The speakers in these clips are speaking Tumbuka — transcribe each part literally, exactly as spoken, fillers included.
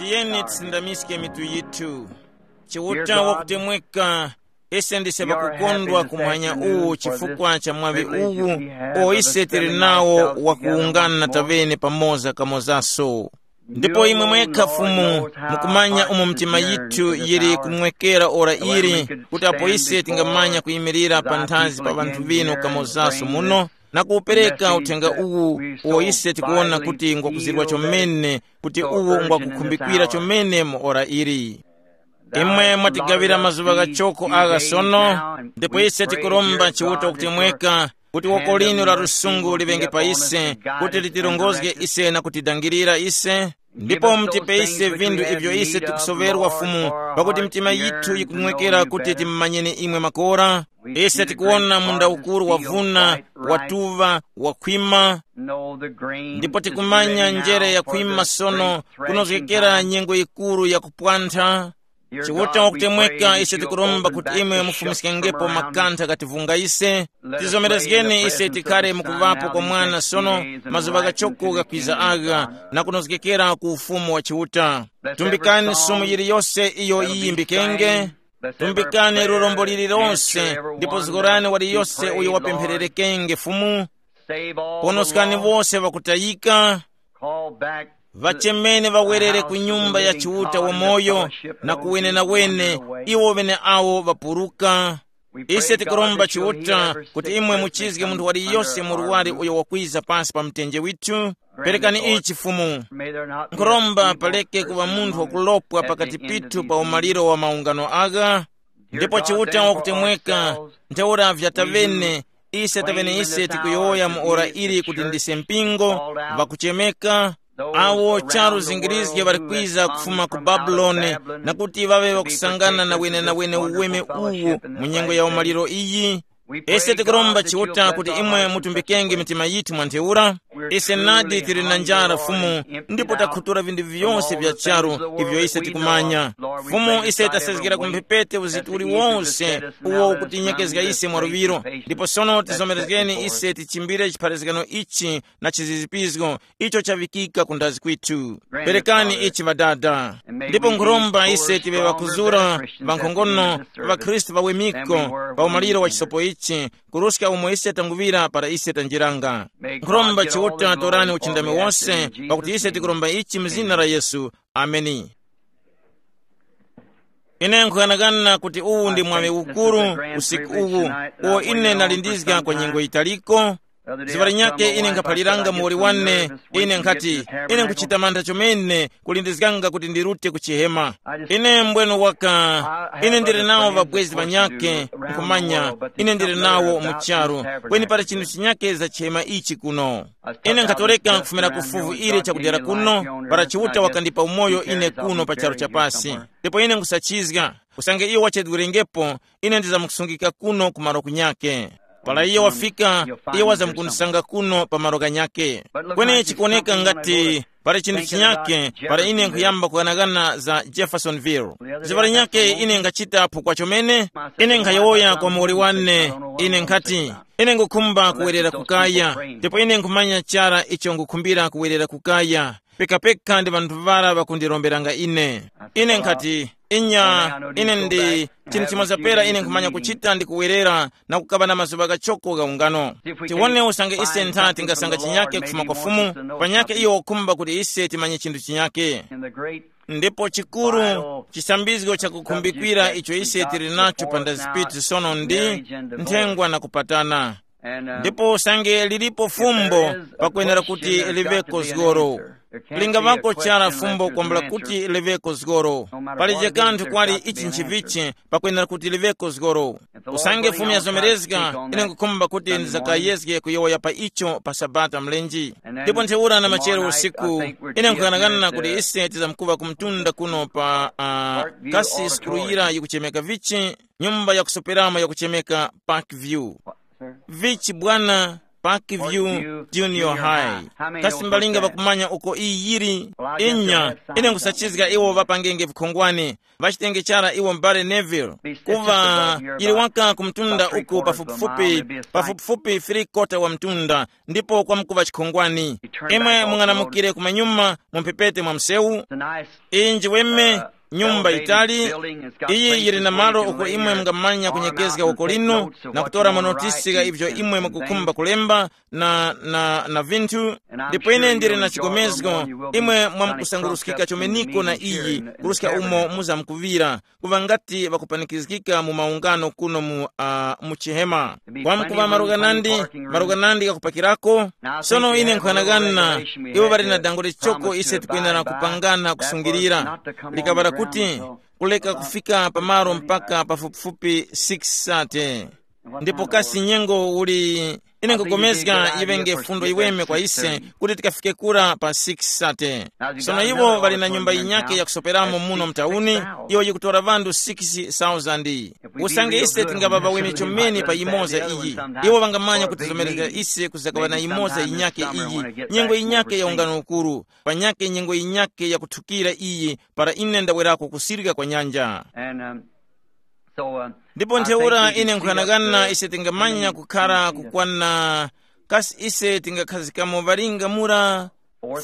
Tiyeni tisindamiske mitu yithu. Chiuta wakutemweka, ise ndise ŵakukondwa kumwanya uwu chifukwa cha mwaŵi uwu uwo ise tili nawo wakuwungana taŵene pamoza kamozaso. Ndipo imwe mwekha Fumu, mukumanya umo mitima yithu yili kumwekera ora ili, kuti apo ise tingamanya kuyimirira panthazi pa ŵanthu ŵinu kamozaso muno, na kuwupereka uthenga uwu uwo ise tikuwona kuti ngwakuzirwa chomene, kuti uwo ngwakukhumbikira chomene mu ora ili. Imwe mwatigawira mazuŵa ghachoko agha sono, ndipo ise tikuromba Chiuta kutemweka, kuti woko linu la lusungu liŵenge pa ise, kuti litirongozge ise na kutidangirira ise, ndipo mutipe ise vinthu ivyo ise tikusoŵerwa Fumu, pakuti mitima yithu yikumwekera kuti timumanyeni imwe makora. Ise tikuwona munda ukuru wavuna, watuŵa, wakhwima, ndipo tikumanya njere yakhwima sono, kunozgekera nyengo yikuru yakupwantha. Chiuta wakutemweka, ise tikuromba kuti imwe mufumiskengepo makantha ghativunga ise. Tizomerezgeni ise tikhale mukuŵapo kwa mwana sono, mazuŵa ghachoko ghakwiza agha, na kunozgekera ku ufumu wa Chiuta. Tumbikani sumu yiliyose iyo yiyimbikenge. Tumbikani lurombo lililonse, ndipo zgorani waliyose uyo wapemphererekenge Fumu. Ponoskani wose ŵakutayika, ŵachemeni ŵawerere ku nyumba ya Chiuta wamoyo, na kuwenenawene iwo ŵeneawo ŵapuruka. Ise tikuromba Chiuta kuti imwe muchizge munthu waliyose muruwari uyo wakwiza pasi pa mtenje withu. Perekani ichi Fumu. Nkhuromba paleke kuŵa munthu wakulopwa pakati pithu pa umaliro wa maungano agha. Ndipo Chiuta wakutemweka, ntheura vyataŵene, ise taŵene ise tikuyowoya mu ora ili kuti ndise mpingo, ŵakuchemeka, awo charu zingirizge ŵali kwiza kufuma ku Babuloni, na kuti ŵaŵe ŵakusangana na wenenawene uweme uwu mu nyengo ya umaliro iyi. Ise tikuromba Chiuta kuti imwe mutumbikenge mitima yithu mwa ntheura. Ise nadi tili na njara Fumu, ndipo takhutura vinthu vyose vya charu ivyo ise tikumanya. Fumu, ise tasezgera ku mphepete uzitu uliwonse uwo ukutinyekezga ise mwa luŵiro, ndipo sono tizomerezgeni ise tichimbire chipharazgano ichi na chizizipizgo icho chavikika ku ndazi kwithu. Perekani ichi Ŵadada. Ndipo nkhuromba ise tiŵe ŵakuzura, ŵankhongono, ŵakhristu ŵawemiko, pa umaliro wa chisopo ichi, kuruska umo ise tanguŵira para ise tanjiranga. Nkhuromba Chiuta torani uchindami wose, pakuti ise tikuromba ichi mu zina la Yesu. Ameni. Ine nkhughanaghana kuti uwu ndi mwaŵi ukuru usiku uwu, uwo ine nalindizga kwa nyengo yitaliko. Ziŵa linyakhe ine nkhaphaliranga muwoli wane, ine nkhati, ine nkhuchita mantha chomene kulindizganga kuti ndirute ku chihema. Ine mbwenu waka, ine ndili nawo ŵabwezi ŵanyakhe, nkhumanya, ine ndili nawo mu charu, kweni pali chinthu chinyakhe za chihema ichi kuno. Ine nkhatoreka kufumira ku fuvu ili chakudera kuno, para Chiuta wakandipa umoyo ine kuno pa charu chapasi. Ndipo ine nkhusachizga, usange iyo wachedwerengepo, ine ndizamkusungika kuno ku malo kunyakhe. Para iyo wafika, iyo wazamkundisanga kuno pa malo ghanyakhe. Kweni chikuwoneka ngati pali chinthu chinyakhe, para ine nkhuyamba kughanaghana za Jeffersonville. Ziŵa linyakhe ine nkhachita phukwa chomene, ine nkhayowoya kwa muwoli wane, ine nkhati, ine ngukhumba kuwerera kukaya, ndipo ine nkhumanya chara icho ngukhumbira kuwerera kukaya. Pekapeka ndi ŵanthu ŵara ŵakundilomberanga ine. Ine nkhati, inya, ine ndi, chinthu chimoza pera ine nkhumanya kuchita ndi kuwerera na kukaŵa na mazuŵa ghachoko gha ungano. Tiwone usange ise ntha tingasanga chinyake kufuma kwa Fumu, panyakhe iyo wakhumba kuti ise timanye chinthu chinyake. Ndipo chikuru, chisambizgo chakukhumbikira icho ise tili nacho pa ndazi pithu sono ndi nthengwa na kupatana. Ndipo usange lilipo fumbo, pakwenera kuti liŵeko zgoro. Lingaŵako chara fumbo kwambula kuti liŵeko zgoro. Palije kanthu kwali ichi nchivichi, pakwenera kuti liŵeko zgoro. Usange Fumu yazomerezga, ine nkukhumba kuti ndizakayezge kuyowoya pa icho pa Sabata mlenji. Ndipo ntheura na machero usiku, ine nkuyang'ana kuti ise tizamkuŵa ku mtunda kuno pa uh, kasi sukulu yira yikuchemeka vichi, nyumba yakusoperamo yakuchemeka Park View. Vichi bwana, Parkview Junior High. Kasi mbalinga ŵakumanya uko iyi yili? Inya, ine nkhusachizga iwo ŵapangenge vikhongwane, ŵachitenge chara iwo m'bale Neville. Kuva yili waka ku mtunda uku pafupifupi, pafupifupi three quarter wa mtunda, ndipo kwamkuŵa chikhongwani. Imwe mung'anamukire kumanyuma mu mphepete mwa msewu. Iyi njiweme, nyumba yitali. Iyi yili na malo uko imwe mungamanya kunyekezga uko lino na kutora manotisi gha ivyo imwe mukukhumba kulemba na, na, na vinthu. Ndipo ine ndili na chigomezgo, imwe mwamkusanguruskika chomeniko na iyi, kuruska umo muzamkuŵira, kuŵa ngati ŵakupanikizgika mu maungano kuno mu, uh, mu chihema. Kwamkuŵa maruka nandi, maruka nandi ghakupakirako. Sono ine nkhughanaghana, iwo ŵali na dango lichoko ise tikwenera kupangana kusungilira. Likaŵala kuti kuleka kufika pamalo mpaka pafupifupi six sate. Ndipo kasi nyengo uli, ine nkupulikana yiŵenge fundo yiweme kwa ise kuti tikafike kura pa six sate. Sono iwo ŵali na nyumba yinyake yakusoperamo muno mtauni, iyo yikutora ŵanthu six thousand. Usange ise tingaŵa ŵaweme chomene pa yimoza iyi, iwo ŵangamanya kutizomerezga ise kuzakaŵa na yimoza yinyake iyi, nyengo yinyake ya ungano ukuru, panyake nyengo yinyake yakuthukira iyi, para ine ndawerako kusirika kwa nyanja. And um, so uh, ndipo I ntheura think we ine can see up nkhanakana the ise tingamanya kukhala kukwana, kasi ise tingakhazikamo ŵalinga mura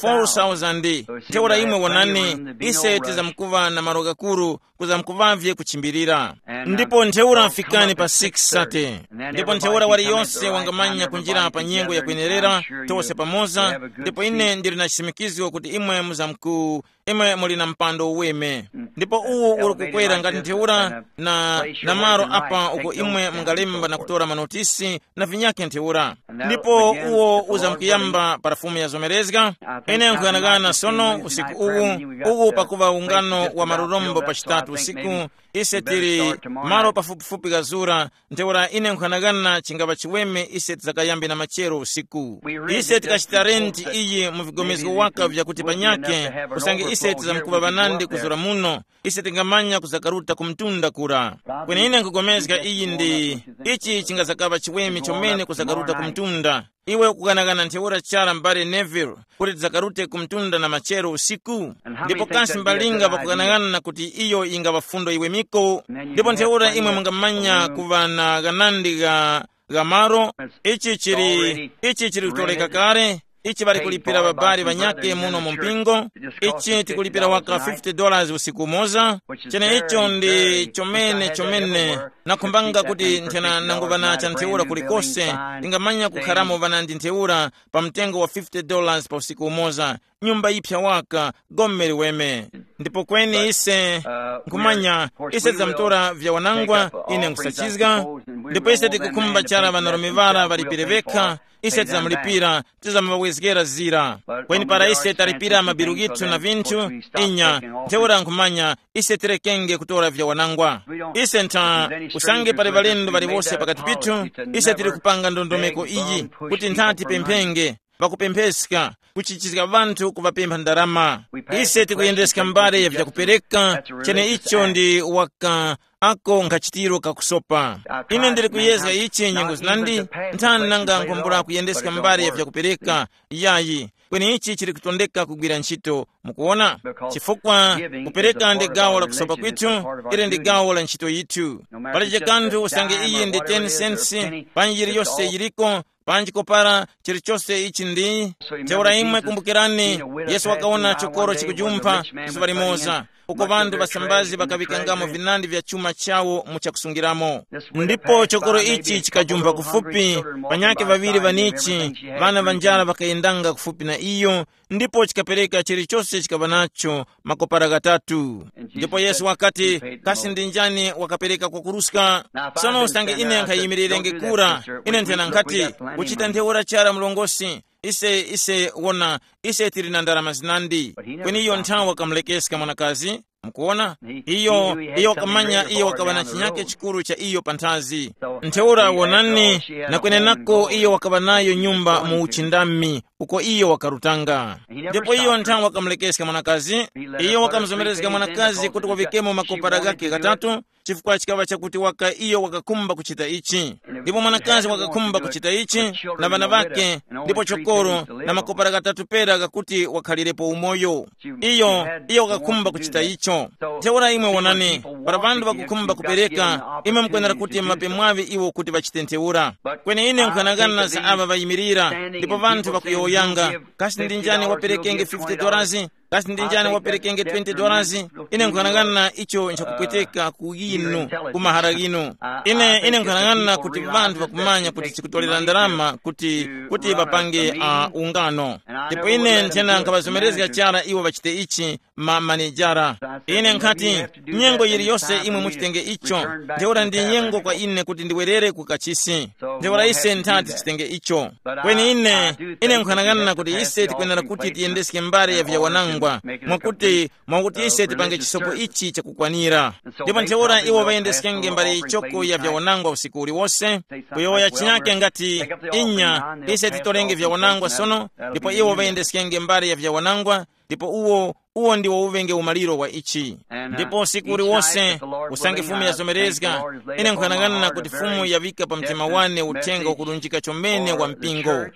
four thousand. Ntheura imwe wonani, ise tizamkuŵa na malo ghakuru, kuzamkuŵavye kuchimbirira. Ndipo ntheura fikani pa six thirty. Ndipo ntheura waliyonse wangamanya kunjira pa nyengo yakwenerera, tose pamoza. Ndipo ine ndili na chisimikizgo kuti imwe muzamku imwe muli na mpando uweme. Ndipo uwu uli kukwera ngati ntheura na, na malo apa uko imwe mungalemba na kutora manotisi na vinyakhe ntheura. Ndipo uwo uzamkuyamba para fumu yazomerezga. Ine nkhuyanakana sono usiku uwu, uwu pakuva ungano wa malurombo pa chitatu usiku, ise tili malo pafupifupi kazura. Ntheura ine nkhanakana chingapa chiweme ise tizakayambe na machero usiku. Ise tikachita renti iyi mu vigomezgo waka vyakuti panyakhe, usange ise tizamkuŵa ŵanandi kuzura muno, ise tingamanya kuzakaruta ku mtunda kura. Kweni ine nkugomezga iyi ndi, ichi chingazakaŵa chiweme chomene kuzakaruta ku mtunda. Iwe ukughanaghana ntheura chara m'bale Neville, kuti tizakarute ku mtunda na machero usiku? Ndipo kasi mbalinga ŵakughanaghana kuti iyo yingaŵa fundo yiwemiko? Ndipo ntheura imwe mungamanya kuŵa na ghanandi gha, gha malo. Ichi chili, ichi chili kutoleka kale. Ichi ŵali kulipira ŵabali ŵanyakhe muno mu mpingo. Ichi tikulipira waka fifty dollars usiku umoza. Cheneicho ndi chomene chomene nakhumbanga kuti nthena nanguŵa na cha ntheura kulikose, tingamanya kukharamo ŵanandi ntheura pa mtengo wa fifty dollars pa usiku umoza, nyumba yiphya waka, gome liweme. Ndipo kweni ise nkhumanya, ise tizamutora vya wanangwa, ine nkhusachizga. Ndipo ise tikukhumba chara ŵanarume ŵara ŵalipire vekha, ise tizamulipira, tizamuŵawezgera zira. Kweni para ise talipira mabilu ghithu na vinthu, inya, ntheura nkhumanya, ise tirekenge kutora vya wanangwa. Ise ntha, usange pali ŵalendo ŵaliwose pakati pithu, ise tili kupanga ndondomeko iyi, kuti ntha tipemphenge, pakupempheska, kuchichizga ŵanthu kuŵapempha ndarama. Ise tikuyendeska mbale ya vyakupereka, cheneicho ndi waka ako nkhachitiro kakusopa. Ine ndili kuyezga ichi nyengo zinandi, nthani nanga nkhwambula kuyendeska mbale ya vyakupereka, yayi, kweni ichi chili kutondeka kugwira ntchito. Mukuwona? Chifukwa kupereka ndi gawo la kusopa kwithu, ili ndi gawo la ntchito yithu. Palibe kanthu usange iyi ndi ten cents, panji yiliyose yiliko, panji kopara chilichose ichi ndi. Ntheura imwe kumbukirani, Yesu wakawona chokoro chikujumpha zuŵa limoza, uko ŵanthu ŵasambazi ŵakaŵikangamo vinandi vya chuma chawo mu chakusungiramo. Ndipo chokoro ichi chikajumpha kufupi, panyakhe ŵaŵiri ŵanichi, ŵana ŵa njara ŵakayendanga kufupi na iyo, ndipo chikapereka chilichose chikaŵa nacho makopara ghatatu. Ndipo Yesu wakati, kasi ndi njani wakapereka kwakuruska? Sono usange ine nkhayimirirenge kura, ine nthena nkhati, kuchita ntheura chara mlongosi, ise, ise, wona, ise tili na ndarama zinandi. Kweni iyo nthawi wakamulekeska mwanakazi. Mukuwona? Iyo, iyo wakamanya iyo wakaŵa na chinyake chikuru cha iyo panthazi. Ntheura wonani, na kwenenako iyo wakaŵa nayo nyumba mu uchindami, uko iyo wakarutanga. Ndipo iyo nthawe wakamulekeska mwanakazi, iyo wakamuzomerezga mwanakazi kuti wavikemo makopara ghakhe ghatatu, chifukwa chikaŵa chakuti waka iyo wakakhumba kuchita ichi. Ndipo mwanakazi wakakhumba kuchita ichi, na ŵana ŵakhe, ndipo chokoro, na makopara ghatatu pera ghakuti wakhalirepo umoyo. Iyo, iyo wakakhumba kuchita icho. Ntheura imwe wonani, para ŵanthu ŵakukhumba kupereka, imwe mukwenera kuti muŵape mwaŵi iwo kuti ŵachite ntheura. Kweni ine nkhanang'ana za aŵa ŵayimirira, ndipo ŵanthu ŵakuyowoyanga, kasi ndi njani waperekenge fifty dollars? Kasi ndi njani waperekenge twenty dollars? Ine nkhanang'ana icho nchakupweteka ku yinu, ku mahara ghinu. Ine ine nkhanang'ana kuti ŵanthu ŵakumanya kuti chikutolera ndalama kuti kuti ŵapange uh, ungano. Ndipo ine nthena nkhaŵazomerezga chara iwo ŵachite ichi, ma manejara. Ine nkhati, nyengo yiliyose imwe muchitenge icho, ntheura ndi nyengo kwa ine kuti ndiwerere ku kachisi. Ntheura ise nthati tichitenge icho. Kweni ine, ine nkhanang'ana kuti ise tikwenera kuti tiyendeske mbali ya vyawanangwa, mwakuti mwakuti ise tipange chisopo ichi chakukwanira. Ndipo ntheura iwo ŵayendeskenge mbali yichoko ya vyawanangwa usiku uliwose, kuyowoya chinyake ngati, inya, ise titolenge vyawanangwa sono, ndipo iwo ŵayendeskenge mbali ya vyawanangwa, ndipo uwo uwo ndiwo uŵenge umaliro wa ichi. Ndipo usiku uliwose, usange Fumu yazomerezga, ine nkhanang'ana kuti Fumu yaŵika pa mtima wane uthenga wakulunjika chomene wa mpingo.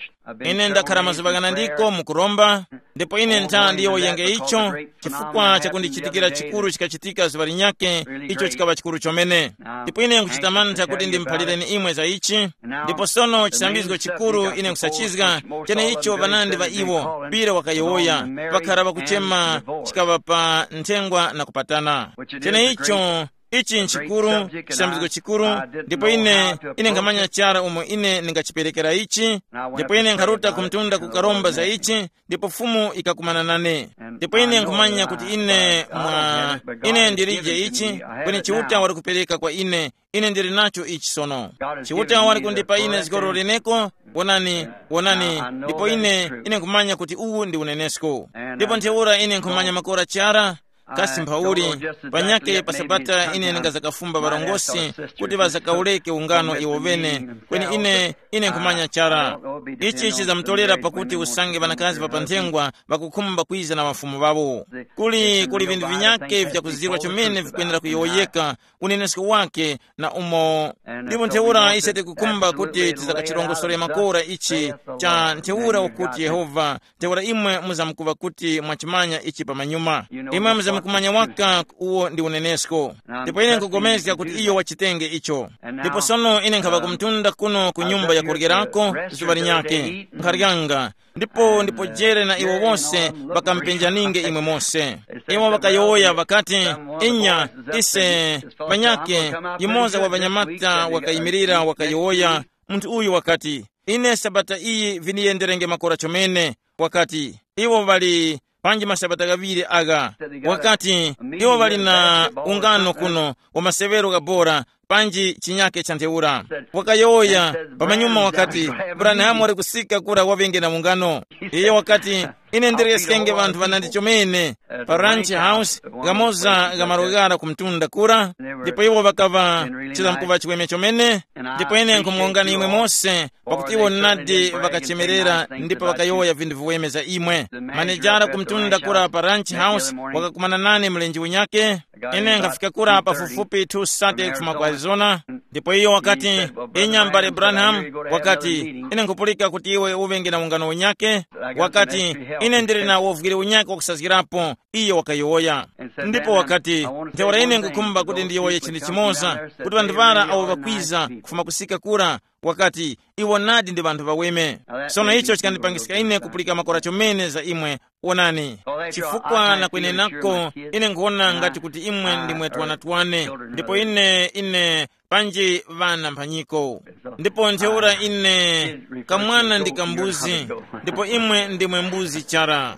Ine ndakhala mazuŵa ghanandiko mukuromba, ndipo ine ntha ndiyowoyenge icho, chifukwa chakundichitikira chikuru chikachitika zuŵa linyakhe, icho chikaŵa chikuru chomene. Ndipo ine nkuchita mantha kuti ndimuphalireni imwe za ichi. Ndipo sono chisambizgo chikuru ine nkusachizga, cheneicho ŵanandi ŵa iwo, Pira wakayowoya, ŵakhara ŵakuchema, chikaŵa pa nthengwa na kupatana. Cheneicho, ichi nchikuru, chisambizgo chikuru, ndipo ine ine nkhamanya chara umo ine ndingachiperekera ichi. Ndipo ine nkharuta ku mtunda kukaromba za ichi, ndipo Fumu ikakumana nane. Ndipo ine nkhumanya kuti ine mwa ine ndilije ichi, kweni Chiuta wali kupereka kwa ine, ine ndili nacho ichi sono. Chiuta wali kundipa ine zgoro leneko. Wonani, wonani, ndipo ine ine nkhumanya kuti uwu ndi unenesko. Ndipo ntheura ine nkhumanya makora chara, kasi mphauli, panyakhe pa Sabata ine ndingazakafumba ŵarongozgi kuti ŵazakaureke ungano iwo ŵene, kweni ine ine nkhumanya chara. Ichi chizamutolera pakuti usange ŵanakazi ŵa pa nthengwa ŵakukhumba kwiza na mafumu ŵawo. Kuli kuli vinthu vinyakhe vyakuzirwa chomene vikwenera kuyowoyeka, unenesko wake na umo. Ndipo ntheura ise tikukhumba kuti tizakachirongosore makora ichi cha ntheura ukuti Yehova, ntheura imwe muzamkuŵa kuti mwachimanya ichi pamanyuma. Imwe muzamkumanya waka uwo ndi unenesko. Ndipo ine nkupulikana kuti iyo wachitenge icho. Ndipo sono ine nkhaŵa kumtunda kuno ku nyumba yakuryekerako zuŵa linyakhe, nkharyanga, ndipo ndipo jere na iwo wose ŵakamupenjaninge imwe mose. Iwo ŵakayowoya ŵakati, inya, ise, panyakhe, yumoza wa ŵanyamata wakayimirira wakayowoya. Munthu uyu wakati, ine sabata iyi vindiyenderenge makora chomene. Wakati, iwo ŵali panji masabata ghaŵiri agha. Wakati, iwo ŵali na ungano kuno wa masewero gha bora, panji chinyakhe cha ntheura. Wakayowoya pamanyuma wakati, Branham wali kusika kura waŵenge na ungano. Iyo wakati, ine ndiryeskenge ŵanthu ŵanandi chomene pa Ranch House, ghamoza gha malo ghara ku mtunda kura. Ndipo iwo ŵakaŵa chizamkuŵa chiweme chomene. Ndipo ine nkhumuwongani imwe mose, pakuti iwo nadi ŵakachemerera ndipo ŵakayowoya vinthu viweme za imwe. Manejara ku mtunda kura pa Ranch House wakakumana nane mlenje unyake. Ine nkhafika kura pafupifupi two sate kufuma ku Arizona. Ndipo iyo wakati, inya m'bale Branham, wakati, ine nkhupulika kuti iwe uŵenge na ungano unyake. Wakati, ine ndili na wovwire unyake wakusazgirapo. Iyo wakayowoya. Ndipo wakati, ntheura ine nkukhumba kuti ndiyowoye chinthu chimoza, kuti ŵanthu ŵara awo ŵakwiza kufuma kusika kura, wakati, iwo nadi ndi ŵanthu ŵaweme. Sono icho chikandipangiska ine kupulika makora chomene za imwe. Wonani, chifukwa na kwenenako ine nkhuwona ngati kuti imwe ndimwe twanatwane, ndipo ine ine panji ŵana mphanyiko. Ndipo ntheura ine kamwana ndi kambuzi, ndipo imwe ndimwe mbuzi chara.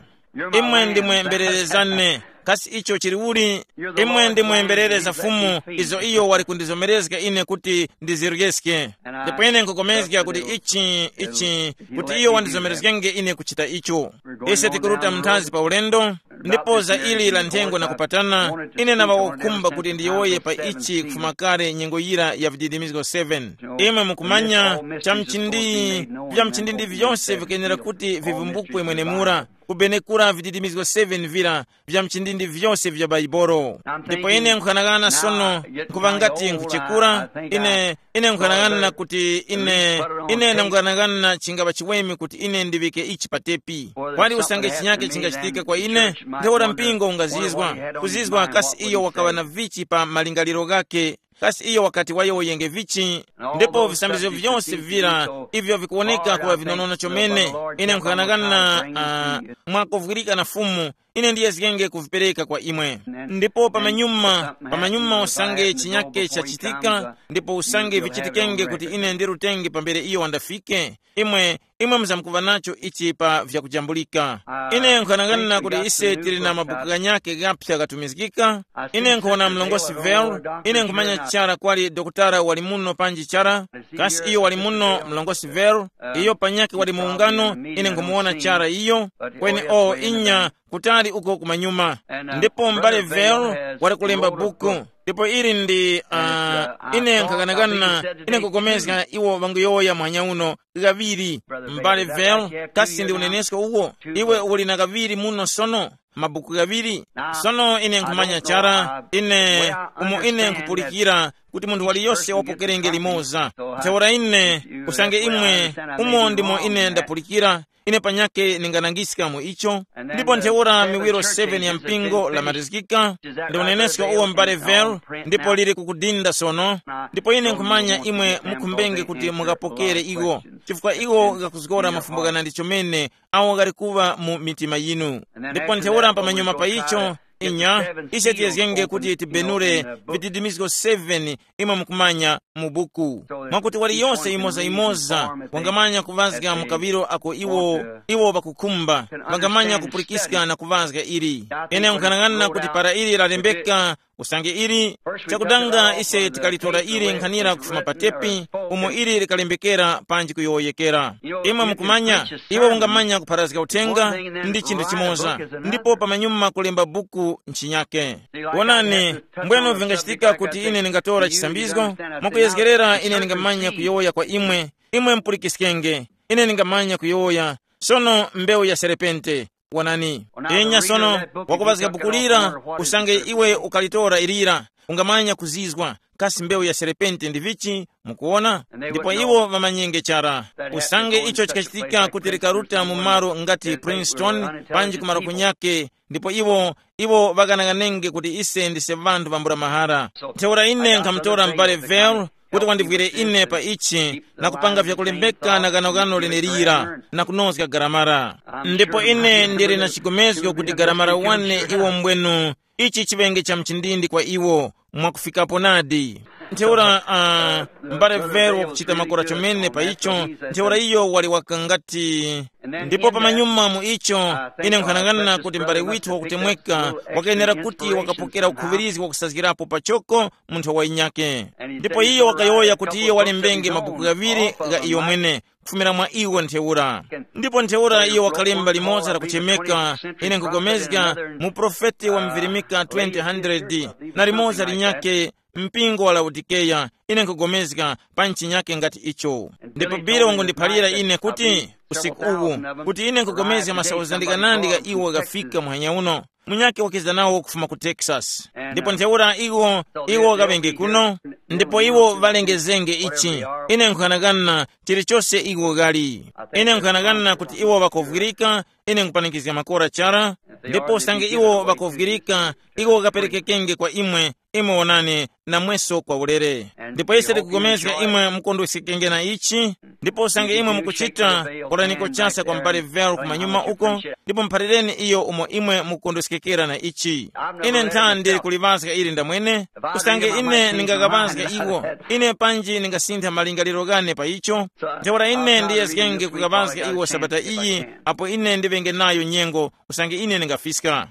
Imwe ndimwe mberere zane. Kasi icho chili uli? Imwe ndimwe mberere za Fumu, izo iyo wali kundizomerezga ine kuti ndiziryeske. Ndipo ine nkukomezga kuti ichi ichi kuti iyo wandizomerezgenge ine kuchita icho. Ise tikuruta mnthazi pa ulendo. Ndipo za ili la nthengo na kupatana, ine naŵa wakukhumba kuti ndiyowoye pa ichi kufuma kale nyengo yira ya vididimizgo seven. Imwe mukumanya, chamchindi, vyamchindi ndi vyonse vikuyenera kuti vivumbukwe mwenemura, kubenekura vididimizgo seven vira, vyamchindi ndi vyonse vya Baibolo. Ndipo ine nkhanakana sono, nkuva ngati nkuchekura, ine, ine nkhanakana kuti ine, ine nkhanakana chingava chiweme kuti ine ndiŵike ichi pa tepi. Kwali usange chinyake chingachitika kwa ine, ntheura mpingo ungazizwa, kuzizwa kasi iyo wakaŵa na vichi pa malingaliro ghake, kasi iyo wakati wayowoyenge vichi. Ndipo visambizgo vyose vira ivyo vikuwoneka kuŵa vinonono chomene, ine nkhanakana, uh, mwakuvwirika na Fumu, ine ndiyezgenge kuvipereka kwa imwe. Ndipo pamanyuma, pamanyuma usange chinyake chachitika, ndipo usange vichitikenge kuti ine ndirutenge pambere iyo wandafike, imwe, imwe muzamkuva nacho ichi pa vyakujambulika. Ine nkhanang'ana kuti ise tili na mabuku ghanyake ghaphya ghatumizgika. Ine nkhona mlongosi Vel, ine nkhumanya chara kwali dokotala wali muno panji chara, kasi iyo wali muno mlongosi Vel, iyo panyake wali mu ungano, ine nkhumuwona chara iyo. Kweni o inya, kutali uko kumanyuma. Ndipo m'bale Vel wali kulemba buku, ndipo ili ndi, uh, ine nkhakanakana, ine nkukomezga iwo ŵanguyowoya muhanya uno, ghaŵiri. M'bale Vel, kasi ndi unenesko uwo? Iwe uli na ghaŵiri muno sono, mabuku ghaŵiri. Sono ine nkhumanya chara, ine, umo ine nkhupulikira kuti munthu waliyose wapokerenge limoza. Ntheura ine, usange imwe, umo ndimo ine ndapulikira, ine panyakhe ninganangiska mu icho. Ndipo ntheura miwiro seven ya mpingo lamalizgika, ndi unenesko uwo m'bale Vel, ndipo lili kukudinda sono. Ndipo ine nkhumanya imwe mukhumbenge kuti mukapokere iwo, chifukwa iwo ghakuzgora mafumbo ghanandi chomene awo ghali kuŵa mu mitima yinu. Ndipo ntheura pamanyuma pa icho, inya, ise tiyezgenge kuti tibenure vididimizgo seven imwe mukumanya mu buku. Mwakuti waliyose yimoza-yimoza wangamanya kuŵazga mu kaŵiro ako iwo, iwo ŵakukhumba, wangamanya kupulikiska na kuŵazga ili. Ine nkhanang'ana kuti para ili lalembeka, usange ili, chakudanga ise tikalitora ili nkhanira kufuma pa tepi, umo ili likalembekera panji kuyowoyekera. Imwe mukumanya, iwe ungamanya kupharazga uthenga ndi chinthu chimoza, ndipo pamanyuma kulemba buku nchinyake. Wonani, mbwenu vingachitika kuti ine ndingatora chisambizgo, mwakuyezgerera ine ndingamanya kuyowoya kwa imwe, imwe mupulikiskenge, ine ndingamanya kuyowoya. Sono mbewu ya serepente, wonani. Enya sono, wakupazga buku lira, usange iwe ukalitora ilira, ungamanya kuzizwa, kasi mbewu ya serepente ndi vichi, mukuwona? Ndipo iwo ŵamanyenge chara. Usange icho chikachitika kuti likaruta mu malo ngati Princeton, panji kumalo kunyake, ndipo iwo, iwo ŵakanang'anenge kuti ise ndise ŵanthu vambula mahara. Ntheura ine nkhamutora m'bale Vel kuti wandivwire ine pa ichi na kupanga vyakulembeka na ganoghano lenelira na kunozga garamara. Ndipo ine ndili na chigomezgo kuti garamara wane iwo mbwenu ichi chiŵenge cha mchindindi kwa iwo mwakufikapo nadi. Ntheura, uh, m'bale Vel wakuchita makora chomene pa icho, ntheura iyo wali wakangati. Ndipo pamanyuma mu icho, ine nkhanang'ana kuti m'bale withu wakutemweka wakayenera kuti wakapokera ukhuŵirizgi wakusazgirapo pachoko mu nthowa yinyake. Ndipo iyo wakayowoya kuti iyo walembenge mabuku ghaŵiri gha iyo mwene, kufumira mwa iwo ntheura. Ndipo ntheura iyo wakalemba limodzi lakuchemeka, ine nkugomezga, mu profeti wa mvirimika twenty hundred, na limodzi linyake, mpingo wa Laodikeya, ine nkugomezga pa nchinyake ngati icho. Ndipo Billy wangundiphalira ine kuti, usiku uwu, kuti ine nkugomezga masauzandika nandi gha iwo ghafika muhanya uno, munyake wakiza nawo kufuma ku Texas. Ndipo ntheura iwo, iwo ghaŵenge kuno, ndipo iwo ŵalengezenge ichi. Ine nkhanakana chilichose iwo ghali. Ine nkhanakana kuti iwo ŵakovwirika, ine nkupanikizga makora chara, ndipo usange iwo ŵakovwirika, iwo ghaperekekenge kwa imwe, imwe wonani, namweso kwa ulere. Ndipo ise tikugomezga imwe mukondwesekenge na ichi, ndipo usange imwe mukuchita, kolaniko chasa kwa m'bale Vel kumanyuma uko, ndipo muphalireni iyo umo imwe mukukondweskekera na ichi. Ine nthandi kuliŵazga ili ndamwene, usange ine ndingaghaŵazga iwo, ine panji ndingasintha malingaliro ghane pa icho, ntheura ine ndiyezgenge kughaŵazga iwo sabata iyi, apo ine ndiŵenge nayo nyengo, usange ine ndingafiska.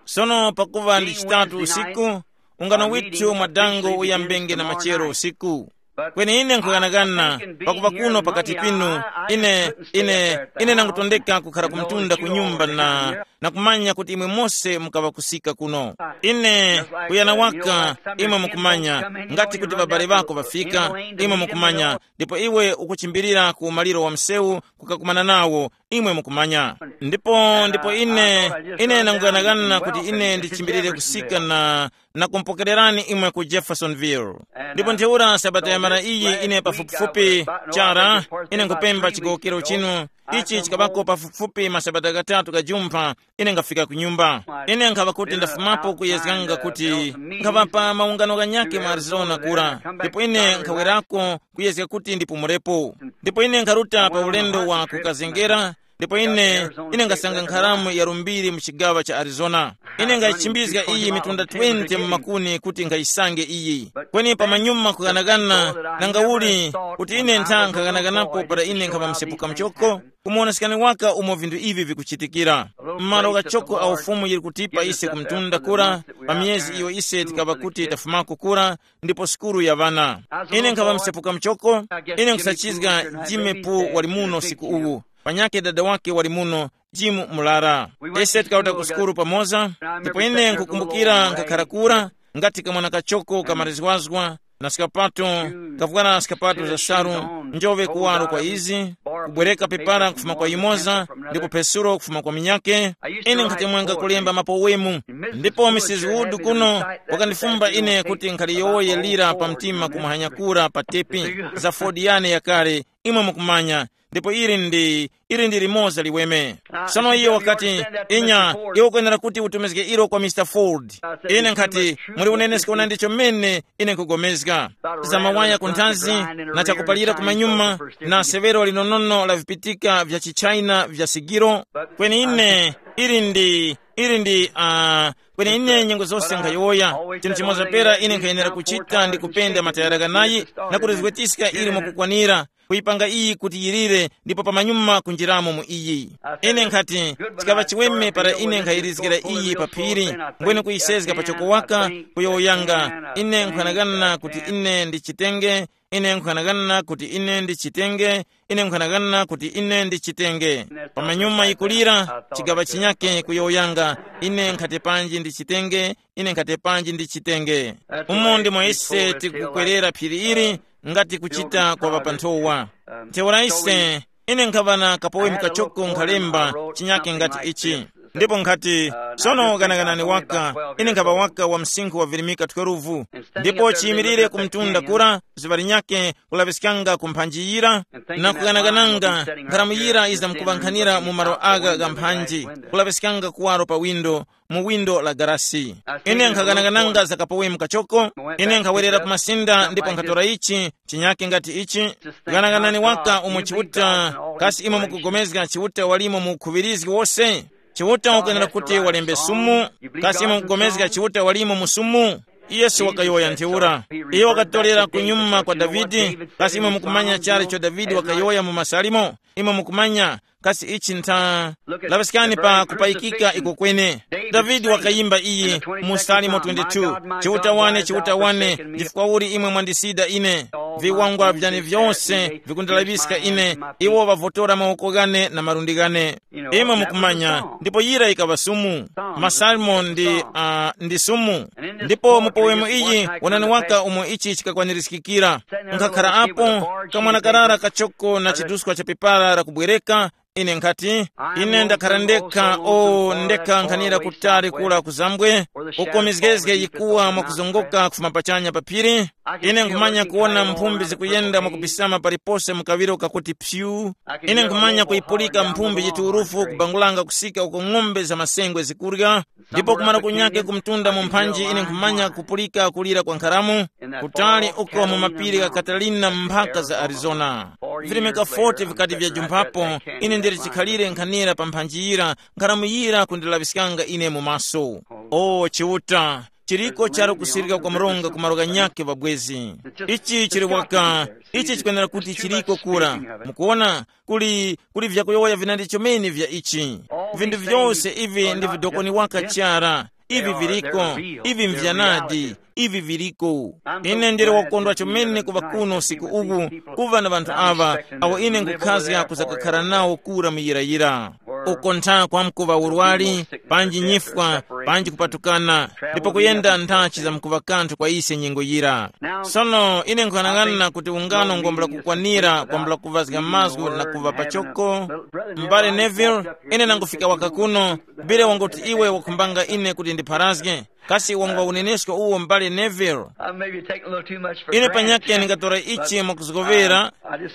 Sono pakuŵa ndi chitatu usiku, ungano withu mwadango uyambenge na machero usiku. Kweni ine nkughanagana, pakuŵa kuno pakati pinu, Ine, ine, ine nangutondeka kukhara kumtunda ku nyumba na, na kumanya kuti imwe mose mukaŵa kusika kuno. Ine, kuyana waka, imwe mukumanya, ngati kuti ŵabale ŵako ŵafika, imwe mukumanya, ndipo iwe ukuchimbilira ku maliro wa msewu kukakumana nawo, imwe mukumanya. Ndipo, ndipo ine, ine nanguganagana kuti ine ndichimbilire kusika na, na kumpokererani imwe ku Jeffersonville. Ndipo ntheura sabata yamara iyi ine pafupifupi chara, ine nkupemba chigowokero chinu, ichi chikabako pafupifupi masabata gatatu gajumpha, ine ngafika ku nyumba. Ine nkhaŵa kuti ndafumapo kuyezganga kuti nkhaŵa pa maungano ghanyakhe mu Arizona kura, ndipo ine nkhawerako kuyezga kuti ndipumulepo. Ndipo ine nkharuta pa ulendo wa kukazengera, ndipo ine, ine ngasanga nkharamu ya lumbiri mu chigawa cha Arizona. Ine ngayichimbizga iyi mitunda twenty mu makuni kuti ngayisange iyi. Kweni pamanyuma kughanagana, nanga uli kuti ine ntha nkhaganaganapo para ine nkhaŵa msepuka mchoko? Kumuwonesekani waka umo vinthu ivi vikuchitikira. M'malo ghachoko a ufumu yili kutipa ise kumtunda kura, pa miyezi iyo ise tikaŵa kuti tafumako kura, ndipo sukulu ya ŵana. Ine nkhaŵa msepuka mchoko, ine nkhusachizga Jimmy Poo wali muno siku uwu, panyakhe dada wake wali muno, Jim Mulara. Ise tikawuta ku sukulu pamoza, ndipo ine nkukumbukira nkhakhara kura, ngati kamwana kachoko kamarizwazgwa, na skapato, kavwara skapato za salu, njove kuwaro kwa izi, kubwereka pepara kufuma kwa yumoza, ndipo Pesulo kufuma kwa minyake. Ine nkhatemwanga kulemba mapowemu, ndipo Mrs Wood kuno wakandifumba ine kuti nkhaliyowoye lira pa mtima kumuhanyakura pa tepi za Ford yane yakale, imwe mukumanya, ndipo ili ndi, ili ndi limoza liweme. Sono iyo wakati, inya, iwe ukwenera kuti utumizge ilo kwa Mr Ford. Ine nkhati, muli unenesko na ndicho mmene ine nkugomezga. Za mawaya ku nthazi, na chakupalira ku manyuma, na severo linonono la vipitika vya chichina vya sigiro. Kweni ine, ili ndi, ili ndi, uh, kweni ine nyengo zose nkhayowoya, chinthu chimoza pera ine nkhayenera kuchita ndi kupenda matayara ghanayi, na kulizgwetiska ili mwakukwanira, kuyipanga iyi kuti yilire, ndipo pamanyuma kunjiramo mu iyi. Ine nkhati, chikaŵa chiweme para ine nkhayirizgira iyi pa phiri, mbwene kuyisezga pachoko waka, kuyowoyanga, ine nkhanagana kuti ine ndichitenge, ine nkhanagana kuti ine ndichitenge, ine nkhanagana kuti ine ndichitenge. Pamanyuma yikulira, chigaŵa chinyake kuyowoyanga, ine nkhati panji ndichitenge, ine nkhati panji ndichitenge. Umo ndimo ise tikukwerera phiri ili, ngati kuchita kwa ŵapanthowa. Ntheura ise, ine nkhaŵa na kapowe mukachoko nkhalemba chinyake ngati ichi. Ndipo nkhati, sono ganaganani waka, ine nkhaŵa waka wa msinkhu wa virimika twelve. Ndipo chiyimirire ku mtunda kura, zuŵa linyake kulaŵiskanga ku mphanji yira, na kuganagananga, nkharamu yira yizamkuŵankhanira mu malo agha gha mphanji, kulaŵiskanga kuwaro pa windo, mu windo la garasi. Ine nkhaganagananga za kapowe mukachoko, ine nkhawerera ku masinda ndipo nkhatora ichi, chinyake ngati ichi. Ganaganani waka umo Chiuta, kasi imwe mukugomezga Chiuta walimo mu ukhuŵirizgi wose? Chiuta ukwenera kuti walembe sumu, kasi imwe mukugomezga Chiuta walimo mu sumu? Yesu wakayowoya ntheura. Iyo wakatorera kunyuma kwa Davide, kasi imwe mukumanya chara icho Davide wakayowoya mu Masalimo? Imwe mukumanya, kasi ichi ntha? Laŵiskani pa kupayikika iko kwene. Davide wakayimba iyi mu Salimo twenty-two, Chiuta wane, Chiuta wane, chifukwa uli imwe mwandisida ine? Viwangwa vyane vyose vikundilaŵiska ine, iwo ŵavotora mawoko ghane na malundi ghane. Imwe mukumanya, ndipo yira yikaŵa sumu. Masalmo ndi, uh, ndi sumu. Ndipo mu powemu iyi, wonani waka umo ichi chikakwanirizikikira. Nkhakhara apo, kamwana karara kachoko na chiduskwa cha pepara lakubwereka, ine nkhati, ine ndakhara ndekha, o, ndekha nkhanira kutali kula kuzambwe, uko mizgezge yikuwa mwakuzongoka kufuma pachanya pa phiri. Ine nkhumanya kuwona mphumbi zikuyenda mwakubisama palipose mu kaŵiro kakuti pyu. Ine nkhumanya kuyipulika mphumbi yiturufu kubangulanga kusika uko ng'ombe za masengwe zikurya. Ndipo kumara kunyake kumtunda mu mphanji ine nkhumanya kupulika kulira kwa nkharamu, kutali uko mu mapiri gha Catalina mphaka za Arizona. Virimika forty vikati vyajumphapo, ine ndili chikhalire nkhanira pa mphanji yira, nkharamu yira kundilaŵiskanga ine mu maso. O Chiuta, chiriko charu kusirika kwa mronga ku malo ghanyakhe ŵabwezi. Ichi chili waka, ichi chikwenera kuti chiriko kura. Mukuwona, kuli, kuli vyakuyowoya vinandi chomene vya ichi. Vinthu vyose ivi ndi vidokoni waka chara. Ivi viriko, ivi mvyanadi. ivi viliko. Ine ndili wakondwa chomene kuŵa kuno usiku uwu, kuŵa na ŵanthu awa, awo ine nkhukhazga kuzakakhala nawo kura muyirayira. Uko ntha kwamkuŵa urwari, panji nyifwa, panji kupatukana, ndipo kuyenda nthachi zamkuŵa kanthu kwa ise nyengo yira. Sono ine nkhanang'ana kuti ungano ngombula kukwanira kwambula kuvazga mazgu na kuva pachoko. M'bale Neville, ine nangufika waka kuno, bile wangoti iwe wakhumbanga ine kuti ndipharazge. Kasi wangwa unenesko uwo, M'bale Neville? I may be taking a little too much for Ine granted. Panyake ndingatora ichi mwakuzgovera.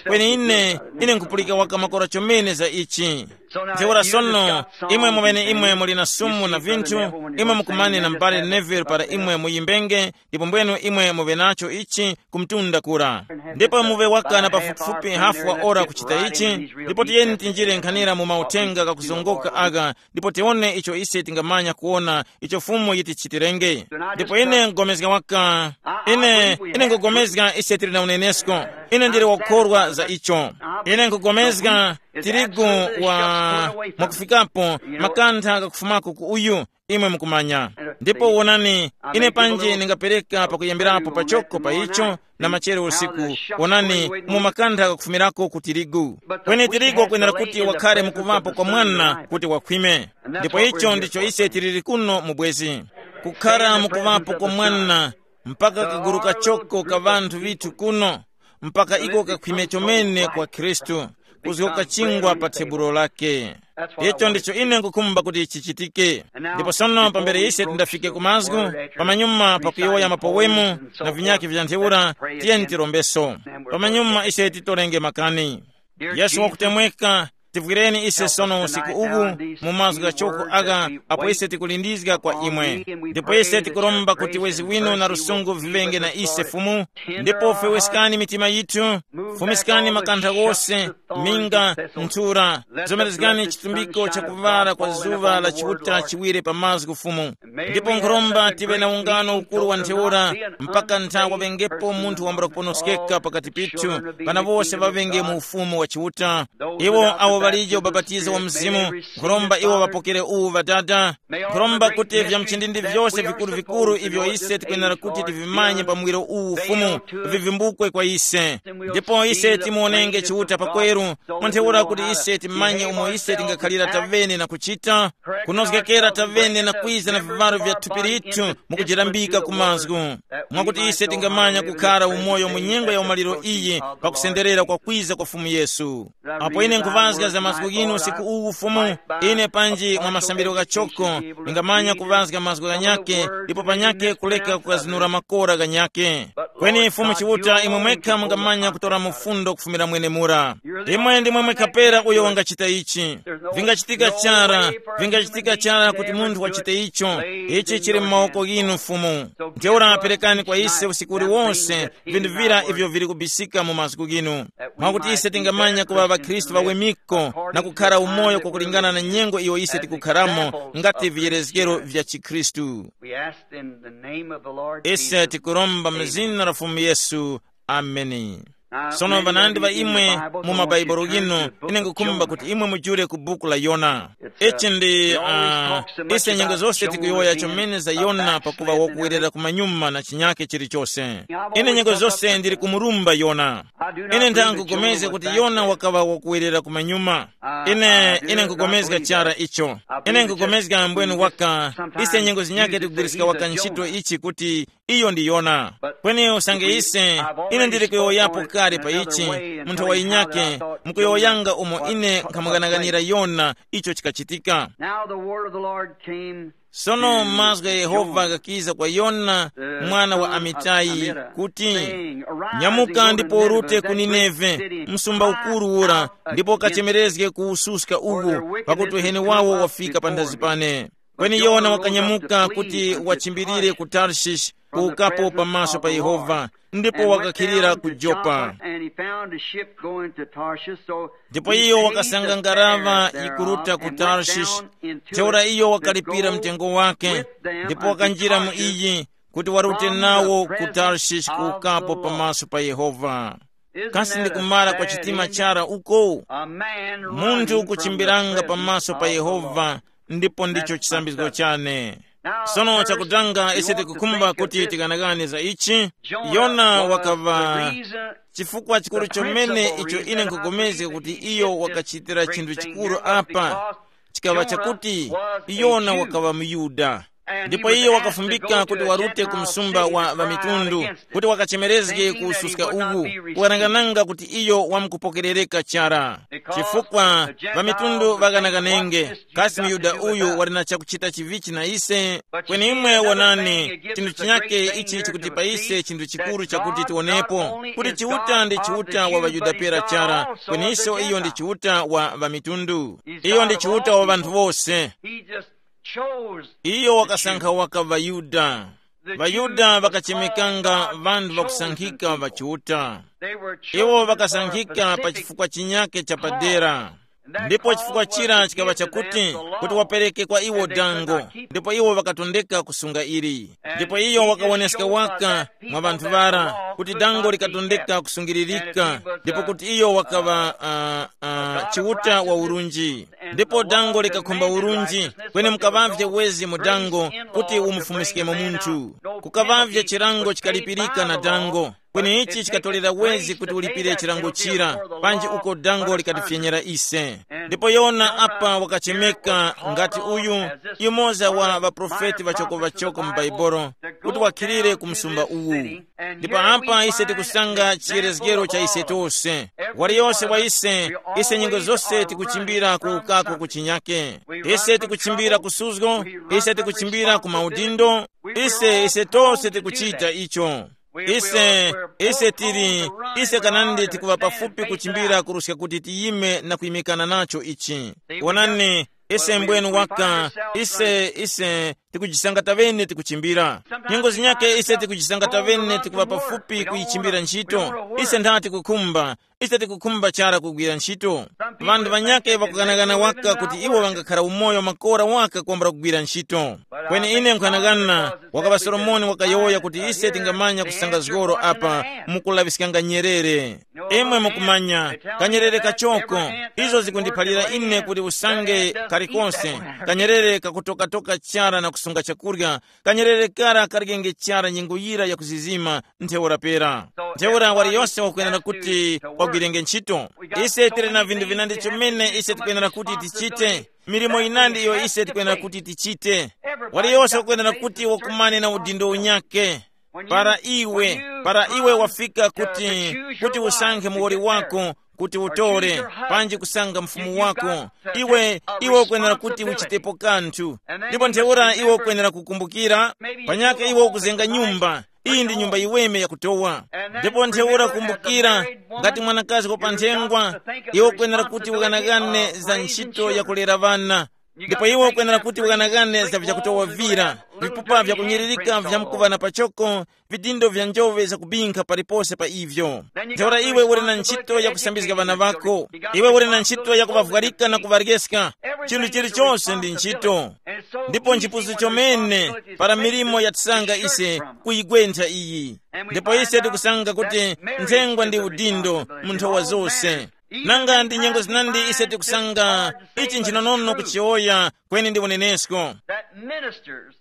Kweni ine, ine nkupulika waka makora chomene za ichi. Ntheura sono, imwe mumene imwe muli na sumu na vinthu, imwe mukumane na M'bale Neville para imwe muyimbenge, ndipo mbwenu imwe muve nacho ichi kumtunda kura. Ndipo muve waka na pafupifupi hafu wa ora kuchita ichi. Ndipo tiyeni tinjire nkhanira mu mauthenga kakuzongoka aka, ndipo tione icho ise tingamanya kuona icho Fumu yitichitirenge. Ndipo ine nkugomezga waka, ine ine nkugomezga ise tili na unenesko. Ine ndili wakukhorwa za icho. Ine nkugomezga tirigu wa mwakufikapo, makantha kakufumako ku uyu, imwe mukumanya. Ndipo wonani, ine panji ndingapereka pakuyambirapo pachoko pa icho, na machere usiku, wonani, mu makantha kakufumirako ku tirigu. Kweni tirigu wakwenera kuti wakhare mukuvapo kwa mwana kuti wakhwime. Ndipo icho ndicho ise tiliri kuno mu bwezi, kukhara mukuvapo kwa mwana, mpaka kaguru kachoko ka ŵanthu vithu kuno, mpaka iko kakhwime chomene kwa Khristu, kuzgoka chingwa pa thebulo lake. Icho ndicho ine nkukhumba kuti chichitike. Ndipo sono pambere ise tindafike ku mazgu, pamanyuma pakuyowoya mapowemu na vinyakhe vya ntheura, tiyeni tirombeso. Pamanyuma ise titorenge makani. Yesu wakutemweka, tivwireni ise sono usiku uwu mu mazgu ghachoko agha, apo ise tikulindizga kwa imwe. Ndipo ise tikuromba kuti wezi winu na lusungu viŵenge na ise Fumu. Ndipo fewesekani mitima yithu, fumiskani makantha ghose, minga, nthura, zomerezgani chitumbiko cha kuŵala kwa zuŵa la Chiuta chiwire pa mazgu Fumu. Ndipo nkhuromba tive na ungano ukuru wa ntheura, mpaka nthawe wengepo munthu wambula kuponoskeka pakati pithu, pana wose ŵaŵenge mu ufumu wa Chiuta. Iwo awo ŵalije ubapatizo wa Mzimu, nkhuromba iwo ŵapokere uwu Ŵadada. Nkhuromba kuti vya mchindindi vyose vikuru-vikuru ivyo ise tikwenera kuti tivimanye pa muwiro uwu Fumu, vivimbukwe kwa ise. Ndipo ise timuonenge Chiuta pakweru, mwa ntheura kuti ise timanye umo ise tingakhalira tavene na kuchita, kunozgekera tavene na kwiza na vivaro vya thupi lithu, mukujirambika ku mazgu, mwakuti ise tingamanya kukhara umoyo mu nyengo ya umaliro iyi, pakusenderera kwa kwiza kwa Fumu Yesu. Apo ine nkuvazga za mazgu ghinu usiku uwu Fumu, ine panji mwa masambiro ghachoko, ningamanya kuvazga mazgu ghanyake, ndipo panyake kuleka kukazinura makora ghanyake. Kweni Fumu Chiuta, imwe mwekha mungamanya kutora mufundo kufumira mwenemura. Imwe ndimwe mwekha pera uyo wangachita ichi. Vingachitika chara, vingachitika chara kuti munthu wachite icho. Ichi chili mu mawoko ghinu Fumu. Ntheura perekani kwa ise usiku uliwonse vinthu vira ivyo vili kubisika mu mazgu ghinu, mwakuti ise tingamanya kuŵa ŵakhristu ŵawemiko na kukhara umoyo kwakulingana na nyengo iyo ise tikukharamo, ngati viyerezgero vya chikhristu. We ask in the name of the Lord Ise Jesus. Tikuromba mu zina la Fumu Yesu. Ameni. Sono vanandi va imwe mu mabaibulo ghinu, ine ngukhumba kuti imwe mujule ku buku la Yona. Ichi ndi uh, ise nyengo zose tikuyowoya chomene za Yona pakuva wakuwerera kumanyuma na chinyake chilichose. Ine nyengo zose ndili kumurumba Yona. Ine ndangugomezga kuti Yona wakaŵa wakuwerera kumanyuma. Ine ine nkugomezga chara icho. Ine nkugomezga mbwenu waka, ise nyengo zinyake tikugwiriska waka ntchito ichi kuti iyo ndi Yona. Kweni usange ise, ine ndili kuyowoyapo kale pa ichi, munthu wa inyake, mukuyowoyanga umo ine nkhamughanaghanira Yona icho chikachitika. Now the word of the Lord came. Sono mazgu gha Yehova ghakiza kwa Yona, mwana wa Amitayi, kuti, "Nyamuka ndipo urute ku Nineve, msumba ukuru ura, ndipo ukachemerezge ku ususka uwu, pakuti uheni wawo wafika panthazi pane." Kweni Yona wakanyamuka kuti wachimbilire ku Tarshish, kuwukapo pamaso pa Yehova, ndipo wakakhilira ku Jopa. Ndipo iyo wakasanga ngaraŵa yikuruta ku Tarshish. Ntheura iyo wakalipira mtengo wake, ndipo wakanjira mu iyi, kuti warute nawo ku Tarshish kuwukapo pamaso pa Yehova. Kasi ndi kumara kwa chitima chara uko? Munthu kuchimbiranga pamaso pa Yehova, ndipo ndicho chisambizgo chane. Sono chakutanga ise tikukhumba kuti tikanakane za ichi. Yona wakaŵa chifukwa chikuru chomene icho ine nkupulikana kuti iyo wakachitira chinthu chikuru apa, chikaŵa chakuti Yona wakaŵa muYuda. Ndipo iyo wakafumbika kuti warute ku msumba wa ŵamitundu, kuti wakachemerezge ku ususka uwu, kukanangananga kuti iyo wamkupokerereka chara. Chifukwa ŵamitundu ŵakanakanenge, kasi muYuda uyu wali na chakuchita chivichi na ise? Kweni imwe wonani, chinthu chinyake ichi chikuti pa ise chinthu chikuru chakuti tiwonepo, kuti Chiuta ndi Chiuta wa ŵaYuda pera chara, kweniso iyo ndi Chiuta wa ŵamitundu. Iyo ndi Chiuta wa ŵanthu wose. He just chose the Iyo wakasankha waka ŵaYuda. Ŵayuda ŵakachemekanga ŵanthu ŵakusankhika ŵachiuta. They were chosen Iwo for a ŵakasankhika pa specific chifukwa chinyake chapadera. Ndipo chifukwa chira chikaŵa chakuti kuti wapereke kwa iwo dango, ndipo iwo ŵakatondeka kusunga ili. Ndipo iyo wakawoneska waka mwa ŵanthu ŵara kuti dango likatondeka kusungiririka, ndipo kuti iyo wakaŵa uh, uh, chiuta wa urunji. Ndipo dango likakhumba urunji, kweni mukaŵavye wezi mu dango kuti umufumiskemo munthu. Kukaŵavye chilango chikalipirika na dango, kweni ichi chikatolera wezi kuti ulipire chilango chira, panji uko dango likatifyenyera ise. Ndipo yona apa wakachemeka ngati uyu, yumoza wa ŵaprofeti ŵachoko-ŵachoko mu Baibolo, kuti wakhilire ku msumba uwu. Ndipo apa ise tikusanga chiyerezgero cha ise tose. Waliyose wa ise, ise nyengo zose tikuchimbira ku ukako ku chinyake. Ise tikuchimbira ku suzgo, ise tikuchimbira ku maudindo, ise ise tose tikuchita icho. Ise ise tili, ise kanandi tikuŵa pafupi kuchimbira kuruska kuti tiyime na kuyimikana nacho ichi. Wonani, ise mbwenu waka, ise ise tikujisangata ŵene tikuchimbira. Nyengo zinyake ise tikujisangata ŵene tikuŵa pafupi kuyichimbira ntchito. Ise nthati kukhumba, ise tikukhumba chara kugwira ntchito. Ŵanthu ŵanyake ŵakughanaghana waka kuti iwo ŵangakhara umoyo makora waka kwambula kugwira ntchito. Kweni ine nkhanagana, wakaŵa Solomoni wakayowoya kuti ise tingamanya kusanga zgoro apa mukulaŵiskanga nyerere. Imwe mukumanya, kanyerere kachoko, izo zikundiphalira ine kuti usange kalikonse, kanyerere kakutokatoka chara na kusunga chakurya, kanyerere kara kalikenge chara nyengo yira yakuzizima. Ntheura pera, ntheura wali yose wakwenera kuti wagwirenge ntchito. Ise tili na vinthu vinandi chomene ise tikwenera kuti tichite, milimo yinandi iyo ise tikwenera kuti tichite. Wali yose wakwenera kuti wakumane na udindo unyake. Para iwe, para iwe wafika kuti, kuti usankhe muwoli wako, kuti utore, panji kusanga mfumu wako, iwe iwe ukwenera kuti uchitepo kanthu. Ndipo ntheura iwe ukwenera kukumbukira, panyake iwe ukuzenga nyumba. Iyi ndi nyumba yiweme yakutowa. Ndipo ntheura kumbukira, ngati mwanakazi wa panthengwa, iwe ukwenera kuti ukanakane za ntchito yakulera ŵana. Ndipo iwe ukwenera kuti ukanakane za vyakutowa vira, vipupa vyakunyiririka vyamkuŵana pachoko, vidindo vya njove zakubinkha palipose pa ivyo. Ntheura iwe uli na ntchito yakusambizga ŵana ŵako. Iwe uli na ntchito yakuŵavwarika na kuŵaryeska. Chinthu chilichonse ndi ntchito. Ndipo nchipusu chomene para milimo yatisanga ise kuyigwentha iyi. Ndipo ise tikusanga kuti nthengwa ndi udindo mu nthowa zose. Nanga ndi nyengo zinandi ise tikusanga ichi nchinonono kuchiyowoya, kweni ndi unenesko. That ministers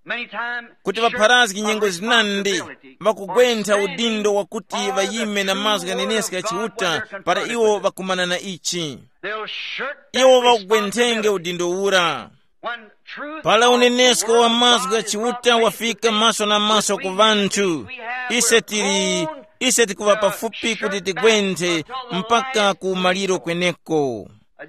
many times kuti shirk ŵapharazgi a nyengo zinandi responsibility ŵakugwentha or standing udindo wakuti for the ŵayime na true mazgu word ghaneneska of God, chiuta whether it para confronted iwo with it. Ŵakumana na ichi. They'll shirk that iwo ŵakugwenthenge responsibility. Udindo ura. When truth pala unenesko wa mazgu gha chiuta wafika maso na maso ku vanthu, ise tili, ise tikuŵa pafupi kuti tigwenthe mpaka ku maliro kweneko.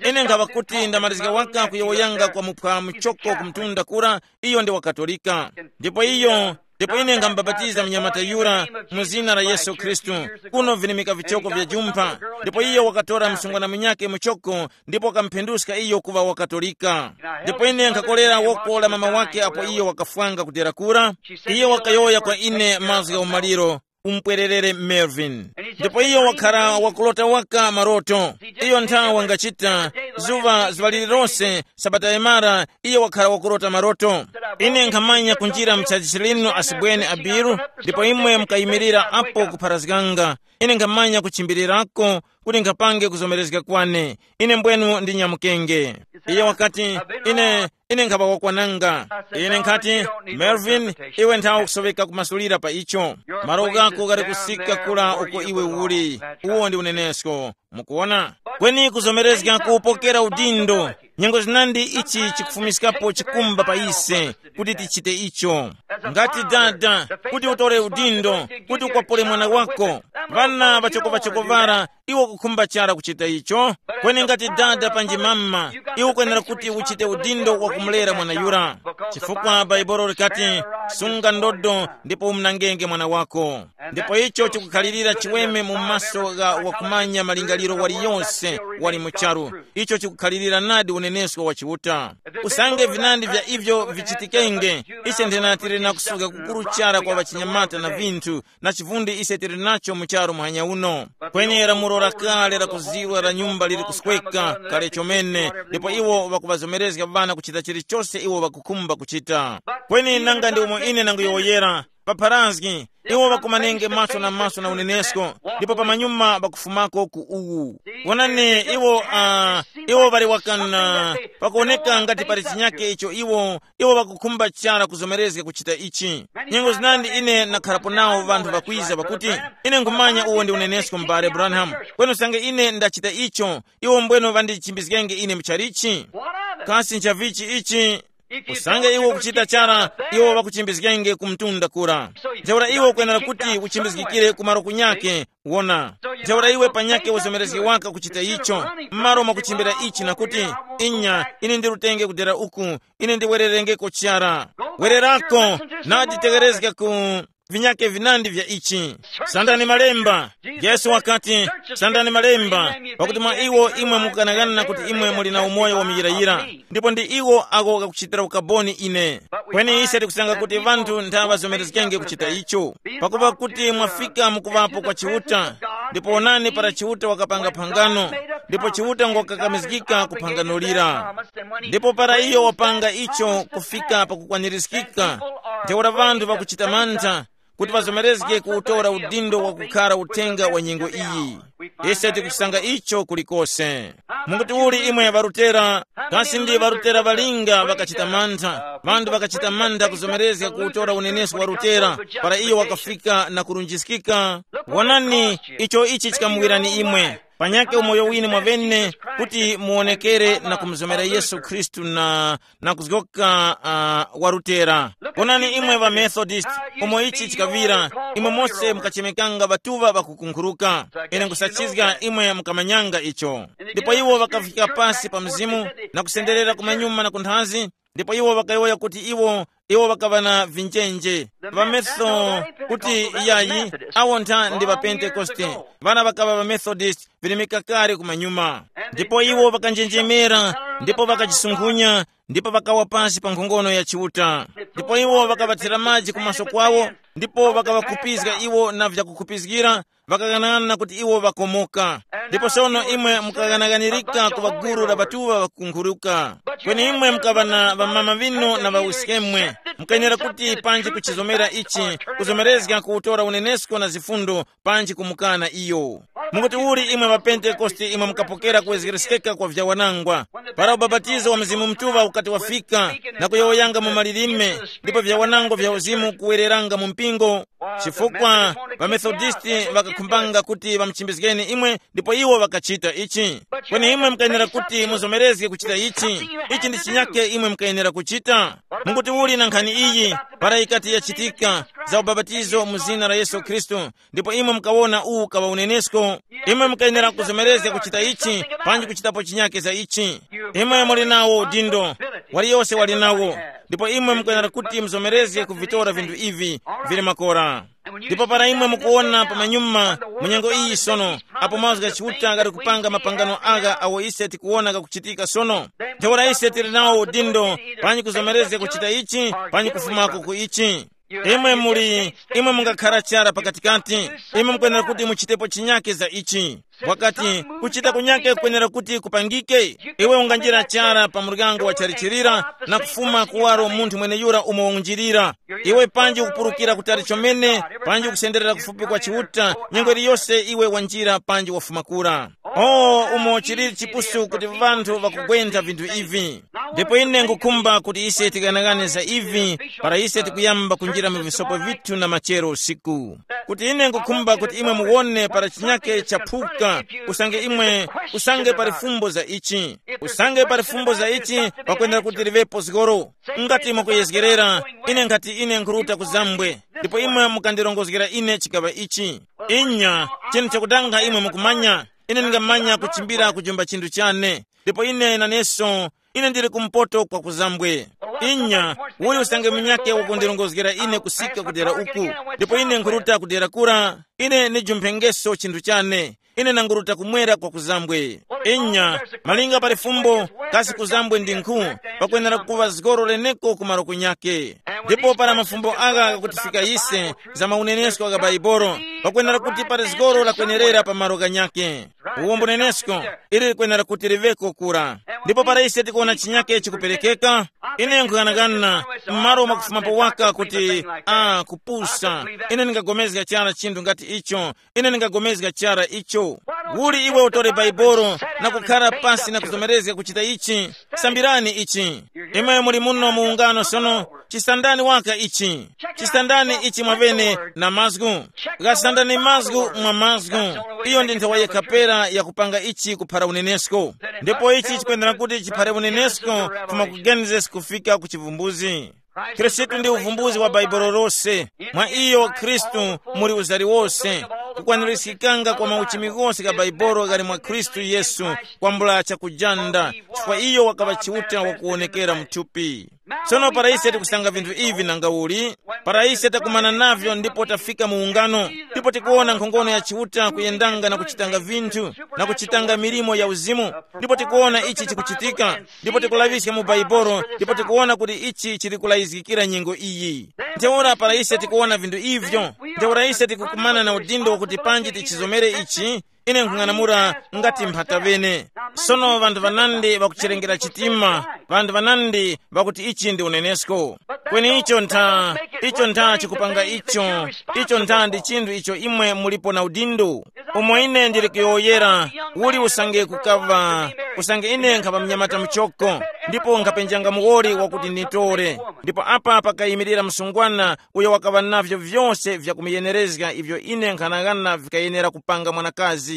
Ine nkhaŵa kuti ndamalizika waka kuyowoyanga kwa muphwa muchoko ku mtunda kura, iyo ndi wakatolika. Ndipo iyo, ndipo ine nkhambapatiza mnyamata yura mu zina la Yesu Khristu, kuno vinimika vichoko vya jumpha. Ndipo iyo wakatora msungwana munyake muchoko, ndipo wakamuphenduska iyo kuŵa wakatolika. Ndipo ine nkhakolera woko la mama wake apo iyo wakafwanga kudera kura. Iyo wakayowoya kwa ine mazgu gha umaliro, umpwererere Melvin. Ndipo iyo wakhara wakulota waka maroto. Iyo nthawi wangachita, zuŵa zuŵa lililonse, sabata yamara, iyo wakhara wakulota maroto. Ine nkhamanya kunjira mchaji chilinu asibweni abiru, ndipo imwe mukayimirira apo kupharazganga. Ine nkhamanya kuchimbirirako kuti nkhapange kuzomerezga kwane. Ine mbwenu ndinyamukenge. Iyo wakati, ine Ine nkhaŵa wakwananga. Ine nkhati, Melvin, iwe nthawe ukusoweka kumasulira pa icho. Malo ghako ghali kusika kula uko iwe uli. Uwo ndi unenesko. Mukuona? Kweni kuzomerezga kupokera udindo, nyengo zinandi ichi chikufumiskapo chikumba pa ise kuti tichite icho. Ngati dada, kuti utore udindo, kuti ukwapule mwana wako, ŵana ŵachokovachoko ŵara, iwo kukhumba chara kuchita icho. Kweni ngati dada panji mama, iwe ukwenera kuti uchite udindo wa kumulera mwana yura. Chifukwa bhaibolo likati, sunga ndodo ndipo umnangenge mwana wako. Ndipo icho chikukhalirira chiweme mu maso gha wakumanya malingaliro waliyonse wali mu charu. Icho chikukhalirira nadi unenesko wa Chiuta. Usange vinandi vya ivyo vichitikenge, ise nthena tili na kusuka kukuru chara kwa ŵachinyamata na vinthu, na chivundi ise tili nacho mu charu muhanya uno. Kweni lamulo la kale la kuzirwa la nyumba lili kusweka kale chomene, ndipo iwo ŵakuŵazomerezga ŵana kuchita chilichose iwo ŵakukhumba kuchita. Kweni nanga ndi umo ine nanguyowoyera, papharazgi, iwo ŵakumanenge maso na maso na unenesko, ndipo pamanyuma ŵakufumako ku uwu. Wonani, iwo uh, iwo ŵali wakana, pakuwoneka ngati pali chinyake icho iwo iwo ŵakukhumba chara kuzomerezga kuchita ichi. Nyengo zinandi ine ndakharapo nawo ŵanthu ŵakwiza ŵakuti, ine nkhumanya uwo ndi unenesko m'bale Branham, kweni usange ine ndachita icho, iwo mbweno ŵandichimbizgenge ine muchalichi. Kasi nchavichi ichi? Usange iwe ukuchita chara, iwo ŵakuchimbizgenge ku mtunda kura. Ntheura iwe ukwenera kuti uchimbizgikire ku malo kunyake. Wona, ntheura iwe panyake uzomerezge waka kuchita icho, m'malo mwakuchimbira ichi na kuti, inya, ine ndirutenge kudera uku, ine ndiwererengeko chara. Wererako, nadi tegerezga ku vinyake vinandi vya ichi. Sandani malemba. Yesu wakati, sandani malemba, pakuti mwa iwo imwe mukughanaghana kuti imwe muli na umoyo wa muyirayira, ndipo ndi iwo ako ghakuchitira ukaboni ine. Kweni ise tikusanga kuti ŵanthu ntha ŵazomerezgenge kuchita icho, pakupa kuti mwafika mukuŵapo kwa Chiuta. Ndipo onani para Chiuta wakapanga phangano, ndipo Chiuta ngokakamizgika ku phangano lira. Ndipo para iyo wapanga icho kufika pakukwanirizgika, ntheura ŵanthu ŵakuchita mantha kuti ŵazomerezge kuwutora udindo wakukhara uthenga wa nyengo iyi. Ise tikusanga icho kulikose. Munguti uli imwe ŵarutera? Kasi ndi ŵarutera ŵalinga ŵakachita mantha? Ŵanthu ŵakachita mantha kuzomerezga kuwutora unenesko wa rutera, para iyo wakafika na kurunjiskika. Wonani, icho ichi chikamuwirani imwe. Panyake umoyo wine mwavene kuti muwonekere na kumuzomera Yesu Khristu na na kuzgoka uh, wa Lutera. Onani imwe ŵa Methodist, umo ichi chikaŵira, imwe mose mukachemekanga ŵatuŵa ŵakukunkhuruka. Ine nkusachizga imwe mukamanyanga icho. Ndipo iwo ŵakafika pasi pa mzimu na kusenderera kumanyuma na kunthazi, ndipo iwo ŵakayowoya kuti iwo iwo ŵakaŵa na vinjenje. Ŵameso kuti iyayi, awo ntha ndi ŵapentekoste. Ŵana ŵakaŵa ŵamethodist vilimika kale kumanyuma. Ndipo iwo ŵakanjenjemera, ndipo ŵakachisunghunya, ndipo ŵakawa pasi pa nkhongono ya Chiuta. Ndipo iwo ŵakaŵathira maji kumaso kwawo, ndipo ŵakaŵakhupizga iwo na vyakukhupizgira, ŵakaghanaghanana kuti iwo ŵakomoka. Ndipo sono imwe mukaghanaghanirika kuŵa gulu la ŵatuŵa ŵakunkhuruka. Kweni imwe mukaŵa na ŵamama ŵinu na ŵawiskemwe, mukayenera kuti panji kuchizomera ichi, kuzomerezga kuwutora unenesko na zifundo, panji kumukana iyo. Mukuti uli imwe ŵapentekoste imwe mukapokera kuwezgereska kwa vyawanangwa, para ubapatizo wa Mzimu Mutuŵa ukati wafika, na kuyowoyanga mu malilime, ndipo vyawanangwa vya uzimu kuwereranga mu mpingo? Chifukwa ŵaMethodisti ŵakakhumbanga kuti ŵamuchimbizgeni imwe, ndipo iwo ŵakachita ichi. Kweni imwe mukayenera kuti muzomerezge kuchita ichi. Ichi ndi chinyake imwe mukayenera kuchita. Mukuti uli na nkhani iyi, para ikati yachitika, za ubapatizo mu zina la Yesu Khristu, ndipo imwe mukawona uwu kaŵa unenesko, imwe mukayenera kuzomerezga kuchita ichi, panji kuchitapo chinyake za ichi. Imwe muli nawo udindo, waliyose wali nawo, ndipo imwe mukayenera kuti muzomerezge kuvitora vinthu ivi vili makora. Ndipo para imwe mukuwona pamanyuma mu nyengo iyi sono, apo mazgu gha Chiuta ghali kupanga mapangano agha awo ise tikuwona ghakuchitika sono, ntheura ise tili nawo udindo, panji kuzomerezga kuchita ichi, panji kufumako ku ichi. Imwe muli, imwe mungakhara chara pakatikati, imwe mukwenera kuti muchitepo chinyake za ichi. Wakati, kuchita kunyake kukwenera kuti kupangike. Iwe unganjira chara pa muryango wa chalichirira, na kufuma kuwaro munthu mweneyura umo unjirira. Iwe panji ukupurukira kutali chomene, panji ukusenderera kufupi kwa Chiuta, nyengo iliyose iwe wanjira panji wafuma kura. Oh, umo chiliri chipusu kuti vanthu vakugwentha vinthu ivi. Ndipo ine ngukhumba kuti ise tikanaghane za ivi para ise tikuyamba kunjira mu visopo vithu na machero usiku, kuti ine ngukhumba kuti imwe muwone para chinyake chaphuka. Usange imwe, usange pali fumbo za ichi, usange pali fumbo za ichi, pakwendera kuti livepo zgoro. Ngati mwakuyezgerera, ine nkhati ine nkhuruta kuzambwe, ndipo imwe mukandilongozgera ine chikaŵa ichi. Inya, chinthu chakutanga imwe mukumanya, ine ndingamanya kuchimbira kujomba chinthu chane, ndipo ine naneso, ine ndili kumpoto kwa kuzambwe. Inya, uyu usange munyake wakundilongozgera ine kusika kudera uku, ndipo ine nkhuruta kudera kura, ine nijumphengeso chinthu chane, ine nanguruta kumwera kwa kuzambwe. Inya, malinga pali fumbo, kasi kuzambwe ndi nkhu, pakwenera kuva zgoro leneko ku malo kunyake. Ndipo para mafumbo agha ghakutifika ise, za maunenesko gha Baibolo, pakwenera kuti pali zgoro lakwenerera pa malo ghanyake. Uwombo nenesko, ili likwenera kuti liveko kura. Ndipo para ise tikuona chinyake chikuperekeka, ine nkhughanaghana, m'malo mwakufumapo waka kuti, a kupusa, ine ndingagomezga chara chinthu ngati icho, ine ndingagomezga chara icho. Uli iwe utore Baibolo na kukhara pasi na kuzomerezga kuchita ichi? Sambirani ichi. Imwe muli muno mu ungano sono, chisandani waka ichi. Chisandani ichi mwavene na mazgu. Ghasandani mazgu mwa mazgu. Iyo ndi nthawa yekha pera yakupanga ichi kuphara unenesko. Ndipo ichi chikwendera kuti chiphare unenesko kufuma ku Genesis kufika ku chivumbuzi. Khristu ndi uvumbuzi wa Bhaibuli lose. Mwa iyo Khristu muli uzari wose, kukwanirizgikanga kwa mauchimi ghose gha Bhaibuli ghali mwa Khristu Yesu, kwambula chakujanda, chifukwa iyo wakaŵa Chiuta wakuwonekera mu thupi. Tsono para ise tikusanga vinthu ivi nanga uli, para ise takumana navyo ndipo tafika mu ungano, ndipo tikuwona nkhongono ya Chiuta kuyendanga na kuchitanga vinthu, na kuchitanga milimo ya uzimu, ndipo tikuwona ichi chikuchitika, ndipo tikulaŵiska mu Baibolo, ndipo tikuwona kuti ichi chili kulayizgikira nyengo iyi. Ntheura para ise tikuwona vinthu ivyo, ntheura ise tikukumana na udindo wakuti panji tichizomere ichi, ine nkhung'anamula ngati mphata vene. Sono ŵanthu ŵanandi ŵakuchirengera chitima, ŵanthu ŵanandi ŵakuti ichi ndi unenesko. Kweni icho ntha, icho ntha chikupanga icho, icho ntha ndi chinthu icho imwe mulipo na udindo. Umo ine ndili kuyowoyera, uli usange kukaŵa, usange ine nkhapa mnyamata muchoko, ndipo nkhapenjanga muwoli wakuti nditore, ndipo apa pakayimirira msungwana uyo wakaŵa navyo vyose vyakumuyenerezga ivyo ine nkhanaghana vikayenera kupanga mwanakazi.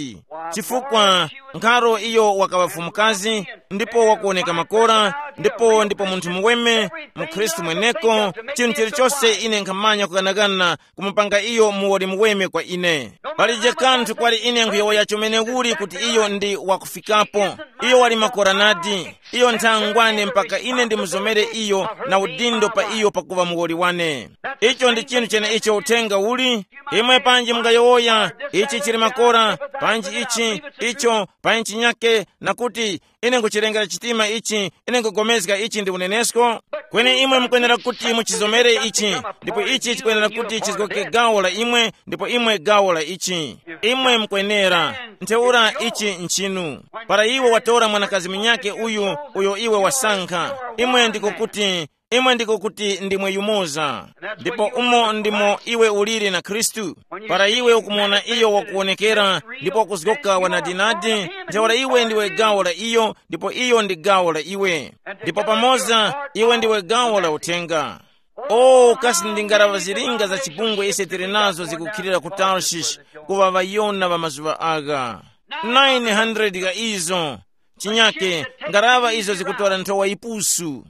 Chifukwa nkharo iyo wakaŵa fumukazi, ndipo wakuwoneka makora, ndipo ndipo munthu muweme, mukhristu mweneko, chinthu chilichose ine nkhamanya kughanagana kumupanga iyo muwoli muweme kwa ine. Palije kanthu kwali ine nkhuyowoya chomene uli kuti iyo ndi wakufikapo. Iyo wali makora nadi. Iyo nthangwane mpaka ine ndimuzomere iyo na udindo pa iyo pakuŵa muwoli wane. Icho ndi chinthu cheneicho uthenga uli. Imwe panji mungayowoya, ichi chili makora, panji ichi, icho, panji chinyake, na kuti, ine nkuchilengera chitima ichi, ine nkugomezga ichi ndi unenesko. Kweni imwe mukwenera kuti muchizomere ichi, ndipo ichi chikwenera kuti chizgoke gawo la imwe, ndipo imwe gawo la ichi. Imwe mukwenera. Ntheura ichi nchinu. Para iwe watora mwanakazi munyake uyu, uyo iwe wasankha, imwe ndiko kuti, imwe ndiko kuti ndimwe yumoza. Ndipo umo ndimo iwe uliri na Khristu. Para iwe ukumuwona iyo wakuwonekera, ndipo wakuzgoka wanadinadi, ntheura iwe ndiwe gawo la iyo, ndipo iyo ndi gawo la iwe. Ndipo pamoza iwe ndiwe gawo la uthenga. O kasi ndi ngaraŵa zilinga za chipungwe ise tili nazo zikukhilira ku Tarshish, kuŵa ŵayona ŵa mazuŵa agha, nine hundred gha izo. Chinyake, ngaraŵa izo zikutora nthowa yipusu.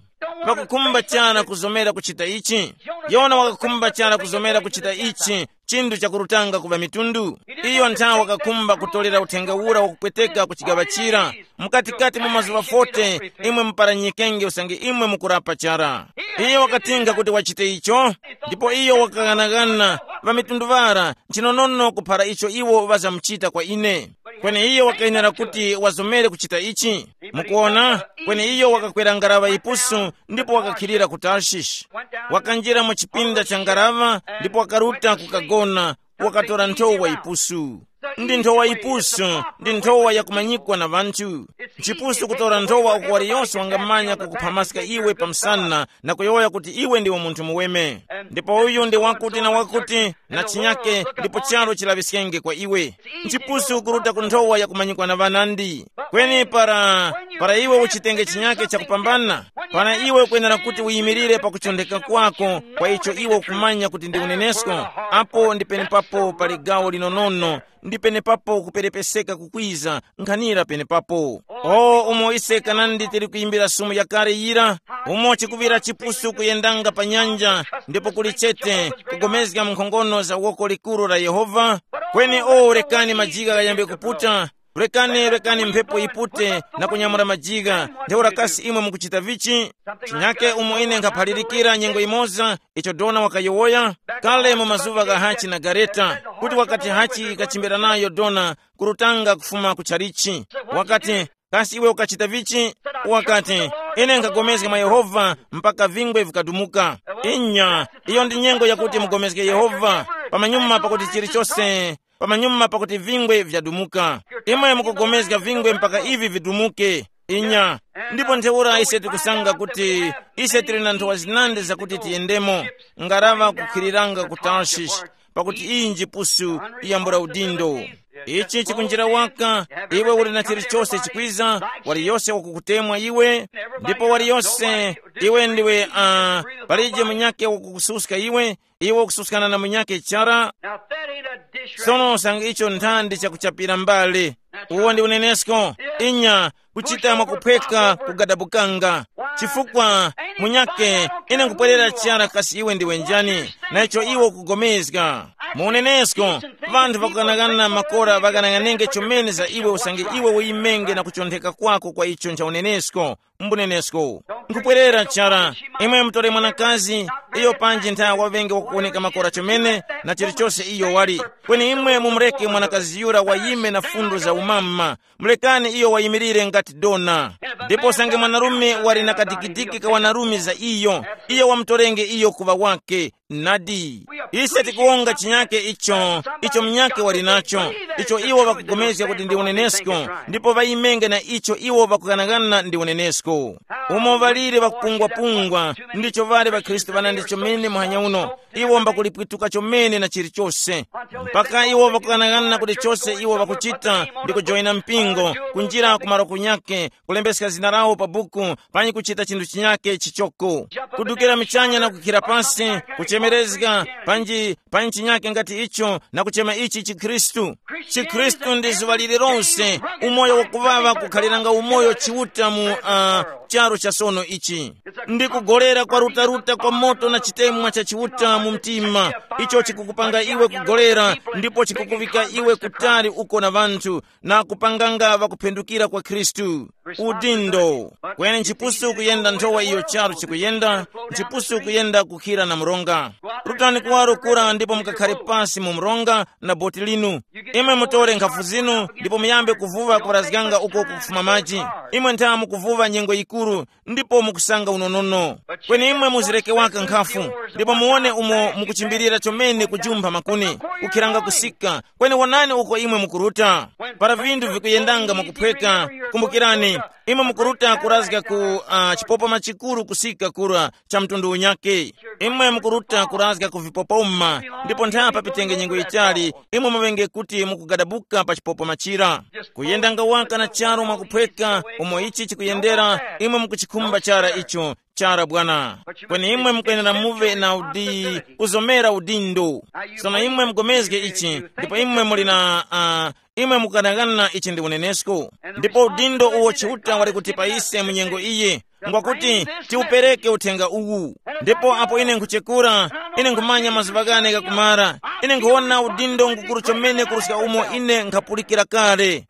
Ŵakukhumba chara kuzomera kuchita ichi. Yona wakakhumba chara kuzomera kuchita ichi, chinthu chakurutanga ku ŵamitundu. Iyo nthawe wakakhumba kutolera uthenga ura wakupweteka ku chigaŵa chira. Mukatikati mwa mazuŵa forty, imwe muparanyikenge usange imwe mukurapa chara. Iyo wakatinga kuti wachite icho, ndipo iyo wakaghanagana ŵamitundu ŵara, nchinonono kuphara icho iwo ŵazamuchita kwa ine. Kweni iyo wakayenera kuti wazomere kuchita ichi. Mukuona, kweni iyo wakakwera ngaraŵa yipusu ndipo wakakhilira ku Tarshish. Wakanjira mu chipinda cha ngaraŵa ndipo wakaruta kukagona, wakatora nthowa yipusu. Ndi nthowa yipusu, ndi nthowa yakumanyikwa na ŵanthu. Nchipusu kutora nthowa uko waliyose wangamanya kukuphamaska iwe pa msana na kuyowoya kuti iwe ndiwe munthu muweme. Ndipo uyu ndi wakuti na wakuti, na chinyake, ndipo charu chilaŵiskenge kwa iwe. Nchipusu kuruta ku nthowa yakumanyikwa na ŵanandi. Kweni para, para iwe uchitenge chinyake chakupambana, para iwe ukwenera kuti uyimirire pakuchondeka kwako kwa icho iwe ukumanya kuti ndi unenesko, apo ndi penepapo pali gawo linonono, ndi penepapo kuperepeseka kukwiza, nkhanira penepapo. O umo ise kanandi tili kuyimbira sumu yakale yira, umo chikuŵira chipusu kuyendanga pa nyanja, ndipo kuli chete kugomezga mu nkhongono za woko likuru la Yehova. Kweni o rekani majika ghayambe kuputa, rekani rekani mphepo yipute na kunyamula majika. Ntheura kasi imwe mukuchita vichi? Chinyake umo ine nkhaphalirikira nyengo imoza icho dona wakayowoya kale mu mazuva gha hachi na gareta, kuti wakati hachi kachimbira nayo dona kurutanga kufuma ku chalichi. Wakati, kasi iwe ukachita vichi? Wakati, ine nkhapulikana mwa Yehova mpaka vingwe vikadumuka. Inya, iyo ndi nyengo yakuti mugomezge Yehova pamanyuma pakuti chilichose, pamanyuma pakuti vingwe vyadumuka. Imwe mukupulikana vingwe mpaka ivi vidumuke. Inya, ndipo ntheura ise tikusanga kuti ise tili na nthowa zinandi zakuti tiyendemo, ngaraŵa kukhiriranga ku Tarshish, pakuti iyi njipusu yambula udindo. Ichi chikunjira waka, iwe uli na chilichose chikwiza, waliyose wakukutemwa iwe, ndipo waliyose iwe ndiwe uh, palije munyake wakukususka iwe, iwe ukususkana na munyake chara. Now that ain't a dish. Sono sanga icho nthandi chakuchapira mbale. Uwo ndi unenesko. Inya, kuchita mwakuphweka kugadabukanga. Chifukwa munyake ine nkupwerera chara kasi iwe ndiwe njani, na icho iwo kugomezga mu unenesko. Vanthu vakukanangana makora vakanang'anenge chomene za iwe usange iwe uyimenge na kuchontheka kwako kwa icho ncha unenesko. Mbunenesko, nkupwerera chara. Imwe mutore mwanakazi, iyo panji ntha waŵenge wakuwoneka makora chomene, na chilichose iyo wali. Kweni imwe mumureke mwanakazi yura wayime na fundo za umama. Mulekani iyo wayimirire ngati dona. Ndipo usange mwanarume wali na kadikidiki ka wanarume za iyo, iyo wamutorenge iyo kuŵa wake. Nadi, ise tikuwonga chinyake icho, icho munyake wali nacho, icho iwo ŵakugomezga kuti ndi unenesko, ndipo ŵayimenge na icho iwo ŵakughanaghana ndi unenesko. Umo ŵaliri ŵakupungwapungwa, ndicho ŵali ŵakhristu ŵanandi chomene muhanya uno. Iwo mbakulipwituka chomene na chilichose, mpaka iwo ŵakughanaghana kuti chose iwo ŵakuchita ndi kujoyina mpingo, kunjira ku maroko nyake, kulembeska zina lawo pa buku, panyi kuchita chinthu chinyake chichoko, kudukira michanya na kukhira pasi, kuchemerezga panji panyi chinyake ngati icho, na kuchema ichi chikhristu. Chikhristu ndi zuŵa lililonse, umoyo wakuŵaŵa kukhaliranga umoyo chiuta mu uh, charo cha sono ichi. Ndi kugolera kwa rutaruta kwa moto na chitemwa cha chiuta mu mtima, icho chikukupanga iwe kugolera, ndipo chikukuŵika iwe kutali uko na ŵanthu, na kupanganga ŵakuphendukira kwa Khristu. Udindo. Kweni nchipusu kuyenda nthowa iyo charu chikuyenda, nchipusu kuyenda kukhira na mronga. Rutani kuwaro kura ndipo mukakhare pasi mu mronga na boti linu. Imwe mutore nkhafu zinu ndipo muyambe kuvuva kuparazganga uko kukufuma maji. Imwe ntha mukuvuva nyengo yikuru, ndipo mukusanga unonono. Kweni imwe muzireke waka nkhafu, ndipo muwone umo mukuchimbilira chomene kujumpha makuni, kukhiranga kusika. Kweni wonani uko imwe mukuruta. Para vinthu vikuyendanga mwakuphweka, kumbukirani, imwe mukuruta kurazga ku uh, chipopoma chikuru kusika kura cha mtundu unyake. Imwe mukuruta kurazga ku vipopoma, ndipo nthapa pitenge nyengo yitali, imwe muŵenge kuti mukugadabuka pa chipopoma chira. Kuyendanga waka na charu mwakuphweka, umo ichi chikuyendera, imwe mukuchikhumba chara icho, chara bwana. Kweni imwe mukwenera muve na udi kuzomera udindo. Sono imwe mugomezge ichi, ndipo imwe muli na uh, imwe mukukanangana ichi ndi unenesko. Ndipo udindo uwo Chiuta wali kuti pa ise mu nyengo iyi, ngwakuti tiupereke uthenga uwu. Ndipo apo ine nkuchekura, ine nkhumanya mazuŵa ghane ghakumara, ine nkhuwona udindo ngukuru chomene kuruska umo ine nkhapulikira kale.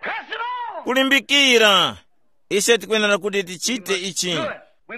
Kulimbikira. Ise tikwenera kuti tichite ichi.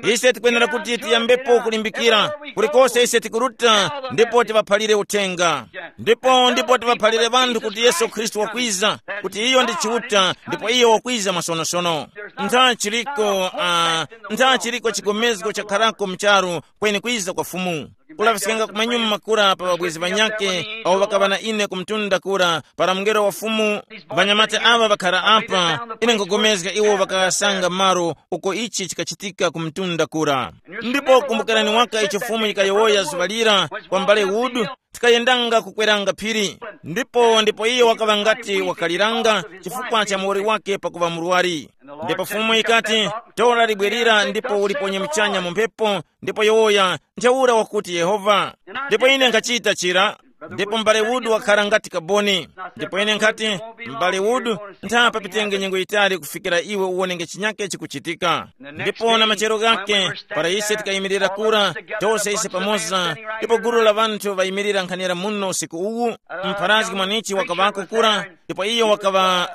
Ise tikwenera kuti tiyambepo kulimbikira. Kulikose ise tikuruta, ndipo tiŵaphalire uthenga. Ndipo ndipo tiŵaphalire ŵanthu kuti Yesu Khristu wakwiza, kuti iyo ndi Chiuta ndipo iyo wakwiza masonosono. Ntha chiliko uh, ntha chiliko chigomezgo chakharako mcharu kweni kwiza kwa Fumu. Kulaŵiskanga kumanyuma kura pa ŵabwezi ŵanyakhe awo ŵakaŵa na ine ku mtunda kura, para mungelo wa Fumu, ŵanyamata aŵa ŵakhara apa, ine nkhugomezga iwo ŵakasanga malo uko ichi chikachitika ku mtunda kura. Ndipo kumbukirani waka icho Fumu yikayowoya zuŵa lira kwa mbale Wood, tikayendanga kukweranga phiri. Ndipo ndipo iyo wakaŵa ngati wakaliranga chifukwa cha muwoli wake pakuŵa murwari. Ndipo Fumu yikati, tora libwerera ndipo uliponye muchanya mu mphepo, ndipo yowoya, ntheura wakuti Yehova. Ndipo ine nkhachita chira. Ndipo m'bale Wood wakhala ngati kaboni. Ndipo ine nkhati, m'bale Wood, ntha papitenge nyengo yitali kufikira iwe uwonenge chinyake chikuchitika. Ndipo na machero ghake, para ise tikayimirira kura, tose ise pamoza, ndipo gulu la ŵanthu ŵayimirira nkhanira muno usiku uwu, mpharazgi mwanichi wakaŵako kura, ndipo iyo wakaŵa,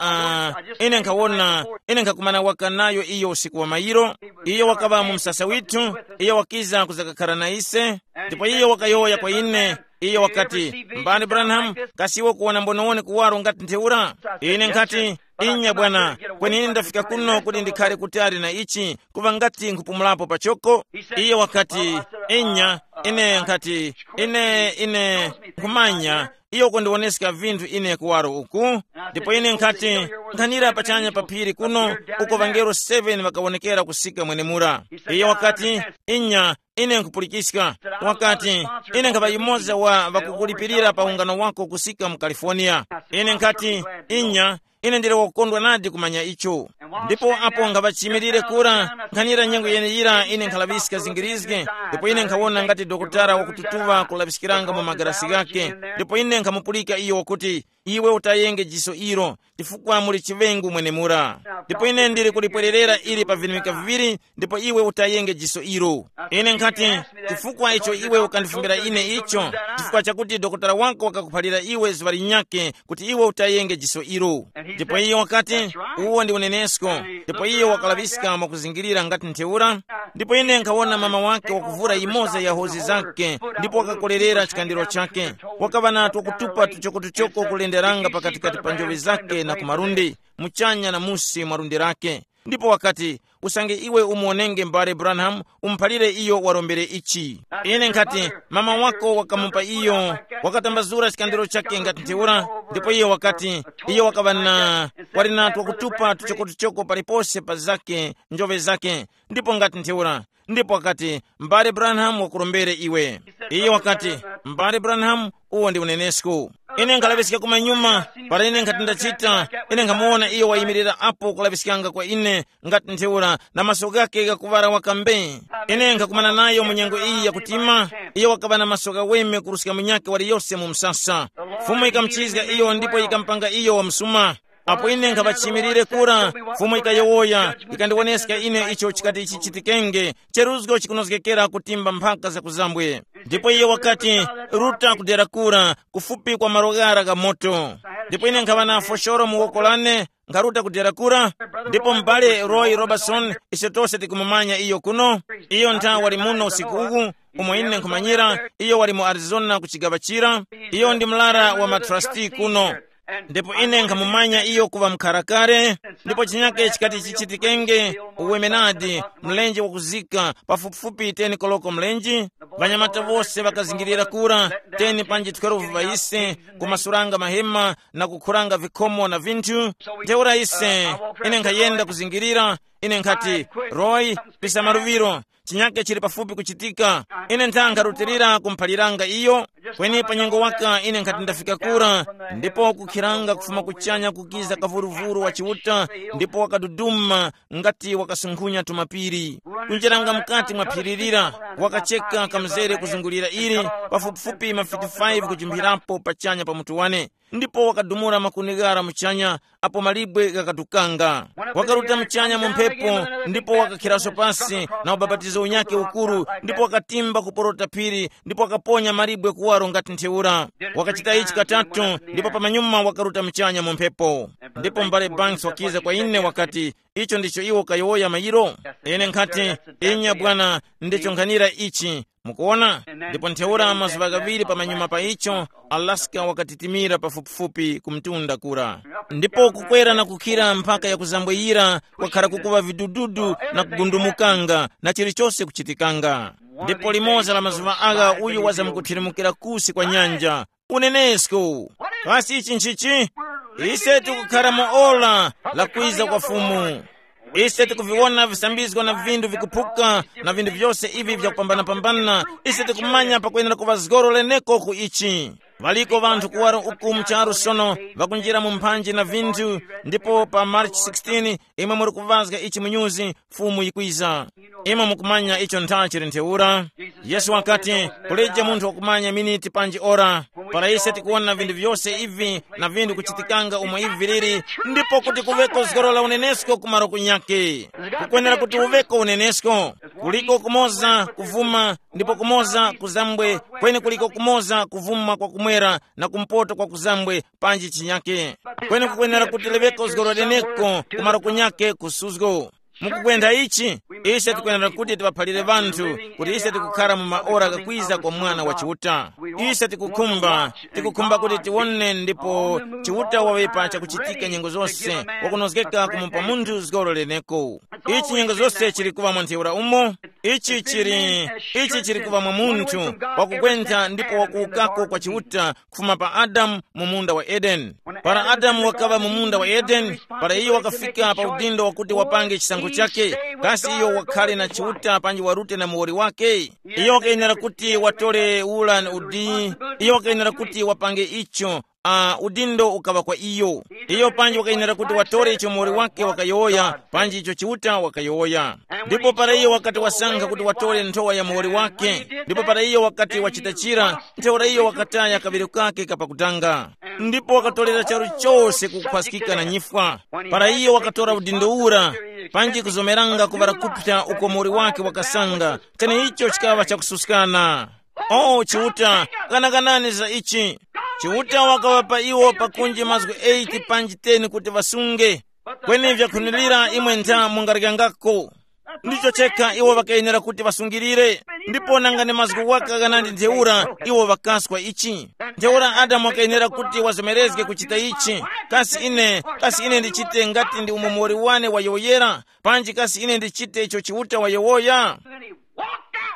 uh, ine nkhawona, ine nkhakumana waka nayo iyo usiku wa mayiro. Iyo wakaŵa mu msasa withu, iyo wakiza kuzakakhara na ise. Ndipo iyo wakayowoya kwa ine, iyo wakati, mbani Branham, kasi iwe kuwona mbonowone kuwaro ngati ntheura? Ine nkhati, inya bwana, kweni ine ndafika kuno kuti ndikhare kutali na ichi, kuva ngati nkhupumulapo pachoko. Iyo wakati, inya, ine nkhati, ine ine nkhumanya, iyo kundiwoneska vinthu ine kuwaro uku. Ndipo ine nkhati, nkhanira pachanya pa phiri kuno, uko ŵangelo seven ŵakawonekera kusika mwenemura. Iyo wakati, inya, ine nkhupulikiska. Wakati, ine nkhapa yumoza wa ŵakukulipirira pa ungano wako kusika mu California. Ine nkhati, inya, ine ndili wakukondwa nadi kumanya icho. Ndipo apo nkhaŵachimilire kura, nkhanira nyengo yeneyira ine nkhalaŵiska zingirizge. Ndipo ine nkhawona ngati dokotala wakututuŵa kulaŵiskiranga mu magarasi ghake. Ndipo ine nkhamupulika iyo wakuti, iwe utayenge jiso ilo, chifukwa muli chiŵengu mwenemura. Ndipo ine ndili kulipwererera ili pa virimika viŵiri, ndipo iwe utayenge jiso ilo. Ine nkhati, chifukwa icho iwe ukandifumbira ine icho? Chifukwa chakuti dokotala wako wakakuphalira iwe zuŵa linyakhe kuti iwe utayenge jiso ilo. Ndipo iye wakati, uwo ndi unenesko. Ndipo iye wakalaŵiska mwakuzingirira ngati ntheura. Ndipo ine nkhawona mama wake wakuvura yimoza ya hozi zake, ndipo wakakolerera chikandiro chake. Wakaŵa na twakutupa tuchokotuchoko kulenderanga pakatikati pa njoŵe zake na kumalundi, muchanya na musi mwa lundi lake. Ndipo wakati, usange iwe umuwonenge m'bale Branham, umuphalire iyo warombere ichi. Ine nkhati, mama wako wakamupa iyo, wakatambazura chikandiro chake ngati ntheura. Ndipo iyo wakati, iyo wakaŵa na, wali na twakutupa tuchokotuchoko palipose pa zake, njoŵe zake, ndipo ngati ntheura. Ndipo wakati, m'bale Branham wakurombere iwe. Iyo wakati, m'bale Branham, uwo ndi unenesko. Ine nkalaŵiska kumanyuma, para ine nkhati ndachita, ine nkhamuwona iyo wayimirira apo kulaŵiskanga kwa ine, ngati ntheura, na maso ghake ghakuŵala waka mbe. Ine nkhakumana nayo mu nyengo iyi yakutima. Iyo wakaŵa na maso ghaweme kuruska munyakhe waliyose mu msasa. Fumu yikamuchizga iyo ndipo yikamupanga iyo wamsuma. Apo ine nkhaŵa chiyimirire kura, Fumu yikayowoya, yikandiwoneska ine icho chikati chichitikenge, cheruzgo chikunozgekera kutimba mphaka zakuzambwe. Ndipo iye wakati, ruta kudera kura, kufupi kwa malo ghara gha moto. Ndipo ine nkhaŵa na foshoro mu woko lane, nkharuta kudera kura. Ndipo m'bale Roy Robertson, ise tose tikumumanya iyo kuno. Iyo ntha wali muno usiku uwu, umo ine nkhumanyira, iyo wali mu Arizona ku chigaŵa chira. Iyo ndi mlara wa matrasti kuno. Ndipo ine nkhamumanya iyo kuŵa mkharakare. Ndipo chinyake chikati chichitikenge, uwemenadi, mlenje wakuzika, pafupifupi ten koloko mlenje. Ŵanyamata wose ŵakazingirira kura, ten panji twelve ŵaise, kumasuranga mahema na kukhuranga vikhomo na vinthu. Ntheura ise, ine nkhayenda kuzingirira, ine nkhati, roy, pisa maluŵiro, chinyake chili pafupi kuchitika. Ine ntha nkharutilira kumuphaliranga iyo. Kweni pa nyengo waka ine nkhati ndafika kura, ndipo kukhiranga kufuma kuchanya kukiza kavuruvuru wa Chiuta, ndipo wakaduduma ngati wakasunkhunya tumapiri. Kunjeranga mukati mwa phiri lira, wakacheka kamzere kuzungulira ili, pafupifupi mafiti five kujimphirapo pachanya pa mutu wane. Ndipo wakadumula makuni ghara muchanya, apo malibwe ghakatukanga. Wakaruta muchanya mu mphepo, ndipo wakakhiraso pasi na ubapatizo unyakhe ukuru, ndipo wakatimba kuporota phiri, ndipo wakaponya malibwe kuwaro ngati ntheura. Wakachita ichi katatu, ndipo pamanyuma wakaruta muchanya mu mphepo. Ndipo m'bale Banks wakiza kwa ine wakati, icho ndicho iwo kayowoya mayiro? Ine nkhati, inya bwana, ndicho nkhanira ichi. Mukuona? Ndipo ntheura mazuŵa ghaŵiri pamanyuma pa icho, Alaska wakatitimira pafupifupi ku mtunda kura. Ndipo kukwera na kukhira mpaka ya kuzambweyira kwakhara kukuŵa vidududu na kugundumukanga na chilichose kuchitikanga. Ndipo limoza la mazuŵa agha uyu wazamkuthiremukira kusi kwa nyanja. Unenesko. Kasi ichi nchichi? Ise tikukhara mu ora la kwiza kwa Fumu. Ise tikuviwona visambizgo na vindu vikuphuka, na vindu vyose ivi vyakupambana-pambana. Ise tikumanya pakwenera kuŵa zgoro leneko ku ichi. Ŵaliko ŵanthu kuwaro uku mu charu sono, ŵakunjira mu mphanji na vinthu. Ndipo pa March sixteen, imwe muri kuvazga ichi mu nyuzi, Fumu yikwiza. Imwe mukumanya icho ntha chili ntheura. Yesu wakati, kuleje munthu wakumanya miniti panji ora. Para ise tikuwona vinthu vyose ivi na vinthu kuchitikanga umo ivi viliri, ndipo kuti kuveko zgoro la unenesko ku malo kunyake. Kukwenera kuti uveko unenesko. Kuliko kumoza kuvuma, ndipo kumoza kuzambwe, kweni kuliko kumoza kuvuma kwa kumwera na kumpoto kwa kuzambwe, panji chinyake. Kweni kukwenera kuti liveko zgoro leneko ku malo kunyake kusuzgo. Mukukwenda ichi, ise tikwenera kuti tiŵaphalire ŵanthu kuti ise tikukhara mu maora ghakwiza kwa Mwana wa Chiuta. Ise tikukhumba, tikukhumba kuti tiwone ndipo Chiuta waŵepa chakuchitika nyengo zose, wakunozgeka kumupa munthu zgoro leneko. Ichi nyengo zose chili kuŵa mwa ntheura umo. Ichi chili, ichi chili kuŵa mwa munthu wakukwentha ndipo wakuwukako kwa Chiuta kufuma pa Adamu mu munda wa Edeni. Para Adamu wakaŵa mu munda wa Edeni, para iyo wakafika pa udindo wakuti wapange chisankho chake, kasi iyo wakhale na Chiuta panji warute na muwoli wake? Iyo wakayenera kuti watore ula na udi, iyo wakayenera kuti wapange icho. Uh, udindo ukaŵa kwa iyo. Iyo panji wakayenera kuti watore icho muwoli wake wakayowoya, panji icho Chiuta wakayowoya. Ndipo para iyo wakati wasankha kuti watore nthowa ya muwoli wake, ndipo para iyo wakati wachita chira, ntheura iyo wakataya kaŵiro kake kapakutanga. Ndipo wakatorera charu chose kukhwaskika na nyifwa. Para iyo wakatora udindo ura, panji kuzomeranga kuŵala kupsa uko muwoli wake wakasanga, kweni icho chikaŵa chakususkana. O Chiuta, ghanaganani za ichi. Chiuta wakaŵapa iwo pakunji mazgu eight panji ten kuti ŵasunge. Kweni vyakhunilira imwe ntha mungaryangako. Ndicho chekha iwo ŵakayenera kuti ŵasungirire. Ndipo nanga ni mazgu waka ghanandi ntheura iwo ŵakaswa ichi? Ntheura Adamu wakayenera kuti wazomerezge kuchita ichi. Kasi ine, kasi ine ndichite ngati ndi umo muwoli wane wayowoyera? Panji kasi ine ndichite icho Chiuta wayowoya?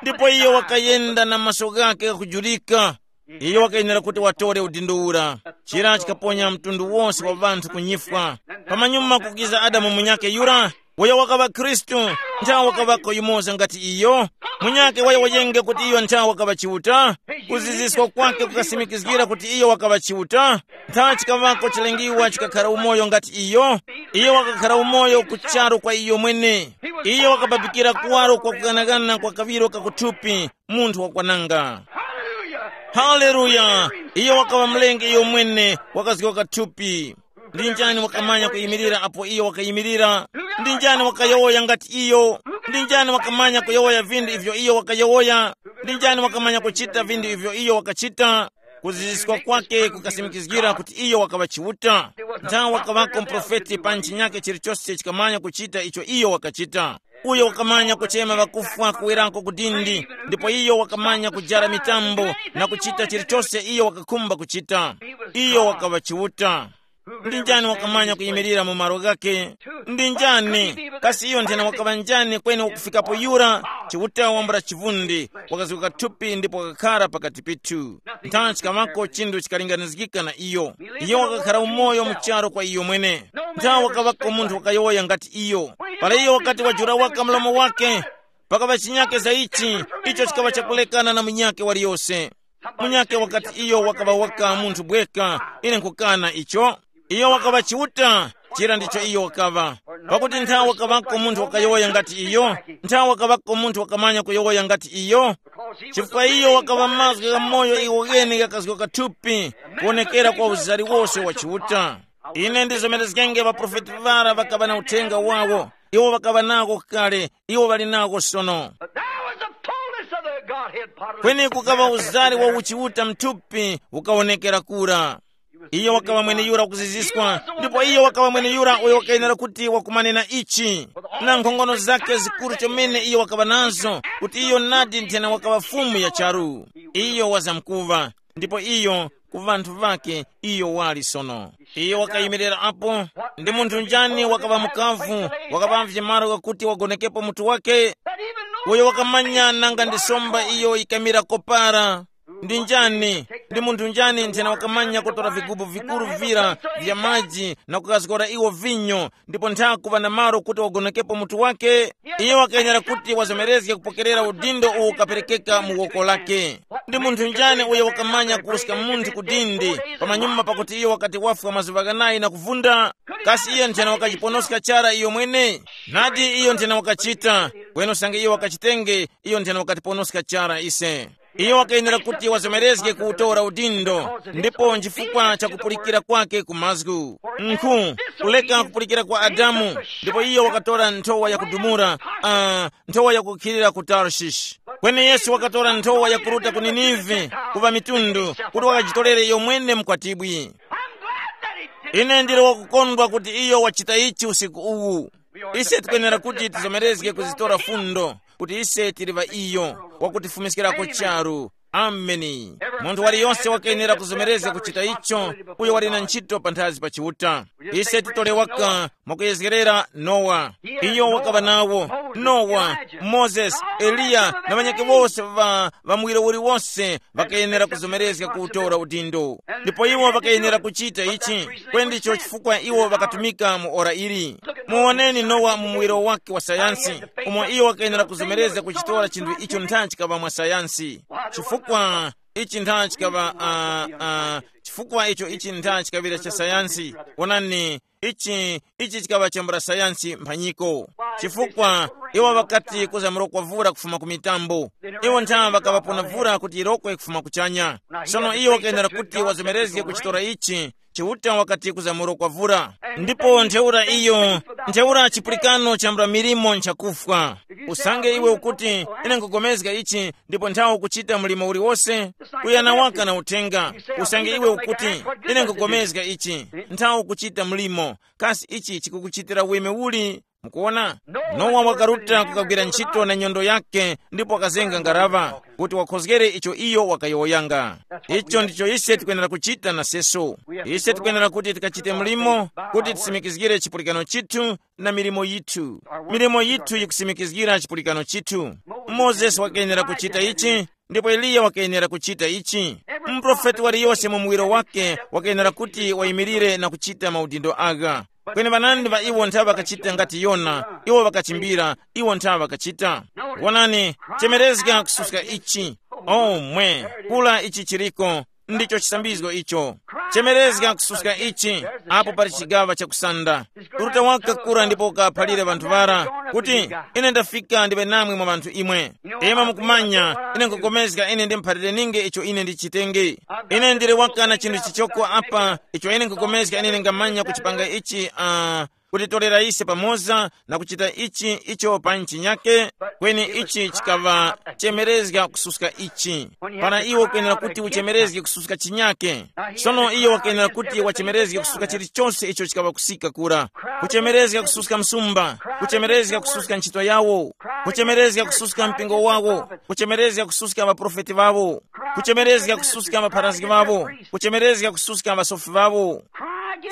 Ndipo iyo wakayenda na maso ghake ghakujurika. Iyo wakayenera kuti watore udindo ura. Chira chikaponya mtundu wose wa ŵanthu kunyifwa. Pamanyuma kukiza Adamu munyakhe yura, uyo wakaŵa Khristu, nthawe wakaŵako yumoza ngati iyo. Munyakhe waya wayenge kuti iyo nthawe wakaŵa Chiuta. Kuziziswa kwake kukasimikizgira kuti iyo wakaŵa Chiuta. Nthawe chikaŵako chilengiwa chikakhara umoyo ngati iyo. Iyo wakakhara umoyo ku charu kwa iyo mwene. Iyo wakapapikira kuwaro kwa kuganagana kwa kaŵiro kakuthupi, munthu wakwananga. Haleluya. Iyo wakaŵa mlengi iyo mwene, wakazgoka thupi. Ndi njani wakamanya kuyimirira apo iyo wakayimirira? Ndi njani wakayowoya ngati iyo? Ndi njani wakamanya kuyowoya vindu ivyo iyo wakayowoya? Ndi njani wakamanya kuchita vindu ivyo iyo wakachita? Kuziziskwa kwake kukasimikizgira kuti iyo wakaŵa Chiuta. Nthawe wakaŵako muprofeti pa ntchinyake chilichose chikamanya kuchita icho iyo wakachita. Uyo wakamanya kuchema ŵakufwa kuwerako ku dindi, ndipo iyo wakamanya kujara mitambo na kuchita chilichose iyo wakakhumba kuchita. Iyo wakaŵa Chiuta. Ndi njani wakamanya kuyimirira mu malo ghake? Ndi njani? Kasi iyo nthena wakaŵa njani kweni wakufikapo yura? Chiuta wambula chivundi, wakazguka thupi ndipo wakakhara pakati pithu. Nthawe chikaŵako chinthu chikalinganizgika na iyo. Iyo wakakhara umoyo mu charu kwa iyo mwene. Nthawe wakaŵako munthu wakayowoya ngati iyo. Para iyo wakati wajula waka mlomo wake, pakaŵa chinyake za ichi, icho chikaŵa chakulekana na munyake waliyose. Munyake wakati iyo wakaŵa waka munthu bweka, ine nkukana icho. Iyo wakaŵa Chiuta, chira ndicho iyo wakaŵa. Pakuti nthawe wakaŵako munthu wakayowoya ngati iyo, nthawe wakaŵako munthu wakamanya kuyowoya ngati iyo. Chifukwa iyo wakaŵa mazgu gha moyo iwo ghene ghakazgoka thupi, kuwonekera kwa uzari wose wa Chiuta. Ine ndizomerezgenge ŵaprofeti ŵara ŵakaŵa na uthenga wawo, iwo ŵakaŵa nawo kale, iwo ŵali nawo sono. But there was the fullness of the Godhead bodily. Kweni kukaŵa uzari wa uchiuta mthupi ukawonekera kura. Iyo wakaŵa mwene yura kuziziswa, ndipo iyo wakaŵa mwene yura uyo wakayenera kuti wakumane na ichi, na nkhongono zake zikuru chomene iyo wakaŵa nazo, kuti iyo nadi nthena wakaŵa fumu ya charu. Iyo wazamkuva, ndipo iyo ku vanthu vake iyo wali sono. Iyo wakayimirira apo. Ndi munthu njani wakaŵa mukavu, wakaŵavye malo ghakuti wagonekepo mutu wake? Uyo wakamanya nanga ndi somba iyo yikamira kopara. Ndi njani? Ndi munthu njani nthena wakamanya kutora vigubu vikuru vira vya maji na kukazgora iwo vinyo, ndipo ntha kuŵa na malo kuti wagonekepo mutu wake? Iyo wakayenera kuti wazomerezge kupokerera udindo uwo ukaperekeka mu woko lake. Ndi munthu njani uyo wakamanya kuruska munthu ku dindi pamanyuma pakuti iyo wakati wafwa mazuŵa ghanayi na kuvunda? Kasi iyo nthena wakajiponoska chara iyo mwene? Nadi iyo nthena wakachita, kweni usange iyo wakachitenge, iyo nthena wakatiponoska chara ise. Iyo wakayenera kuti wazomerezge kuwutora udindo, ndipo nchifukwa cha kupulikira kwake ku mazgu, nkhu, kuleka kupulikira kwa Adamu, ndipo iyo wakatora nthowa yakudumura, uh, nthowa yakukhilira ku Tarshish. Kweni Yesu wakatora nthowa yakuruta ku Ninive, kuva mitundu, kuti wakajitorere iyo mwene mkwatibwi. Ine ndili wakukondwa kuti iyo wachita ichi usiku uwu. Ise tikwenera kuti tizomerezge kuzitora fundo, kuti ise tili ŵa iyo wakutifumiskirako charu. Ameni. Munthu waliyonse wakayenera kuzomerezga kuchita icho, uyo wali na ntchito panthazi pa Chiuta. Ise titole waka mwakuyezgerera Nowa. Iyo wakaŵa nawo. Nowa, Mozesi, Eliya na ŵanyakhe wose ŵa ŵa muwiro uliwonse ŵakayenera kuzomerezga kuwutora udindo. Ndipo iwo ŵakayenera kuchita ichi, kweni ndicho chifukwa iwo ŵakatumika mu ora ili. Muwoneni Nowa mu muwiro wake wa sayansi, umo iyo wakayenera kuzomerezga kuchitora chinthu icho ntha chikaŵa mwa sayansi. Chifukwa ichi ntha chikaŵa uh, uh, chifukwa icho ichi ntha chikaŵira cha sayansi. Wonani, ichi ichi chikaŵa chambula sayansi mphanyiko. Chifukwa iwo ŵakati kuzamurokwa vura kufuma ku mitambo. Iwo ntha ŵakaŵapona vura kuti yirokwe kufuma kuchanya. Sono iwo wakayenera kuti wazomerezge kuchitora ichi. Chiuta wakati kuzamurokwa vura. Ndipo ntheura iyo, ntheura chipulikano chambula milimo nchakufwa. Usange iwe ukuti, ine nkugomezga ichi, ndipo nthawi ukuchita mlimo uliwose, kuyana waka na uthenga. Usange iwe ukuti, ine nkugomezga ichi, nthawi ukuchita mlimo. Kasi ichi chikukuchitira weme uli? Mukuona, Nowa wakaruta kukagwira ntchito na nyondo yake, ndipo wakazenga ngaraŵa kuti wakhozgere icho iyo wakayowoyanga. Icho ndicho ise tikwenera kuchita na seso. Ise tikwenera kuti tikachite mlimo, kuti tisimikizgire chipulikano chithu na milimo yithu. Milimo yithu yikusimikizgira chipulikano chithu. Mozesi wakayenera kuchita ichi, ndipo Eliya wakayenera kuchita ichi. Muprofeti waliyose mu muwiro wake wakayenera kuti wayimirire na kuchita maudindo agha. Kweni ŵanandi ŵa iwo nthawe ŵakachita ngati Yona, iwo ŵakachimbira, iwo nthawe ŵakachita. Wonani, chemerezga kususka ichi. Oh mwe, kula ichi chiriko, ndicho chisambizgo icho. Chemerezga kususka ichi, apo pali chigaŵa chakusanda. Uruta waka kura ndipo ukaphalire ŵanthu ŵara kuti, ine ndafika ndiŵe namwe mwa ŵanthu imwe. Ima mukumanya, ine nkukomezga ine ndimuphalire ninge icho ine ndichitenge. Ine ndili waka na chinthu chichoko apa, icho ine nkukomezga ine ndingamanya kuchipanga ichi uh, kutitorera ise pamoza na kuchita ichi icho pa nchinyake. Kweni ichi chikaŵa chemerezga kususka ichi. Para iwe ukuyenera kuti uchemerezge kususka chinyake, sono iyo wakayenera kuti wachemerezge kususka chilichonse icho chikaŵa kusika kura. Kuchemerezga kususka msumba, kuchemerezga kususka ntchito yawo, kuchemerezga kususka mpingo wawo, kuchemerezga kususka ŵaprofeti ŵawo, kuchemerezga kususka ŵapharazgi ŵawo, kuchemerezga kususka ŵasofi ŵawo.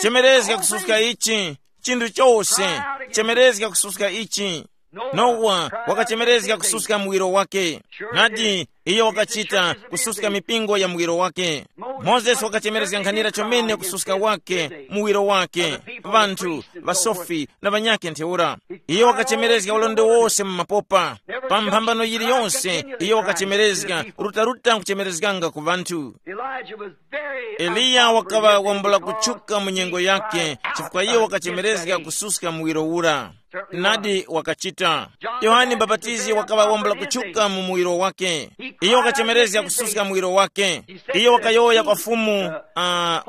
Chemerezga kususka ichi, chinthu chose. Chemerezga kususka ichi. Nowa wakachemerezga kususka muwiro wake. Nadi, iyo wakachita kususka mipingo ya muwiro wake. Mozesi wakachemerezga nkhanira chomene kususka wake muwiro wake, vanthu, vasofi na vanyakhe ntheura. Iyo wakachemerezga ulendo wose mu mapopa. Pa mphambano yiliyonse iyo wakachemerezga, rutaruta nkuchemerezganga ku vanthu. Elijah was very Eliya wakaŵa wambula kutchuka mu nyengo yake, chifukwa iyo wakachemerezga kususka muwiro ura. Nadi wakachita. Yohane Mbapatizi wakaŵa wambula kutchuka mu muwiro wake. Iyo wakachemerezga kususka muwiro wake. Iyo wakayowoya kwa fumu uh,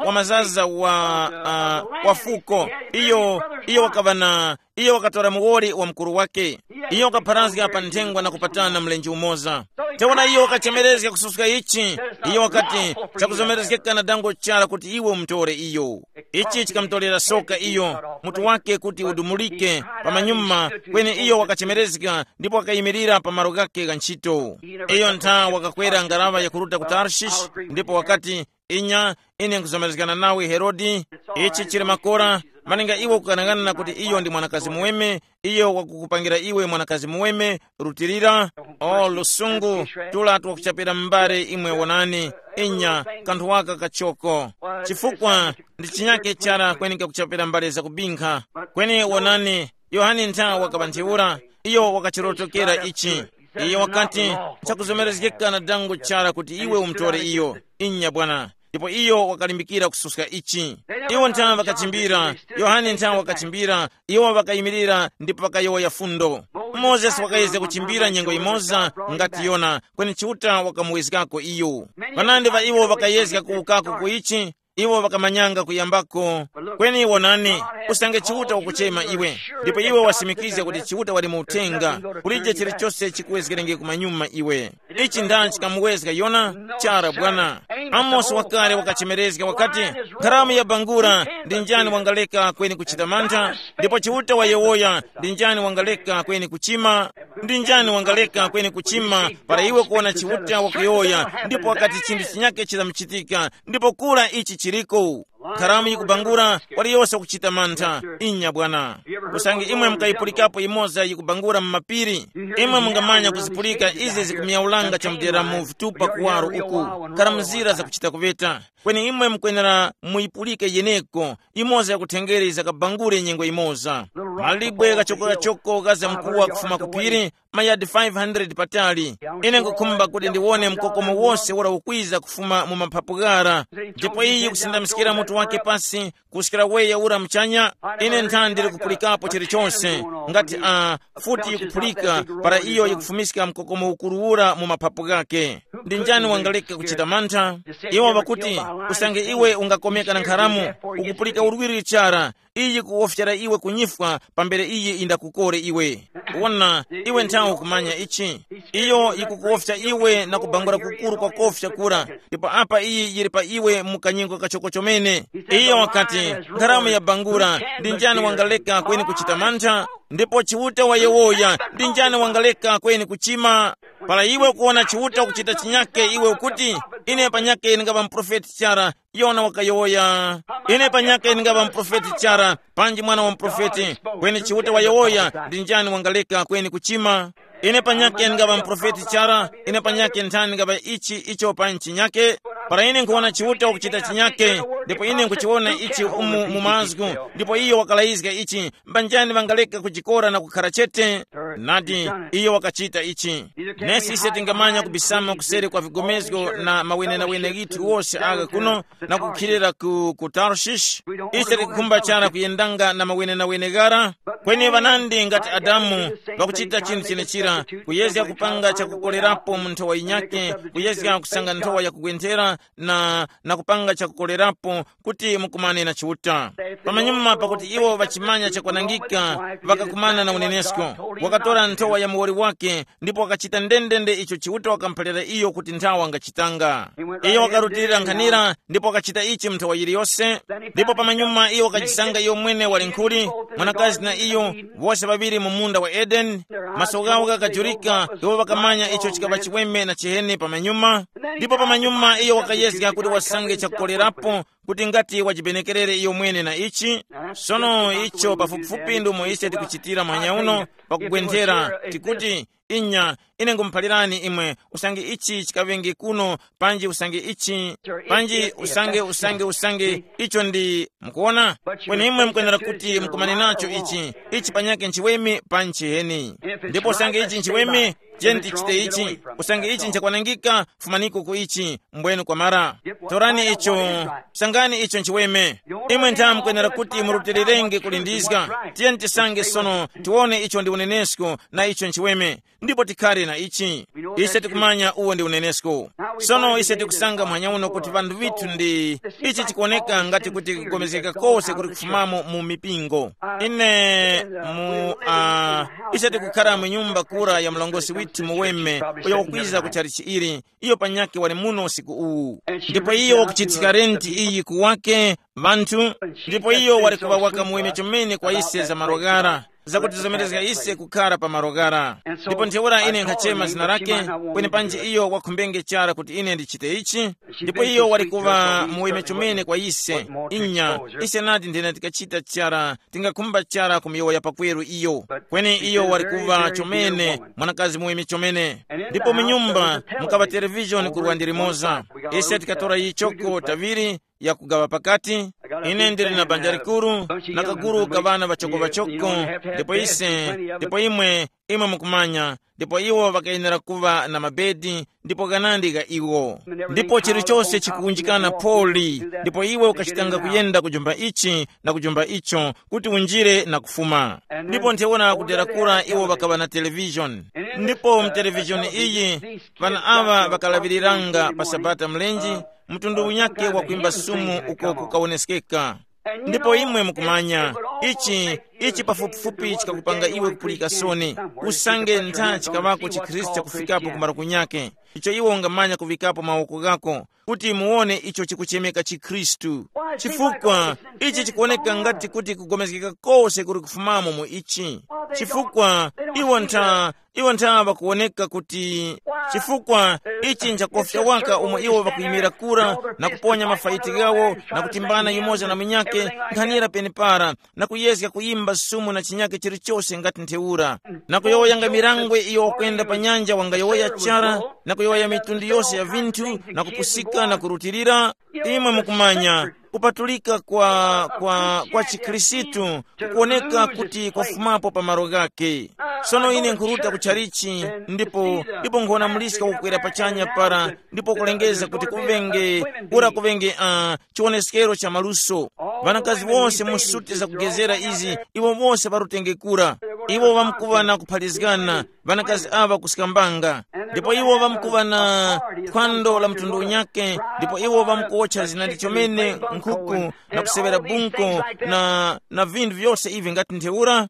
wa mazaza wa, uh, wa fuko. Iyo, iyo wakaŵa na, iyo wakatora muwoli wa mukuru wake. Iyo wakapharazga pa nthengwa na kupatana mlenje umoza. Ntheura iyo wakachemerezga kususka ichi. Iyo wakati, chakuzomerezgeka na dango chara kuti iwe umutore iyo. Ichi chikamutorera soka iyo, mutu wake kuti udumulike pamanyuma. Kweni iyo wakachemerezga ndipo wakayimirira pa malo ghake gha ntchito. Iyo ntha wakakwera ngaraŵa yakuruta ku Tarshish, ndipo wakati, inya, ine nkuzomerezgana nawe Herode. Ichi chili makora. Malinga iwe kukanang'ana kuti iyo ndi mwanakazi muweme, iyo wakukupangira iwe mwanakazi muweme, rutilira. O lusungu, tula twakuchapira mbale imwe wonani. Inya, kanthu waka kachoko. Chifukwa ndi chinyake chara kweni kakuchapira mbale zakubinkha. Kweni wonani, Yohane ntha wakaŵa ntheura, iyo wakachirotokera ichi. Iyo wakati, nchakuzomerezgeka na dango chara kuti iwe umutore iyo. Inya bwana. Ndipo iyo wakalimbikira kususka ichi. Iwo ntha ŵakachimbira, Yohane ntha wakachimbira, iwo ŵakayimirira ndipo ŵakayowoya fundo. Mozesi wakayezga kuchimbira nyengo imoza ngati Yona, kweni Chiuta wakamuwezgako iyo. Panandi ŵa iwo ŵakayezga kuwukako ku ichi, iwo ŵakamanyanga kuyambako. Kweni wonani, usange Chiuta wakuchema iwe, ndipo iwe wasimikizga kuti Chiuta wali mu uthenga, kulije chilichose chikuwezgerenge kumanyuma iwe. Ichi ndani chikamuwezga Yona? Chara bwana. Amosi wakale wakachemerezga wakati, nkharamu ya bangura, ndi njani wangaleka kweni kuchita mantha? Ndipo Chiuta wayowoya, ndi njani wangaleka kweni kuchima? Ndi njani wangaleka kweni kuchima para iwe kuwona Chiuta wakuyowoya, ndipo wakati chinthu chinyake chizamuchitika, ndipo kura ichi chiriko? Nkharamu yikubangura, waliyose wakuchita mantha. Inya bwana. Usange imwe mukayipulikapo imoza yikubangura mu mapiri, imwe mungamanya kuzipulika izi zikumyaulanga chamudera mu vitupa kuwaro uku, nkharamuzira zakuchita kuveta. Kweni imwe mukwenera muyipulike yeneko, imoza yakuthengere zakabangure nyengo imoza. Malibwe ghachokogachoko ghaza mkuwa kufuma ku phiri, mayadi five hundred patali. Ine nkukhumba kuti ndiwone mkokomo wose ura ukwiza kufuma mu maphapu ghara. Ndipo iyi kusindamiskira mutu wake pasi, kuskira weya ura muchanya. Ine nthani ndili kupulikapo chilichonse, ngati a futi yikuphulika para iyo yikufumiska mkokomo ukuru ura mu maphapu ghake. Ndi njani wangaleka kuchita mantha? Iwo ŵakuti, usange iwe ungakomeka na nkharamu, ukupulika urwiri chara, iyi kuwofyera iwe kunyifwa pambere iyi indakukore iwe. Wona, iwe nthawe ukumanya ichi. Iyo yikukuwofya iwe na kubangula kukuru kwa kofya kura, ndipo apa iyi yili pa iwe mu kanyingo kachoko chomene. Iyo wakati, nkharamu yabangula, ndi njani wangaleka kweni kuchita mantha? Ndipo Chiuta wayowoya, ndi njani wangaleka kweni kuchima? Para iwe kuwona Chiuta kuchita chinyake, iwe ukuti, ine panyake ndingaŵa muprofeti chara. Yona wakayowoya, ine panyake ndingaŵa muprofeti chara, panji mwana wa muprofeti. Kweni Chiuta wayowoya, ndi njani wangaleka kweni kuchima? Ine panyake ndingaŵa muprofeti chara, ine panyake nthani ndingaŵa ichi icho pa nchi nyake. Para ine nkhuwona Chiuta wakuchita chinyake, ndipo ine nkhuchiwona ichi umu mu mazgu, ndipo iyo wakalayizga ichi, mbanjani ŵangaleka kujikora na kukhara chete? Nadi, iyo wakachita ichi. Nesi ise tingamanya kubisama kuseri kwa vigomezgo na mawenenawene ghithu wose agha kuno, na kukhilira ku, ku Tarshish. Ise tikukhumba chara kuyendanga na mawenenawene ghara. Kweni ŵanandi ngati Adamu, ŵakuchita chinthu chenechira, kuyezga kupanga chakukolerapo mu nthowa yinyake, kuyezga kusanga nthowa yakugwenthera, na, na kupanga chakukolerapo kuti mukumane na Chiuta. Pamanyuma pakuti iwo ŵachimanya chakwanangika, ŵakakumana na unenesko. Wakatora nthowa ya muwoli wake, ndipo wakachita ndendende icho Chiuta wakamuphalira iyo kuti nthawa angachitanga. Iyo wakarutilira nkhanira, ndipo wakachita ichi mu nthowa yiliyose. Ndipo pamanyuma iyo wakachisanga iyo mwene wali nkhuli, mwanakazi na iyo, wose ŵaŵiri mu munda wa Edeni. Maso ghawo ghakajurika, iwo ŵakamanya icho chikaŵa chiweme na chiheni pamanyuma. Ndipo pamanyuma iyo wakayezga kuti wasange chakukolerapo, kuti ngati wajibenekerere iyo mwene na ichi. Sono icho pafupifupi ndi umo ise tikuchitira mwanya uno, pakugwenthera, tikuti, inya, ine ngumuphalirani imwe, usange ichi chikaŵenge kuno, panji usange ichi, panji usange, usange, usange, icho ndi, mukuona? Kweni imwe mukwenera kuti mukumane nacho ichi, ichi panyake nchiweme pa nchiheni. Ndipo usange ichi nchiweme, tiyeni tichite ichi. Usange ichi nchakwanangika, fumaniko ku ichi, mbwenu kwamara. Torani icho, sangani icho nchiweme. Imwe ntha mukwenera kuti murutilirenge kulindizga. Tiyeni tisange sono, tiwone icho ndi unenesko na icho nchiweme. Ndipo tikhale na ichi. Ise tikumanya uwo ndi unenesko. Sono ise tikusanga muhanya uno kuti vanthu vithu ndi, ichi chikuoneka ngati kuti kugomezgeka kose kuli kufumamo mu mipingo. Ine mu uh, ise tikukhala mu nyumba kura ya mlongosi withu muweme, uyo wakwiza ku chalichi ili. Iyo panyakhe wali muno usiku uwu. Ndipo iyo wakuchitsikira renti iyi kuwake vanthu. Ndipo iyo wali kuŵa waka muweme chomene kwa ise za malo ghara. zakutizomerezga ise kukhara pa malo ghara. Ndipo ntheura ine nkhachema zina lake, kweni panji iyo wakhumbenge chara kuti ine ndichite ichi. Ndipo iyo wali kuŵa muweme chomene kwa ise. Inya, ise nadi nthena tikachita chara, tingakhumba chara kumuyowoya pakweru iyo. Kweni iyo wali kuŵa chomene mwanakazi muweme chomene. Ndipo mu nyumba mukaŵa televishoni kurwa ndi limoza. Ise tikatora yichoko taŵiri yakugaŵa pakati. Ine ndili na banja likuru, na kaguru ka ŵana ŵachoko-ŵachoko. Ndipo ise, ndipo imwe, imwe mukumanya, ndipo iwo ŵakayenera kuŵa na mabedi, ndipo ghanandi gha iwo. Ndipo chilichose chikuwunjikana pholi, ndipo iwe ukachitanga kuyenda kujumba ichi na kujumba icho, kuti unjire na kufuma. Ndipo ntheura kudera kura iwo ŵakaŵa na televishoni. Ndipo mu televishoni iyi, ŵana aŵa ŵakalaŵiriranga pa Sabata mlenje, mtundu unyakhe wa kwimba sumu uko kukawoneskeka. Ndipo imwe mukumanya, ichi ichi pafupifupi chikakupanga iwe kupulika soni, usange ntha chikaŵako chikhristu chakufikapo ku malo kunyakhe, icho iwe ungamanya kuŵikapo mawoko ghako, kuti muwone icho chikuchemeka chikhristu. Chifukwa ichi chikuwoneka ngati kuti kugomezgeka kose kuli kufumamo mu ichi. Chifukwa iwo ntha iwo ntha ŵakuwoneka kuti, chifukwa ichi nchakofya waka umo iwo ŵakuyimira kura na kuponya mafaiti ghawo na kutimbana yumoza na munyakhe, nkhanira penepara, na kuyezga kuyimba sumu na chinyakhe chilichose ngati ntheura, na kuyowoyanga mirangwe iyo wakwenda pa nyanja wangayowoya chara, na kuyowoya mitundu yose ya vinthu, na kupusika na kurutilira. Imwe mukumanya, kupatulika kwa, kwa, kwa chikhristu kukuwoneka kuti kwafumapo pa malo ghake. Sono ine nkhuruta ku tchalichi, ndipo ndipo nkhona muliska kukwera pachanya para, ndipo kulengeza kuti kuvenge, kura kuvenge uh, chiwoneskero cha maluso. Vanakazi wose mu suti zakugezera izi, iwo wose varutenge kura. Iwo vamkuva na kupharizgana, vanakazi ava kusikambanga. Ndipo iwo vamkuva na phwando la mtundu unyake, ndipo iwo vamkuwotcha zinandi chomene nkhuku, na kusevera bunko, na, na vinthu vyose ivi ngati ntheura.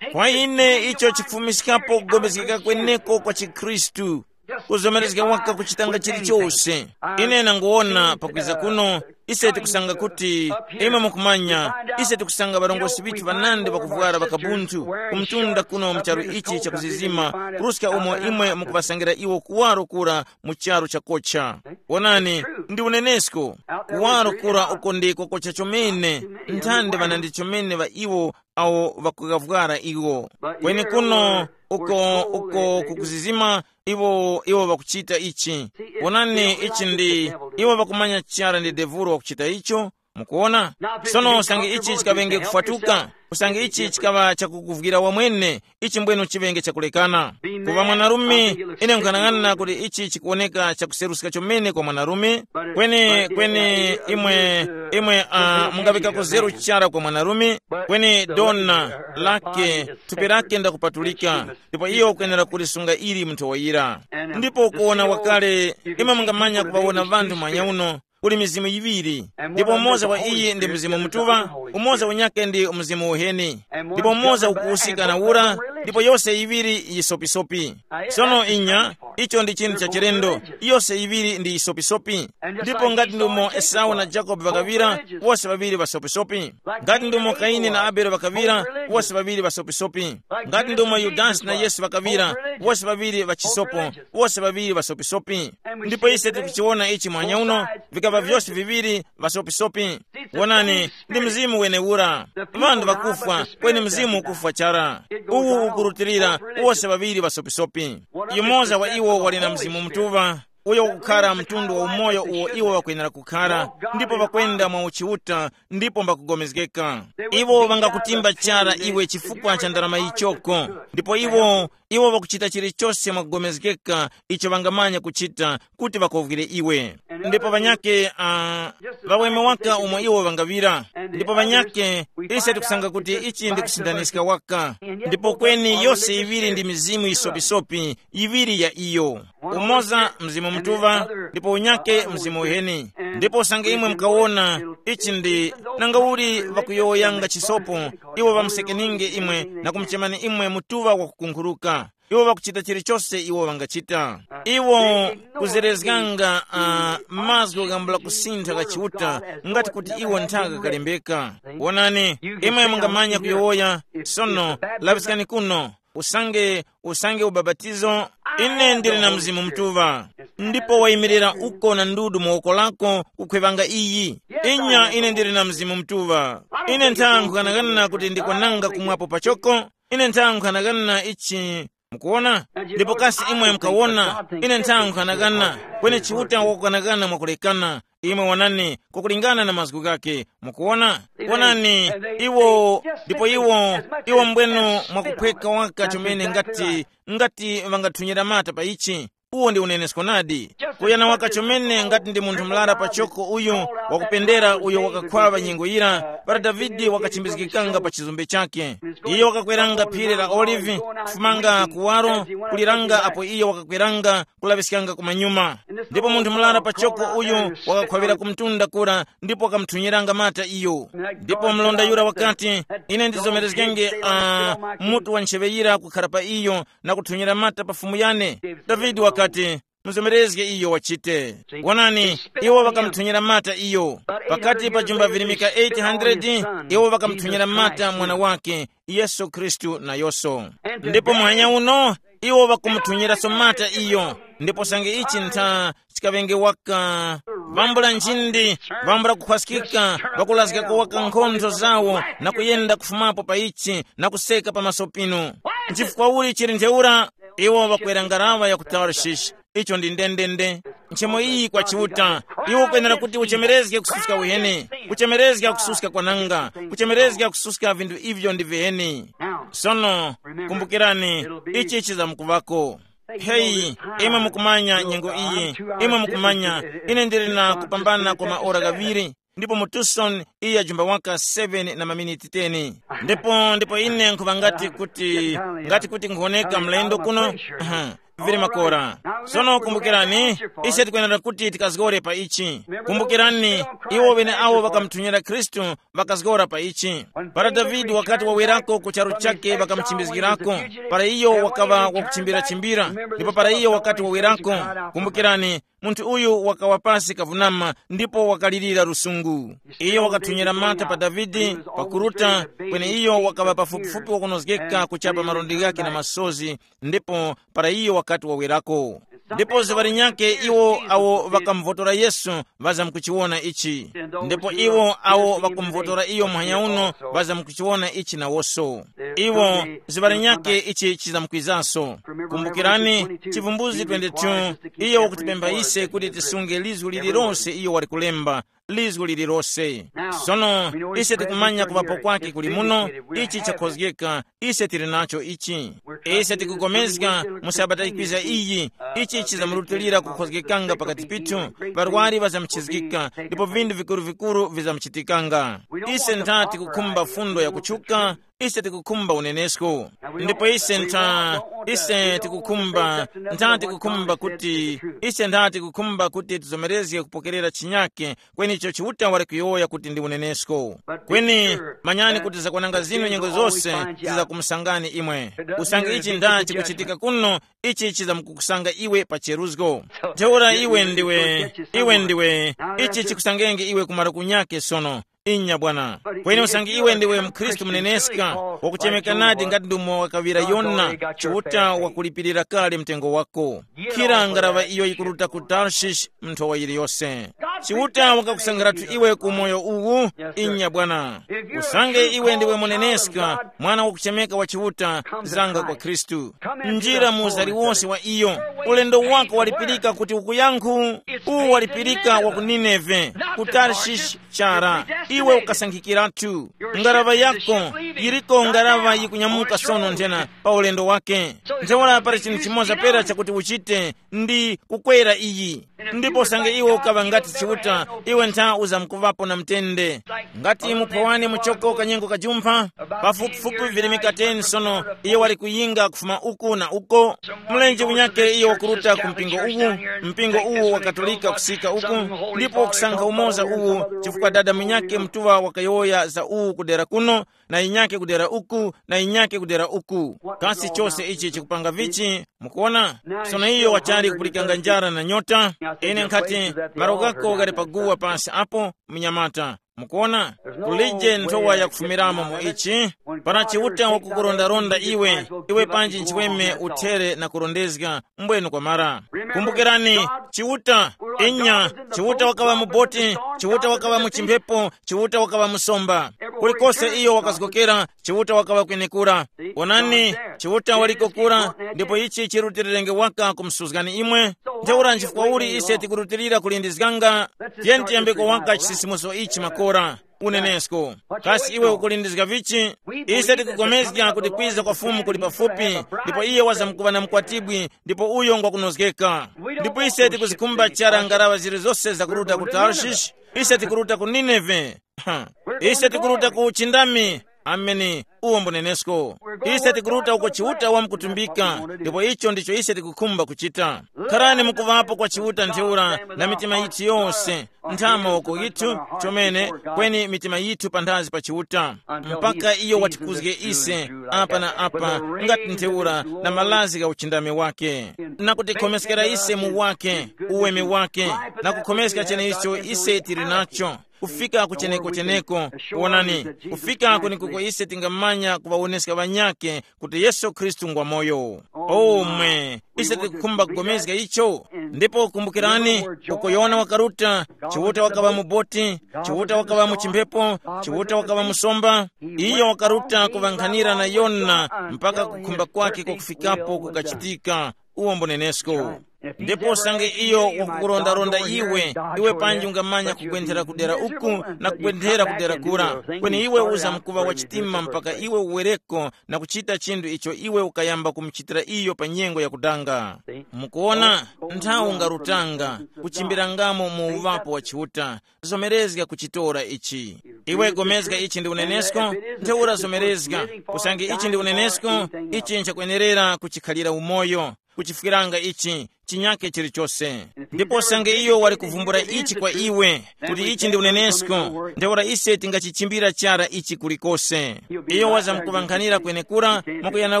Kwa ine icho chifumiskapo kugomezgeka kweneko kwa chikhristu, kuzomerezga waka kuchitanga chilichose. Ine nanguwona pakwiza kuno, ise tikusanga kuti, imwe mukumanya, ise tikusanga ŵarongozgi ŵithu ŵanandi ŵakuvwara ŵakabunthu, kumtunda kuno mu charu ichi chakuzizima, kuruska umo imwe mukuŵasangira iwo kuwaro kura mu charu chakocha. Wonani, ndi unenesko, kuwaro kura uko ndiko kocha chomene, nthandi ŵanandi chomene ŵa iwo awo ŵakughavwara iwo. Kweni kuno, uko uko kukuzizima, iwo iwo ŵakuchita ichi. Wonani, ichi ndi, iwo ŵakumanya chara ndi devuro wakuchita icho. Mukuona? Sono usange ichi chikaŵenge kufwatuka, usange ichi chikaŵa chakukuvwira wamwene, ichi mbwenu chiŵenge chakulekana. Kuva mwanarume, ine nkhanang'ana kuti ichi chikuwoneka chakuseruska chomene kwa mwanarume. Kweni kweni, imwe imwe uh, mungaŵikako zeru chara kwa mwanarume. Kweni dona lake, thupi lake ndakupatulika, ndipo iyo ukwenera kulisunga ili munthu woyira. Ndipo kuwona wakale, imwe mungamanya kuŵawona vanthu mwanya uno, kuli mizimu yiŵiri, ndipo umoza wa iyi ndi mzimu mutuŵa, umoza unyake ndi mzimu uheni. Ndipo umoza ukuwusikana ura, ndipo yose yiŵiri yisopisopi. Sono inya, icho ndi chinthu cha chilendo, yose yiŵiri ndi yisopisopi. Ndipo ngati ndumo Esau na Jakobe ŵakaŵira, wose ŵaŵiri ŵasopisopi. Ngati ndumo Kaini na Abele ŵakaŵira, wose ŵaŵiri ŵasopisopi. Ngati ndumo Yudasi na Yesu ŵakaŵira, wose ŵaŵiri ŵachisopo, wose ŵaŵiri ŵasopisopi. Ndipo ise tikuchiwona ichi mwanya uno, vikava vyose viŵiri ŵasopisopi. Wonani, ndi mzimu wenewura. Ŵanthu ŵakufwa, kweni mzimu ukufwa chara. Uwu ukurutilira, wose ŵaŵiri ŵasopisopi. Yumoza wa iwo wali na mzimu mutuŵa, uyo ukukhara mtundu wa umoyo uwo iwo ŵakwenera kukhara, ndipo ŵakwenda mwa uchiuta, ndipo mbakugomezgeka. Iwo ŵangakutimba chara iwe chifukwa cha ndarama yichoko, ndipo iwo iwo ŵakuchita chilichose mwakugomezgeka icho ŵangamanya kuchita, kuti ŵakovwire iwe. Ndipo ŵanyake uh, ŵaweme waka umo iwo ŵangaŵira. Ndipo ŵanyake, ise tikusanga kuti ichi ndi kusindaniska waka. Ndipo kweni yose yiŵiri ndi mizimu yisopisopi, yiŵiri ya iyo. Umoza mzimu mutuŵa, ndipo unyake mzimu uheni. Ndipo usange imwe mukawona, ichi ndi, nanga uli ŵakuyowoyanga chisopo, iwo ŵamusekeninge imwe, na kumuchemani imwe mutuŵa wakukunkhuruka. Iwo ŵakuchita chilichose iwo ŵangachita. Iwo kuzerezganga uh, mazgu ghambula kusintha gha Chiuta, ngati kuti iwo nthaka kalembeka. Wonani, imwe mungamanya kuyowoya. Sono laŵiskani kuno, usange usange ubapatizo. Ine ndili na Mzimu Mutuŵa, ndipo wayimirira uko na ndudu mu woko lako kukhwevanga iyi. Inya, ine ndili na Mzimu Mutuŵa. Ine nthankhu kanakana kuti ndikwananga kumwapo pachoko. Ine nthankhu kanakana ichi. Mukuwona? Ndipo kasi imwe mukawona, ine nthankhu kanakana, kweni Chiuta wakukanakana mwakulekana. Imwe wonani, kukulingana na mazgu ghake. Mukuwona? Wonani, iwo ndipo iwo iwo mbwenu mwakuphweka waka chomene ngati ngati ŵangathunyira mata pa ichi. Uwo ndi unenesko nadi. Kuyana waka chomene ngati ndi munthu mlara pachoko uyu wakupendera uyo wakakhwaŵa nyengo yira para Davide wakachimbizgikanga pa chizumbe chake. Iyo wakakweranga phiri la Olive, kufumanga kuwaro, kuliranga apo iyo wakakweranga kulaŵiskanga kumanyuma. Ndipo munthu murara pachoko uyu wakakhwavira ku mtunda kura ndipo wakamuthunyiranga mata iyo. Ndipo mlonda yura wakati, ine ndizomerezgenge uh, mutu wa ntcheŵe yira kukhara pa iyo na kuthunyira mata pa fumu yane. Davide wakati, muzomerezge iyo wachite. Wonani, iwo ŵakamuthunyira mata iyo. Pakati pa jumba virimika eight hundred, iwo ŵakamuthunyira mata mwana wake, Yesu Khristu nayonso. Ndipo muhanya uno, iwo ŵakumuthunyiraso mata iyo. Ndipo sange ichi ntha chikaŵenge waka vambula nchindi, vambula kukhwaskika, ŵakulazgako waka nkhontho zawo na kuyenda kufumapo pa ichi na kuseka pamaso pinu. Nchifukwa uli chili ntheura? Iwo ŵakwera ngaraŵa ya ku Tarshish. Icho ndi ndendende. Nchemo iyi kwa Chiuta, iwo kwenera kuti uchemerezge kususka uheni, kuchemerezga kususka kwananga, kuchemerezga kususka vinthu ivyo ndi viheni. Sono, kumbukirani, ichi chizamkuvako. Heyi, imwe mukumanya nyengo iyi, imwe mukumanya, ine ndili na kupambana kwa maora ghaŵiri, ndipo mu Tucson iya jumba waka seven na maminiti ten. Ndipo ndipo ine nkhuŵa ngati kuti, ngati kuti nkhuwoneka mlendo kuno. Aha, vili makora. Sono kumbukirani, ise tikwenera kuti tikazgore pa ichi. Kumbukirani, iwo ŵeneawo ŵakamuthunyira Khristu ŵakazgora pa ichi. Para Davide wakati wawerako ku charu chake ŵakamuchimbizgirako, para iyo wakaŵa wakuchimbira-chimbira, ndipo para iyo wakati wawerako, kumbukirani, munthu uyu wakawa pasi kavunama ndipo wakalirira lusungu. Iyo wakathunyira mata pa Davide, pakuruta, kweni iyo wakaŵa pafupifupi wakunozgeka kuchapa marondi ghake na masozi, ndipo para iyo wakati wawerako. Ndipo zuŵa linyakhe iwo awo ŵakamuvotora Yesu ŵazamkuchiwona ichi. Ndipo iwo awo ŵakumvotora iyo muhanya uno ŵazamkuchiwona ichi nawoso. Iwo, zuŵa linyakhe ichi chizamkwizaso. Kumbukirani, Chivumbuzi twenty-two, iyo wakutipempha ise kuti tisunge lizgu lililose iyo wali kulemba, lizgu lililose. Sono, ise tikumanya kuŵapo kwake kuli muno, ichi chakhozgeka, ise tili nacho ichi. Ise tikugomezga mu sabata ikwiza iyi, ichi chizamurutilira kukhozgekanga pakati pithu, ŵarwari ŵazamuchizgika, ndipo vinthu vikuru-vikuru vizamuchitikanga. Ise ntha tikukhumba fundo yakutchuka, ise tikukhumba unenesko. Ndipo ise ntha, ise tikukhumba, ntha tikukhumba kuti, ise ntha tikukhumba kuti tizomerezge kupokerera chinyake, kweni icho Chiuta wali kuyowoya kuti ndi unenesko. Kweni manyani kuti zakwananga zinu nyengo zose zizakumusangani imwe. Usange ichi nda chikuchitika kuno, ichi chizamkukusanga iwe pa cheruzgo. Ntheura iwe ndiwe, iwe ndiwe, ichi chikusangenge iwe kumara kunyake sono. Inya bwana. Kweni usange iwe ndiwe mkhristu muneneska, wakuchemeka nadi ngati ndumo wakaŵira Yona, Chiuta wakulipirira kale mtengo wako. Khira ngaraŵa iyo yikuruta ku Tarshish, nthowa yiliyose. Chiuta wakakusankhiratu iwe ku moyo uwu. Inya bwana. Usange iwe ndiwe muneneska, mwana wakuchemeka wa Chiuta, zanga kwa Khristu. Njira mu uzaliwose wa iyo. Ulendo wako walipirika kuti ukuyankhu. Uwu walipirika wa ku Nineve, ku Tarshish chara. Iwe ukasankhikiratu. Ngaraŵa yako yiriko ngaraŵa yikunyamuka sono nthena pa ulendo wake. Ntheura pali chinthu chimoza pera chakuti uchite, ndi kukwera iyi. Ndipo usange iwe ukaŵa ngati Chiuta, iwe ntha uzamkuŵapo na mtende. Ngati muphawane muchoko kanyengo kajumpha, pafupifupi virimika ten sono, iye wali kuyinga kufuma uku na uko. Mlenje unyake iyo Okuruta ku mpingo uwu, mpingo uwu wa Katolika kusika uku, ndipo kusankha umoza uwu, chifukwa dada munyake mutuŵa wakayowoya za uwu kudera kuno, na yinyake kudera uku, na yinyake kudera uku. Kasi chose ichi chikupanga vichi? Mukuona? Sono iyo wachali kupulikanga njara na nyota. Ine nkhati, malo gako ghali paguwa pansi apo, mnyamata. Mukuona? Kulije nthowa yakufumiramo mu ichi. Para Chiuta wakukurondaronda iwe, iwe panji nchiweme uthere na kurondezga mbwenu kwamara. Kumbukirani, Chiuta, inya, Chiuta wakaŵa muboti, Chiuta wakaŵa mu chimphepo, Chiuta wakaŵa musomba. Kulikose iyo wakazgokera, Chiuta wakaŵa kwenekura. Onani, Chiuta waliko kura, ndipo ichi chirutilirenge waka kumsuzgani imwe. Ntheura nchifukwa uli ise tikurutilira kulindizganga? Tiyeni tiyambeko waka chisisimuso ichi makora. Unenesko. Kasi iwe ukulindizga vichi? Ise tikukomezga kuti kwiza kwa Fumu kuli pafupi, ndipo iye wazamkuŵa na mukwatibwi, ndipo uyo ngwakunozgeka. Ndipo ise tikuzikhumba chara ngaraŵa zilizose zakuruta ku Tarshish. Ise tikuruta ku Nineve. Ha. Ise tikuruta ku uchindami. Ameni. Uwo mbunenesko. Ise tikuruta uko Chiuta wamkutumbika, ndipo icho ndicho ise tikukhumba kuchita. Kharani mukuvapo kwa Chiuta ntheura na mitima yithu yose, nthama woko yithu chomene, kweni mitima yithu panthazi pa Chiuta, mpaka iyo watikuzge ise apa na apa, ngati ntheura na malazi gha uchindami wake, na kutikhomeskera ise mu wake, uweme wake, na kukhomeska cheneicho ise tili nacho, kufika kucheneko-cheneko. Wonani, kufika kwenekuko ise tingamanya kuŵawoneska ŵanyakhe kuti Yesu Khristu ngwa moyo. Omwe, ise tikukhumba kugomezga icho. Ndipo kumbukirani, uko Yohane wakaruta, Chiuta wakaŵa muboti, Chiuta wakaŵa mu chimphepo, Chiuta wakaŵa musomba. Iyo wakaruta kuŵankhanira na Yona mpaka kukhumba kwake kwakufikapo kukachitika. Uwo mbunenesko. Ndipo usange iyo wakukurondaronda iwe, iwe panji ungamanya kugwenthera kudera uku na kugwenthera kudera kura, kweni iwe uzamkuŵa wa chitima mpaka iwe uwereko na kuchita chinthu icho iwe ukayamba kumuchitira iyo pa nyengo yakudanga. Mukuona, nthawi ungarutanga, kuchimbirangamo mu uŵapo wa Chiuta. Zomerezga kuchitora ichi. Iwe gomezga ichi ndi unenesko, ntheura zomerezga, usange ichi ndi unenesko, ichi nchakwenerera kuchikhalira umoyo, kuchifwiranga ichi, chinyake chilichose. Ndipo usange iyo wali kuvumbula ichi kwa iwe, kuti ichi ndi unenesko, ntheura ise tingachichimbira chara ichi kulikose. Iyo wazamkuŵankhanira kwenekura, mwakuyana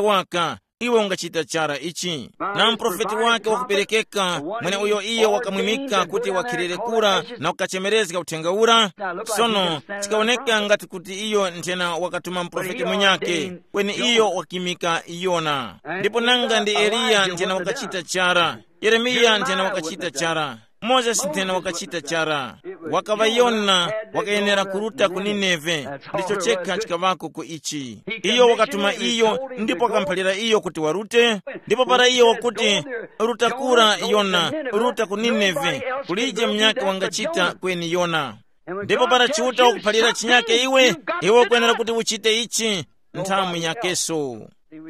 waka, iwe ungachita chara ichi. Na muprofeti wake wakuperekeka, mweneuyo iye wakamwimika kuti wakhilire kura na kukachemerezga uthenga ura. Sono, chikawoneka ngati kuti iyo nthena wakatuma muprofeti munyake, kweni iyo wakimika Yona. Ndipo nanga ndi Eliya nthena wakachita chara, Yeremiya nthena wakachita chara, Mozesi nthena wakachita chara. Wakaŵa Yona, wakayenera kuruta ku Nineve. Ndicho chekha chikaŵako ku ichi. Iyo wakatuma iyo, ndipo wakamphalira iyo kuti warute. Ndipo para iyo wakuti, ruta kura Yona, ruta ku Nineve, kulije munyakhe wangachita kweni Yona. Ndipo para Chiuta wakuphalira chinyake iwe, iwe ukwenera kuti uchite ichi. Nthawi yakeso.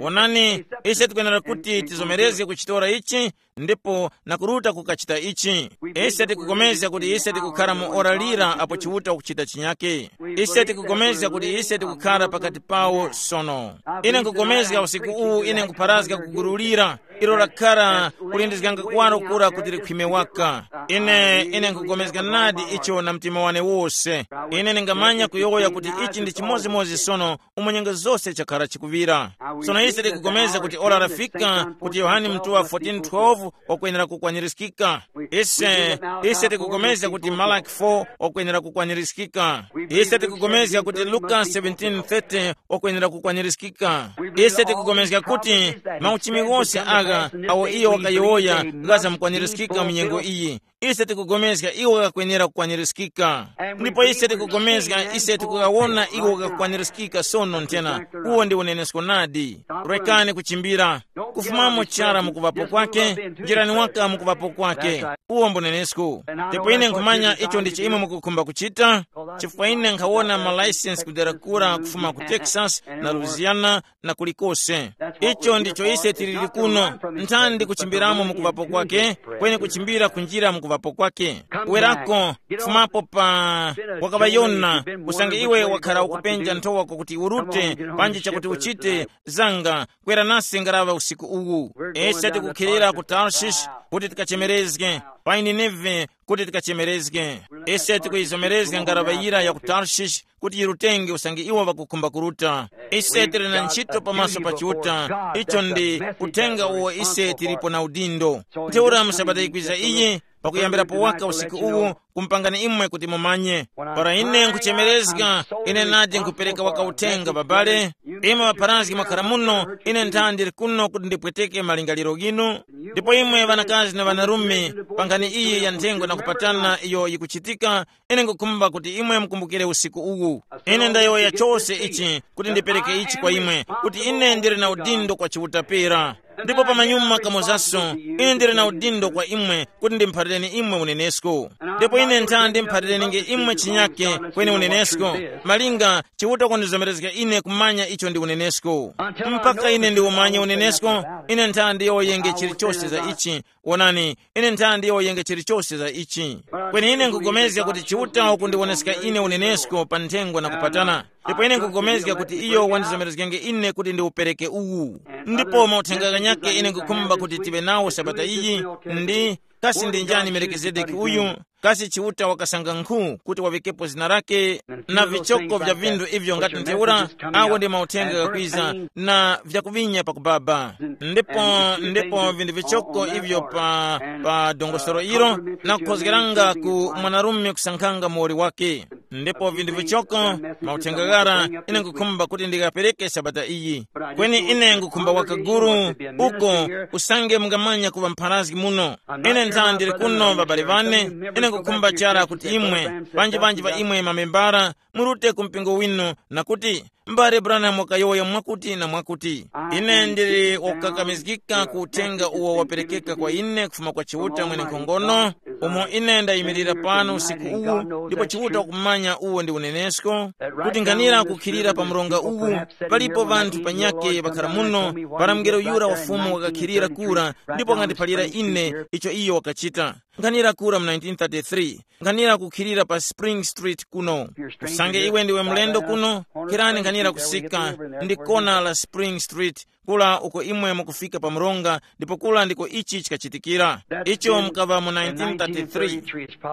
Wonani, ise tikwenera kuti tizomerezge kuchitora ichi, ndipo na kuruta kukachita ichi. Ise tikukomezga kuti ise tikukhara mu ora lira apo Chiuta wakuchita chinyake. Ise tikukomezga kuti ise tikukhara pakati pawo sono. Ine nkukomezga usiku uwu ine nkupharazga kugululira, ilo lakhara kulindizganga kuwaro kura kuti likhwime waka. Ine, ine nkukomezga nadi icho na mtima wane wose. Ine ningamanya kuyowoya kuti ichi ndi chimodzimodzi sono umo nyengo zose chakhara chikuŵira. Sono ise tikupulikana kuti ora lafika kuti Yohane mutuŵa fourteen twelve wakwenera kukwanirizgika. Ise, ise tikupulikana kuti Malaki four wakwenera kukwanirizgika. Ise tikupulikana kuti Luka seventeen thirty wakwenera kukwanirizgika. Ise tikupulikana kuti mauchimi wose agha awo iyo wakayowoya ghazamukwanirizgika mu nyengo iyi. Ise tikupulikana iwo ghakwenera kukwanirizgika. Ndipo ise tikupulikana, ise tikugawona iwo ghakukwanirizgika sono nthena. Uwo ndi unenesko nadi. Rekani kuchimbira. Kufumamo chara mukuvapo kwake, njirani waka mukuvapo kwake. Uwo mbunenesko. Ndipo ine nkhumanya icho ndicho imwe mukukhumba kuchita, chifukwa ine nkhawona malaisensi kudera kura kufuma ku Texas na Louisiana na kulikose. Icho ndicho ise tilili kuno. Nthani ndi kuchimbiramo mukuvapo kwake, kweni kuchimbira kunjira mukuvapo kuŵapo kwake. Werako, fumapo pa wakaŵayona, usange iwe wakhara ukupenja nthowa kwakuti urute, panji chakuti uchite, zanga, kwera nase ngaraŵa usiku uwu. Ise tikukhilira ku Tarshish kuti tikachemerezge, pa Nineve kuti tikachemerezge. Ise tikuyizomerezga ngaraŵa yira ya ku Tarshish kuti yirutenge usange iwo ŵakukhumba kuruta. Ise tili na ntchito pamaso pa Chiuta, icho ndi uthenga uwo ise tilipo na udindo. Ntheura mu sabata yikwiza iyi, pakuyambirapo waka usiku uwu, kumpangani imwe kuti mumanye. Para ine nkhuchemerezga, ine nadi nkhupereka waka uthenga, babale. Imwe ŵapharazgi mwakhara muno, ine nthandi ndili kuno kuti ndipweteke malingaliro ghinu. Ndipo imwe ŵanakazi na ŵanarume, pa nkhani iyi ya nthengwa na kupatana iyo yikuchitika, ine nkhukhumba kuti imwe mukumbukire usiku uwu. Ine ndayowoya chose ichi kuti ndipereke ichi kwa imwe, kuti ine ndili na udindo kwa Chiuta pera. Ndipo pamanyuma kamozaso, ine ndili na udindo kwa imwe kuti ndimphalireni imwe unenesko. Ndipo ine nthandi ndimphalireni nge imwe chinyake kweni unenesko, malinga Chiuta kundizomerezga ine kumanya icho ndi unenesko. Mpaka ine ndiwumanye unenesko, ine nthandi ndiyowoyenge chilichose za ichi. Wonani, ine nthandi ndiyowoyenge chilichose za ichi. Kweni ine nkugomezga kuti Chiuta wakundiwoneska ine unenesko pa nthengwa na kupatana. Ndipo ine nkugomezga kuti iyo wandizomerezgenge ine kuti ndiwupereke uwu. Ndipo mauthenga ghanyakhe ine nkukhumba kuti tiŵe nawo sabata iyi, ndi kasi ndi njani Melikizedeki uyu? Kasi Chiuta wakasanga nkhu kuti waŵikepo zina lake, na vichoko vya vinthu ivyo ngati ntheura? Awo ndi mauthenga ghakwiza na vyakuvinya pakubaba. Ndipo ndipo vinthu vichoko ivyo pa pa dongosolo ilo, na kukhozgeranga ku mwanarume kusankhanga muwoli wake. Ndipo vinthu vichoko, mauthenga ghara, ine nkukhumba kuti ndikapereke sabata iyi. Kweni ine nkukhumba wakaguru uko, usange mungamanya kuŵa mpharazgi muno. Ine nthandi ndili kuno, ŵabale ŵane. Ine nkukhumba chara kuti imwe, panji panji pa imwe mamembara, murute ku mpingo winu, na kuti, mbale Branham wakayowoya mwakuti na mwakuti. Ine ndili wakukakamizgika ku uthenga uwo waperekeka kwa ine kufuma kwa Chiuta mwenenkhongono, umo ine ndayimirira pano usiku uwu, ndipo Chiuta wakumanya uwo ndi unenesko, kuti nkhanira kukhilira pa mronga uwu, palipo ŵanthu panyakhe ŵakhara muno, para mngelo yura wa Fumu wakakhilira kura, ndipo wakandiphalira ine icho iyo wakachita. Nkhanira kura mu nineteen thirty-three, nkhanira kukhilira pa Spring Street kuno. Usange iwe ndiwe mlendo kuno, kherani nkhanira kusika ndi kona la Spring Street, kula uko imwe mukufika pa mronga, ndipo kula ndiko ichi chikachitikira. Icho mukaŵa mu nineteen thirty-three.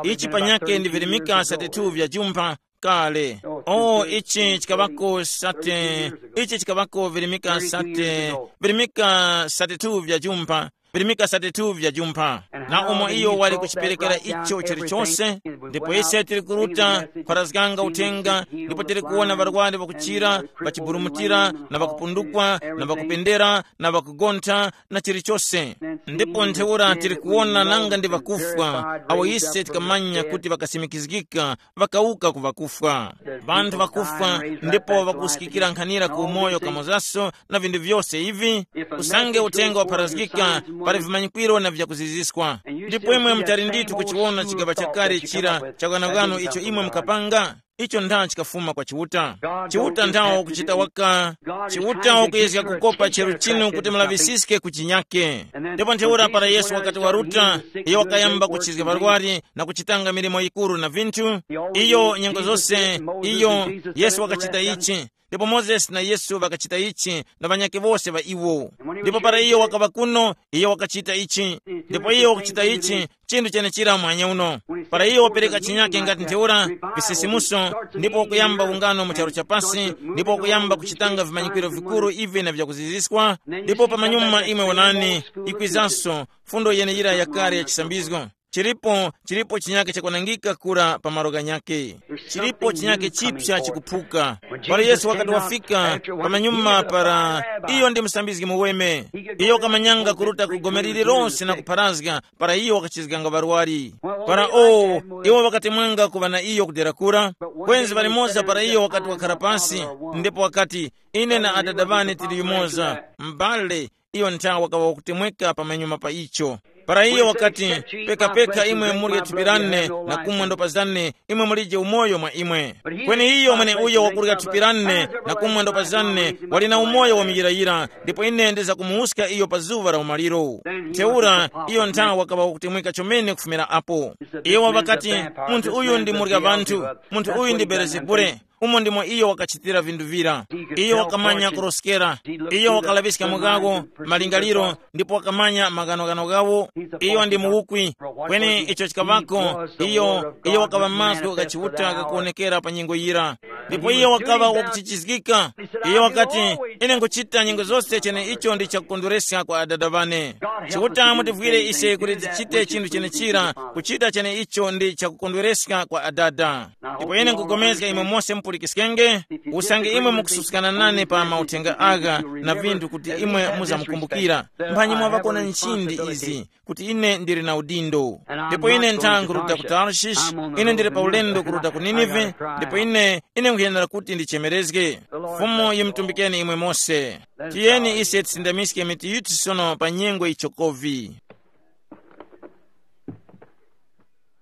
Ichi panyakhe ndi virimika thirty-two vya jumpha kale. Oh, ichi chikaŵako sate, ichi chikaŵako virimika sate, virimika thirty-two vya jumpha, virimika thirty-two vya jumpha. Na umo iyo wali kuchiperekera icho chilichonse, ndipo ise tili kuruta, kupharazganga uthenga, ndipo tili kuwona ŵarwari ŵakuchira, ŵachiburumutira, na ŵakupundukwa, na ŵakupendera, na ŵakugontha, na chilichonse. Ndipo ntheura tili kuwona nanga ndi ŵakufwa, awo ise tikamanya kuti ŵakasimikizgika, ŵakawuka ku ŵakufwa. Ŵanthu ŵakufwa, ndipo ŵakusikikira nkhanira ku umoyo kamozaso na vinthu vyose ivi. Usange uthenga wapharazgika, pali vimanyikwiro na vyakuziziswa. Ndipo imwe mutali ndithu kuchiwona chigaŵa chakale chira cha bwanabwano icho imwe mukapanga. Icho nthawe chikafuma kwa Chiuta. Chiuta nthawe wakuchita waka. Chiuta wakuyezga kukopa cheru chinu kuti mulaŵisiske ku chinyake. Ndipo ntheura para Yesu wakati waruta, iyo wakayamba kuchizga ŵarwari na kuchitanga milimo yikuru na vinthu. Iyo nyengo zose, iyo, Yesu wakachita ichi. Ndipo Mozesi na Yesu ŵakachita ichi, na ŵanyakhe wose ŵa iwo. Ndipo para iyo wakaŵa kuno, iyo wakachita ichi. Ndipo iyo wakuchita ichi, chinthu chenechira mwanya uno. Para iyo wapereka chinyake ngati ntheura, visisimuso, ndipo wakuyamba ungano mu charu cha pasi, ndipo wakuyamba kuchitanga vimanyikiro vikuru ivi na vyakuziziswa, ndipo pamanyuma imwe wonani, ikwizanso, fundo yeneyira yakale ya chisambizgo. Chilipo, chilipo chinyake chakwanangika kura pa malo ghanyake. Chilipo chinyake chipsa chikuphuka. Para Yesu wakati wafika, pamanyuma para, iyo ndi musambizgi muweme. Iyo wakamanyanga kuruta ku gome lililonse na kupharazga, para iyo wakachizganga ŵarwari. Para o, iwo ŵakatemwanga kuŵa na iyo kudera kura. Kwenzi palimoza para iyo wakati wakhara pasi, ndipo wakati, ine na adada ŵane tili yumoza, m'bale, iyo nthawe wakaŵa wakutemweka pamanyuma pa icho. Para iyo wakati, pekapeka imwe murye thupi lane na kumwa ndopa zane, imwe mulije umoyo mwa imwe. Kweni iyo mweneuyo wakurya thupi lane na kumwa ndopa zane wali na umoyo wa muyirayira, ndipo ine ndizakumuwuska iyo pa zuŵa la umaliro. Ntheura iyo nthawi wakaŵa wakutemweka chomene kufumira apo. Iwo ŵakati, munthu uyu ndi murya ŵanthu, munthu uyu ndi Belezebule. Umo ndimo iyo wakachitira vinthu vira. Iyo wakamanya kuroskera. Iyo wakalaŵiska mugawo, malingaliro, ndipo wakamanya maghanoghano ghawo. Iyo ndi muwukwi. Kweni icho chikaŵako, iyo iyo wakaŵa mazgu gha Chiuta ghakuwonekera pa nyengo yira. Ndipo iyo wakaŵa wakuchichizgika. Iyo wakati, ine nkuchita nyengo zose chene icho ndi chakukondwereska kwa adada ŵane. Chiuta mutivwire ise kuti tichite chinthu chenechira, kuchita chene icho ndi chakukondwereska kwa adada. Ndipo ine nkupulikana imwe mose mupulikiskenge, usange imwe mukususkana nane pa mauthenga agha na vinthu kuti imwe muzamukumbukira, mphanyi mwavakona nchindi izi, kuti ine ndili na udindo. Ndipo ine nthangu ruta ku Tarshish, ine ndili pa ulendo kuruta ku Ninive. Ndipo ine ine nkhuyenera kuti ndichemerezge. Fumu yimutumbikeni imwe mose. Tiyeni ise tisindamiske mitu yithu sono pa nyengo ichokovi.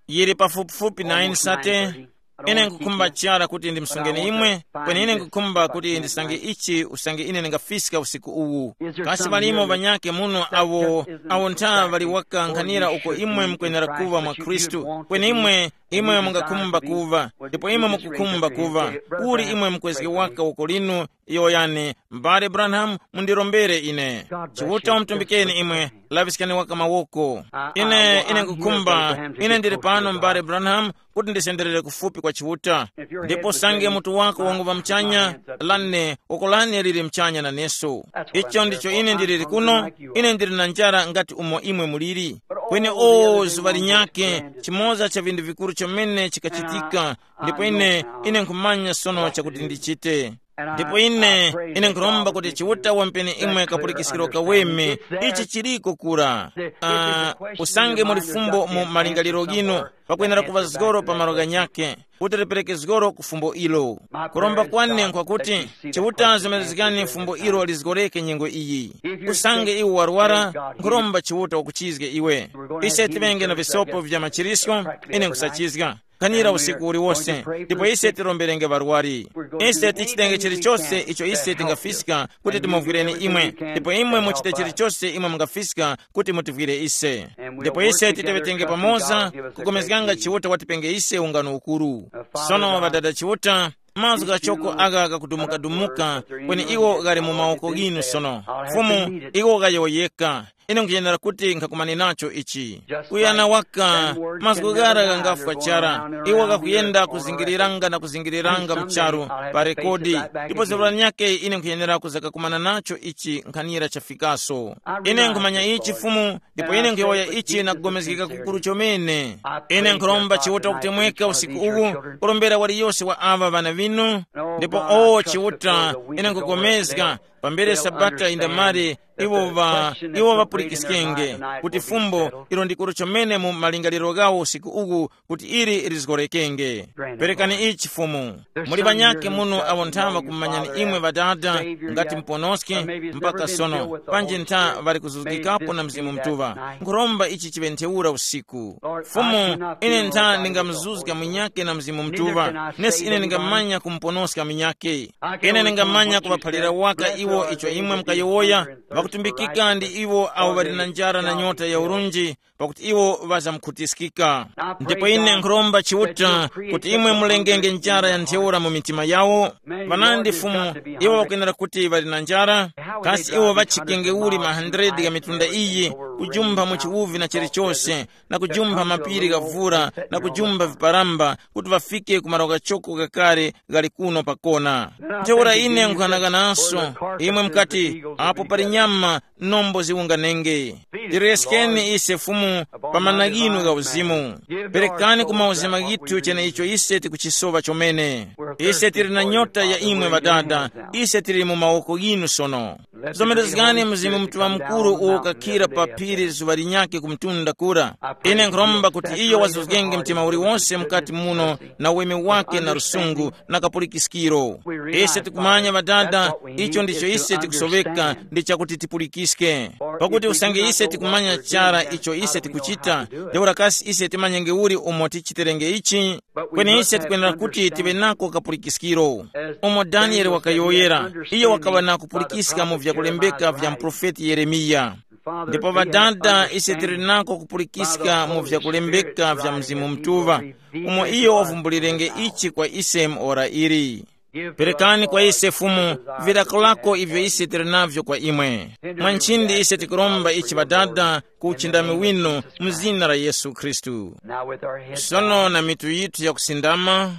Yili pafupifupi nine sate. Ine nkukhumba chara kuti ndimsungeni imwe, kweni ine nkukhumba kuti ndisange ichi usange ine ndingafiska usiku uwu. Kasi ŵalimo ŵanyake muno awo awo ntha ŵali wakankhanira uko imwe mukwenera kuŵa mwa Khristu, kweni imwe imwe mungakhumba kuva, ndipo imwe mukukhumba kuva, uli imwe mukwezge waka uko linu, yoyani, m'bale Branham, mundirombere ine. Chiuta umutumbikeni imwe, laŵiskani waka mawoko. Ine ine nkukhumba, ine ndili pano m'bale Branham, kuti ndisenderere kufupi kwa Chiuta. Ndipo sange mutu wako wanguŵa muchanya, lane, woko lane lili muchanya naneso. Icho ndicho ine ndiliri kuno. Ine ndili na njara ngati umo imwe muliri. Kweni o zuŵa linyakhe, chimoza cha vinthu vikuru chomene chikachitika. Ndipo ine ine nkhumanya sono chakuti ndichite. Ndipo ine ine nkhuromba kuti Chiuta wampeni imwe kapulikiskiro kaweme. Ichi chiliko kura. Ah, usange muli fumbo mu malingaliro ghinu, pakwenera kuŵa zgoro pa malo ghanyakhe, kuti lipereke zgoro ku fumbo ilo. Kuromba kwane nkwakuti Chiuta zomerezgani fumbo ilo lizgoreke nyengo iyi. Usange iwe warwara, nkhuromba Chiuta wakuchizge iwe. Ise tiŵenge na visopo vya machirisko, ine nkhusachizga. Khanira usiku uliwose, ndipo ise tiromberenge ŵarwari. Ise tichitenge chilichose icho ise tingafiska kuti timuvwireni imwe, ndipo imwe muchite chilichose imwe mungafiska kuti mutivwire ise. Ndipo ise titeŵetenge pamoza, kukomezganga Chiuta watipenge ise ungano ukuru. Sono ŵadada Chiuta, mazgu ghachoko agha ghakudumukadumuka, kweni iwo ghali mu mawoko ghinu sono. Fumu, iwo ghayowoyeka. Ine nkuyenera kuti nkhakumane nacho ichi. Kuyana waka, mazgu ghara ghangafwa chara. Iwo ghakuyenda kuzingiriranga na kuzingiriranga mcharu pa rekodi. Ndipo zerwa nyake ine nkuyenera kuzakakumana nacho ichi nkhanira chafikaso. Ine nkhumanya ichi Fumu, ndipo ine nkhuyowoya ichi na kugomezgeka kukuru chomene. Ine nkhuromba Chiuta kutemweka usiku uwu, kurombera waliyose wa aŵa ŵana vinu. Ndipo o Chiuta, ine nkugomezga, pambere sabata indamali, iwo va iwo vapulikiskenge, kuti fumbo ilo ndikuru chomene mu malingaliro ghawo usiku uwu, kuti ili lizgorekenge. Perekani ichi Fumu. Muli ŵanyakhe muno awo ntha ŵakumumanyani imwe ŵadada, ngati muponoske, mpaka sono panji ntha ŵali kuzuzgikapo na Mzimu Mutuŵa. Nkhuromba ichi chiŵe ntheura usiku. Fumu, ine ntha ndingamuzuzga munyakhe na Mzimu Mutuŵa, nesi ine ndingamanya kumuponoska munyakhe. Ine ndingamanya kuŵaphalira waka iwo icho imwe mukayowoya, ŵakutumbikika ndi iwo awo ŵali na njara na nyota ya urunji, pakuti iwo ŵazamkhutiskika. Ndipo ine nkhuromba Chiuta kuti imwe mulengenge njara ya ntheura mu mitima yawo. Ŵanandi Fumu, iwo ŵakwenera kuti ŵali na njara, kasi iwo ŵachikenge uli ma hundred gha mitunda iyi, kujumpha mu chiwuvi na chilichose, na kujumpha mapiri gha vura, na kujumpha viparamba, kuti ŵafike ku malo ghachoko ghakale ghali kuno pakona. Ntheura ine nkhanakanaso, imwe mukati, apo pali nyama, nombo ziwunganenge. Tireskeni ise Fumu pa mana ghinu gha uzimu. Perekani ku mauzima ghithu cheneicho ise tikuchisowa chomene. Ise tili na nyota ya imwe ŵadada, ise tili mu mawoko ghinu sono. Zomerezgani Mzimu Mutuŵa Mukuru uwo ukakhira pa phiri zuŵa linyakhe ku mtunda kura. Ine nkhuromba kuti iyo wazuzgenge mtima uliwonse mukati muno na uweme wake na lusungu na kapulikiskiro. Ise tikumanya ŵadada, icho ndicho ise tikusoweka ndi chakuti tipulikiske. Pakuti usange ise tikumanya chara icho ise tikuchita, ntheura kasi ise timanyenge uli umo tichiterenge ichi? Kweni ise tikwenera kuti tive nako kapulikiskiro. Umo Daniele wakayowoyera, iyo wakaŵa na kupulikiska mu vyakulembeka vya muprofeti Yeremiya. Ndipo ŵadada, ise tili nako kupulikiska mu vyakulembeka vya Mzimu Mutuŵa, umo iyo wavumbulirenge ichi kwa ise mu ora ili. Perekani kwa ise Fumu, virakulako ivyo ise tili navyo kwa imwe. Mwa nchindi ise tikuromba ichi, Ŵadada, ku uchindami winu, mu zina la Yesu Khristu. Sono na mitu yithu yakusindama,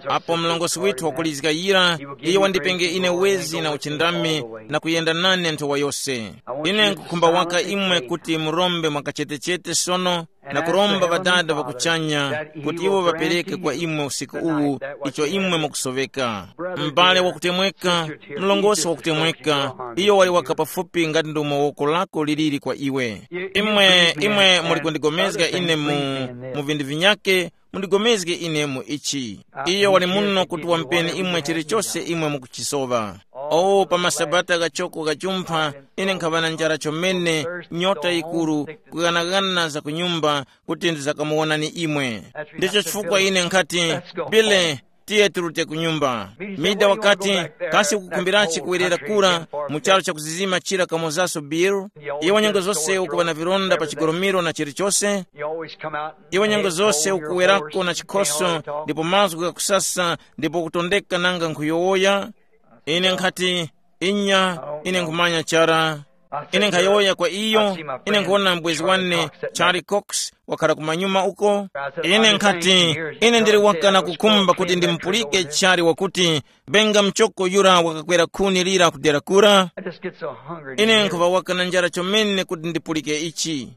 apo mlongosi withu wakulizga yira, iye wandipenge ine wezi na uchindami, na kuyenda nane nthowa yose. Ine nkukhumba waka imwe kuti murombe mwakachetechete sono, na kuromba Ŵadada ŵa kuchanya kuti iwo ŵapereke kwa imwe usiku uwu icho imwe mukusoveka. M'bale wakutemweka, mlongosi wakutemweka, iyo wali waka pafupi ngati ndomwe woko lako liliri kwa iwe. Imwe, imwe muli kundigomezga ine mu, mu vindu vinyake, mundigomezge ine mu ichi. Iyo wali muno kuti wamupeni imwe chilichose imwe mukuchisowa. O, pa masabata ghachoko ghajumpha, ine nkhaŵa na njara chomene, nyota yikuru, kughanaghana za kunyumba, kuti ndizakamuwonani imwe. Ndicho chifukwa ine nkhati, Bile, tiye tirute ku nyumba. Mida wakati, kasi ukukhumbirachi kuwerera kura mu charu chakuzizima chira kamozaso Bill? Iwe nyengo zose ukuŵa na vilonda pa chigolomero na chilichose. Iwe nyengo zose ukuwerako na chikhoso, ndipo mazgu ghakusasa, ndipo ukutondeka nanga nkhuyowoya. Ine nkhati, inya, ine nkhumanya chara. Ine nkhayowoya kwa iyo, ine nkhuwona mbwezi wane, Charlie Cox, wakhala kumanyuma uko. Ine nkhati, ine ndili waka na kukhumba kuti ndimupulike Charlie wakuti, benga mchoko yura wakakwera khuni lira kudera kura. Ine nkhuŵa waka na njara chomene kuti ndipulike ichi.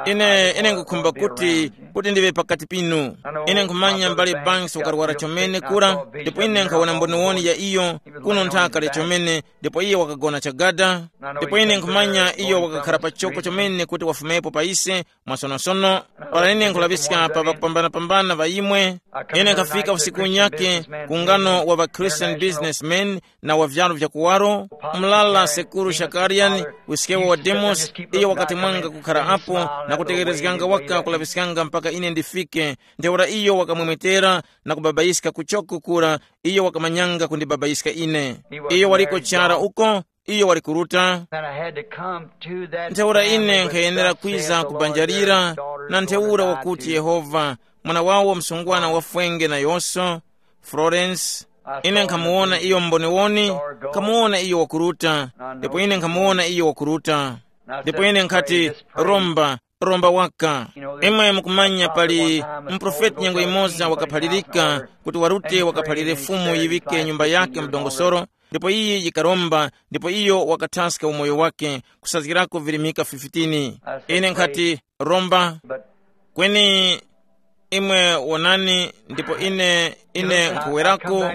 Ine, ine nkhukhumba kuti, kuti ndiŵe pakati pinu. Ine nkhumanya mbale Banks wakarwara chomene kura, ndipo ine nkhawona mboniwoni ya iyo, kuno nthaka le chomene, ndipo iye wakagona chagada. Ndipo ine nkhumanya iyo wakakhala pachoko chomene kuti wafumepo pa ise, mwasonosono. Para ine nkhulaŵiska pa ŵakupambanapambana ŵa imwe, ine nkhafika usiku unyake ku ngano wa ŵa Christian businessmen na wa vyalu vya kuwaro, mlala sekuru Shakarian, wiskewo wa Demos, iyo wakati mwanga kukhara apo na kutekerezganga waka kulaŵiskanga mpaka ine ndifike. Ntheura iyo wakamwemwetera na kubabayiska kuchoko kura, iyo wakamanyanga kundibabayiska ine. Iyo waliko chara uko, iyo wali kuruta. And I had to come to that Ntheura family ine with nkhayenera thus kwiza saith the Lord, kubanjalira their daughter na is ntheura going to die wakuti too. Yehova, mwana wawo msungwana wafwenge na yonso, Florence. Ine nkhamuwona iyo mboniwoni, nkhamuwona iyo wakuruta, ndipo ine nkhamuwona iyo wakuruta. Ndipo ine nkhati, romba, romba waka. Imwe mukumanya pali muprofeti nyengo imoza wakaphalirika kuti warute wakaphalire Fumu yiŵike nyumba yake mdongosoro, ndipo iyi yikaromba, ndipo iyo wakathaska umoyo wake kusazgirako virimika fifteen. Ine nkhati, romba, kweni imwe wonani, ndipo ine, ine nkhuwerako.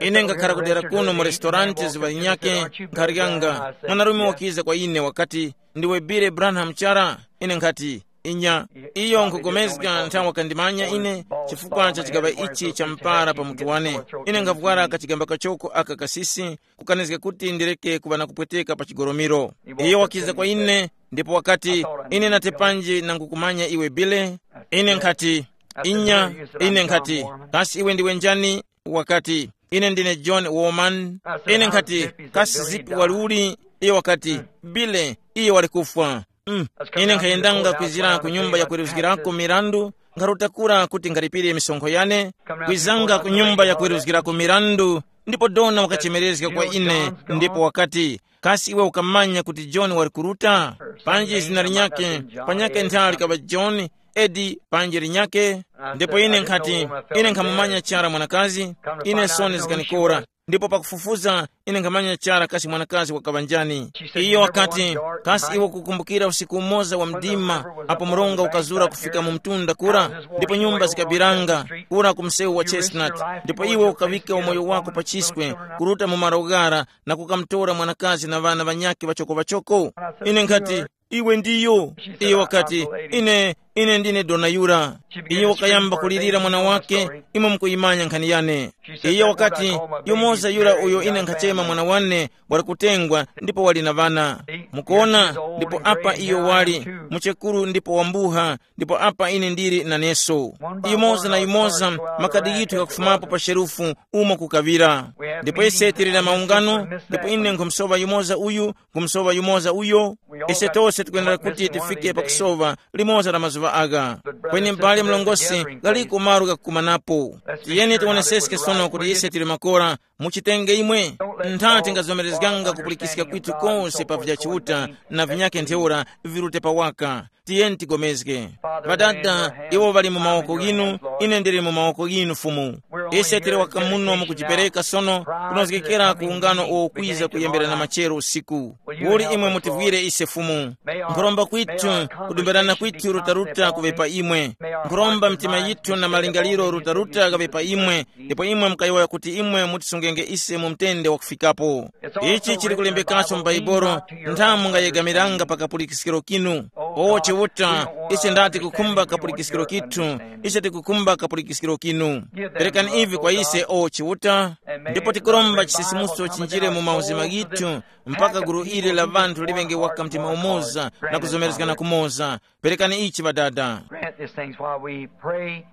Ine ngakhara kudera kuno mu restaurant zuŵa linyake, nkharyanga, mwanarume wakiza kwa ine wakati, ndiwe Billy Branham chara? Ine nkhati, inya. Iyo nkugomezga nthawi wakandimanya ine chifukwa cha chigaŵa ichi cha mpara pa mutu wane. Ine nkhavwara kachigamba kachoko aka kasisi, kukanizga kuti ndireke kuŵa na kupweteka pa chigolomero. Iyo wakiza kwa ine, ndipo wakati, ine nati panji nangukumanya iwe Billy? Ine nkhati, inya. Ine nkhati, kasi iwe ndiwe njani? Wakati, ine ndine John Woman. Ine nkhati, kasi Zipi wali uli? Iyo wakati, Billy, iyo wali kufwa. Mm. Ine nkhayendanga kwizira ku nyumba ya kweruzgirako mirandu, nkharuta kura kuti ngaripire misonkho yane. Kwizanga ku nyumba ya kweruzgirako mirandu, ndipo dona wakachemerezga kwa ine, ndipo wakati, kasi iwe ukamanya kuti John wali kuruta? Panji zina linyake, panyake nthawi likaŵa John, edi panji linyake. Ndipo ine nkhati, ine nkhamumanya chara mwanakazi. Ine soni zikanikora. Ndipo pakufufuza, ine nkhamanya chara kasi mwanakazi wakaŵa njani. Iyo wakati, kasi iwe ukukumbukira usiku umoza wa mdima, apo mronga ukazura kufika mu mtunda kura, ndipo nyumba zikabiranga kura ku msewu wa Chestnut, ndipo iwe ukaŵika umoyo wako pa chiswe, kuruta mu malo ghara, na kukamtora mwanakazi na ŵana ŵanyakhe ŵachoko-ŵachoko? Ine nkhati, iwe ndiyo. Iyo wakati, ine, Ine ndine dona yura. Iyo wakayamba kulirira mwana wake. Imwe mukuyimanya nkhani yane. Iyo wakati, yumoza yura uyo ine nkhachema mwana wane wali kutengwa, ndipo wali na ŵana. Mukuona? Ndipo apa iyo wali muchekuru ndipo wambuha, ndipo apa ine ndili naneso. Yumoza na yumoza, makadi yithu ghakufumapo pa sherufu, umo kukaŵira. Ndipo ise tili na maungano, ndipo ine nkhumusowa yumoza uyu, nkhumusowa yumoza uyo. Ise tose tikwenera kuti tifike pakusowa limoza la mazuŵa agha. Kweni m'bale mlongosi, ghaliko malo ghakukumanapo. Tiyeni tiwoneseske sono kuti ise tili makora. Muchitenge imwe. Ntha tingazomerezganga kupulikiska kwithu kose pa vya Chiuta, na vinyakhe ntheura virute pawaka. Tiyeni tigomezge. Ŵadada, iwo ŵali mu mawoko ghinu. Ine ndili mu mawoko ghinu, Fumu. Ise tili waka muno mukujipereka sono, kunozgekera ku ungano uwo ukwiza kuyembera na machero usiku. Uli imwe mutivwire ise, Fumu. Nkhuromba kwithu, kudumberana kwithu rutaruta kuŵe pa imwe. Nkhuromba mitima yithu na malingaliro rutaruta ghaŵe pa imwe, ndipo imwe mukayowoya kuti imwe mutisungenge ise mu mtende wakufikapo. Ichi chili kulembekaso mu Baibolo. Nthamu ngayegamiranga pa kapulikiskiro kinu. O Chiuta, ise ndati kukhumba kapulikiskiro kithu. Ise tikukhumba kapulikiskiro kinu. Perekani ivi kwa ise, o Chiuta, ndipo tikuromba chisisimuso chinjire mu mauzima ghithu, mpaka gulu ili la ŵanthu liŵenge waka mtima umoza na kuzomerezgana kumoza. Perekani ichi, Ŵadada. Grant these things while we pray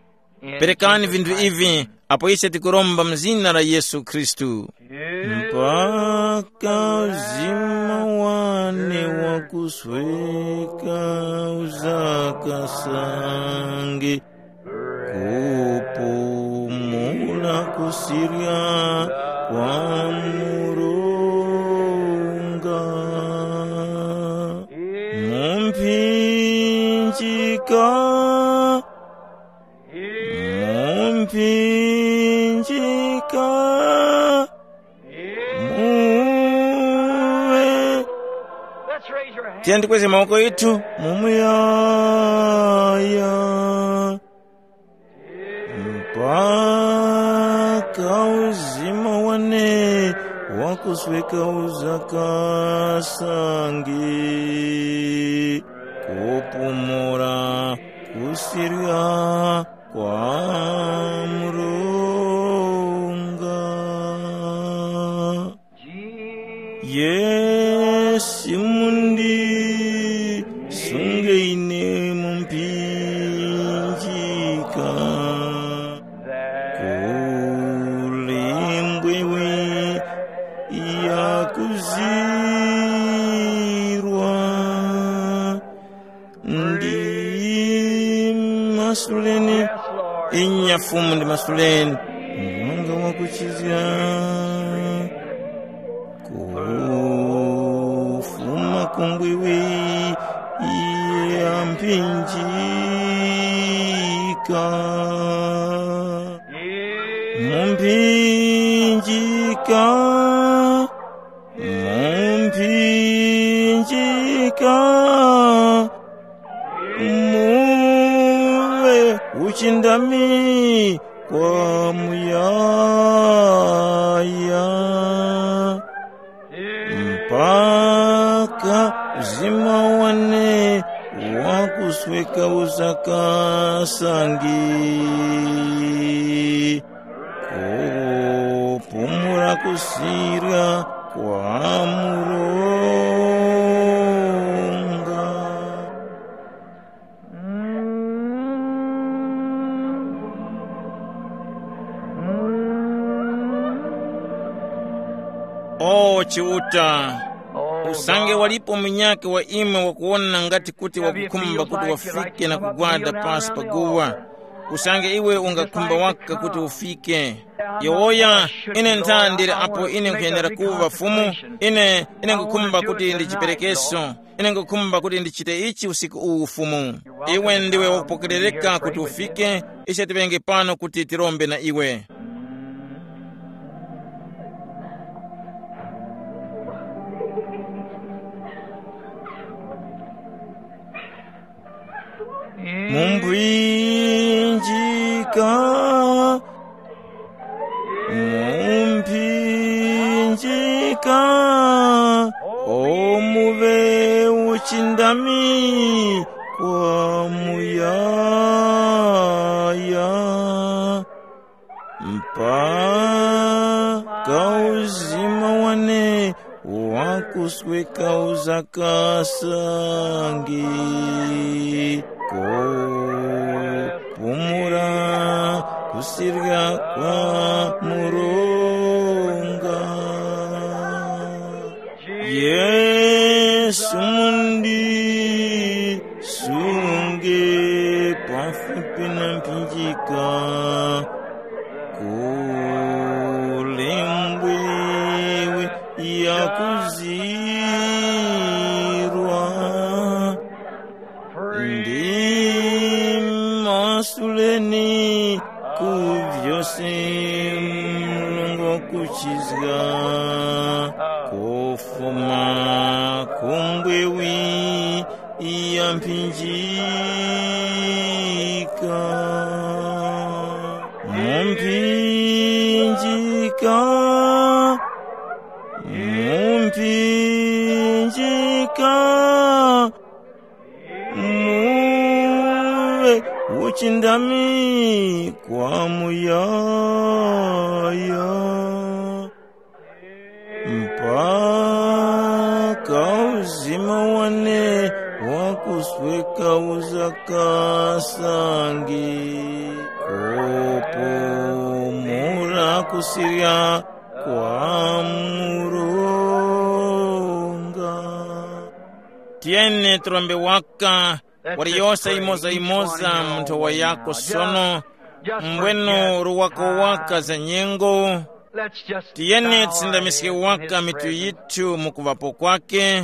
in Perekani Jesus vinthu Christ. Ivi apo ise tikuromba mu zina la Yesu Khristu. Mpaka uzima wane wakusweka uzakasange, kupumula kusirya kwa Murunga. Mumphinjika, mumphinjika, muwe. Let's raise your hands. Tiyeni tikweze mawoko yithu. Mumuyaya. Mpaka uzima wane wakusweka uzakasange, kupumula kusirya kwa Murunga. Yesu mundi sunge ine mumphinjika. Kuli mbwewe yakuzirwa. Ndi masuleni, inya Fumu ndi masuleni. Murunga wakuchizga. Kufuma ku mbwiwi ya mphinjika. Mu mphinjika. Mu mphinjika. Muwe uchindami kwa muyaya. Mpaka uzima wane wakusweka uzakasange. Kupumula kusirya kwa Murunga. O Chiuta, usange walipo munyakhe wa imwe wakuwona ngati kuti wakukhumba kuti wafike na kugwada pasi pa guwa, usange iwe ungakhumba waka kuti ufike. Yowoya, ine ntha ndili apo ine nkhuyenera kuŵa Fumu. Ine, ine nkhukhumba kuti ndichiperekeso. Ine nkhukhumba kuti ndichite ichi usiku uwu, Fumu. Iwe ndiwe wakupokerereka kuti ufike. Ise tiŵenge pano kuti tirombe na iwe. Mumphinjika, mumphinjika, o muwe uchindami kwa muyaya, mpaka uzima wane wakusweka uzakasangi, kupumula kusirya kwa Murunga. Yesu mundi sunge pafupi na mphinjika, kulembwewe yakuzirwa. Ndi masuleni ku vyose Mulungu wakuchizga, kufuma ku mbwewi ya mphinjika. Mu mphinjika, mu mphinjika, muŵe uchindami kwa muyaya. Mpaka uzima wane wakusweka uzakasangi, kupumula kusirya kwa Murunga. Tiyeni turombe waka, wali yose imoza imoza mu nthowa yako sono, mbwenu ruwako waka za nyengo. Tiyeni tisindamiske waka mitu yithu mu kuŵapo kwake.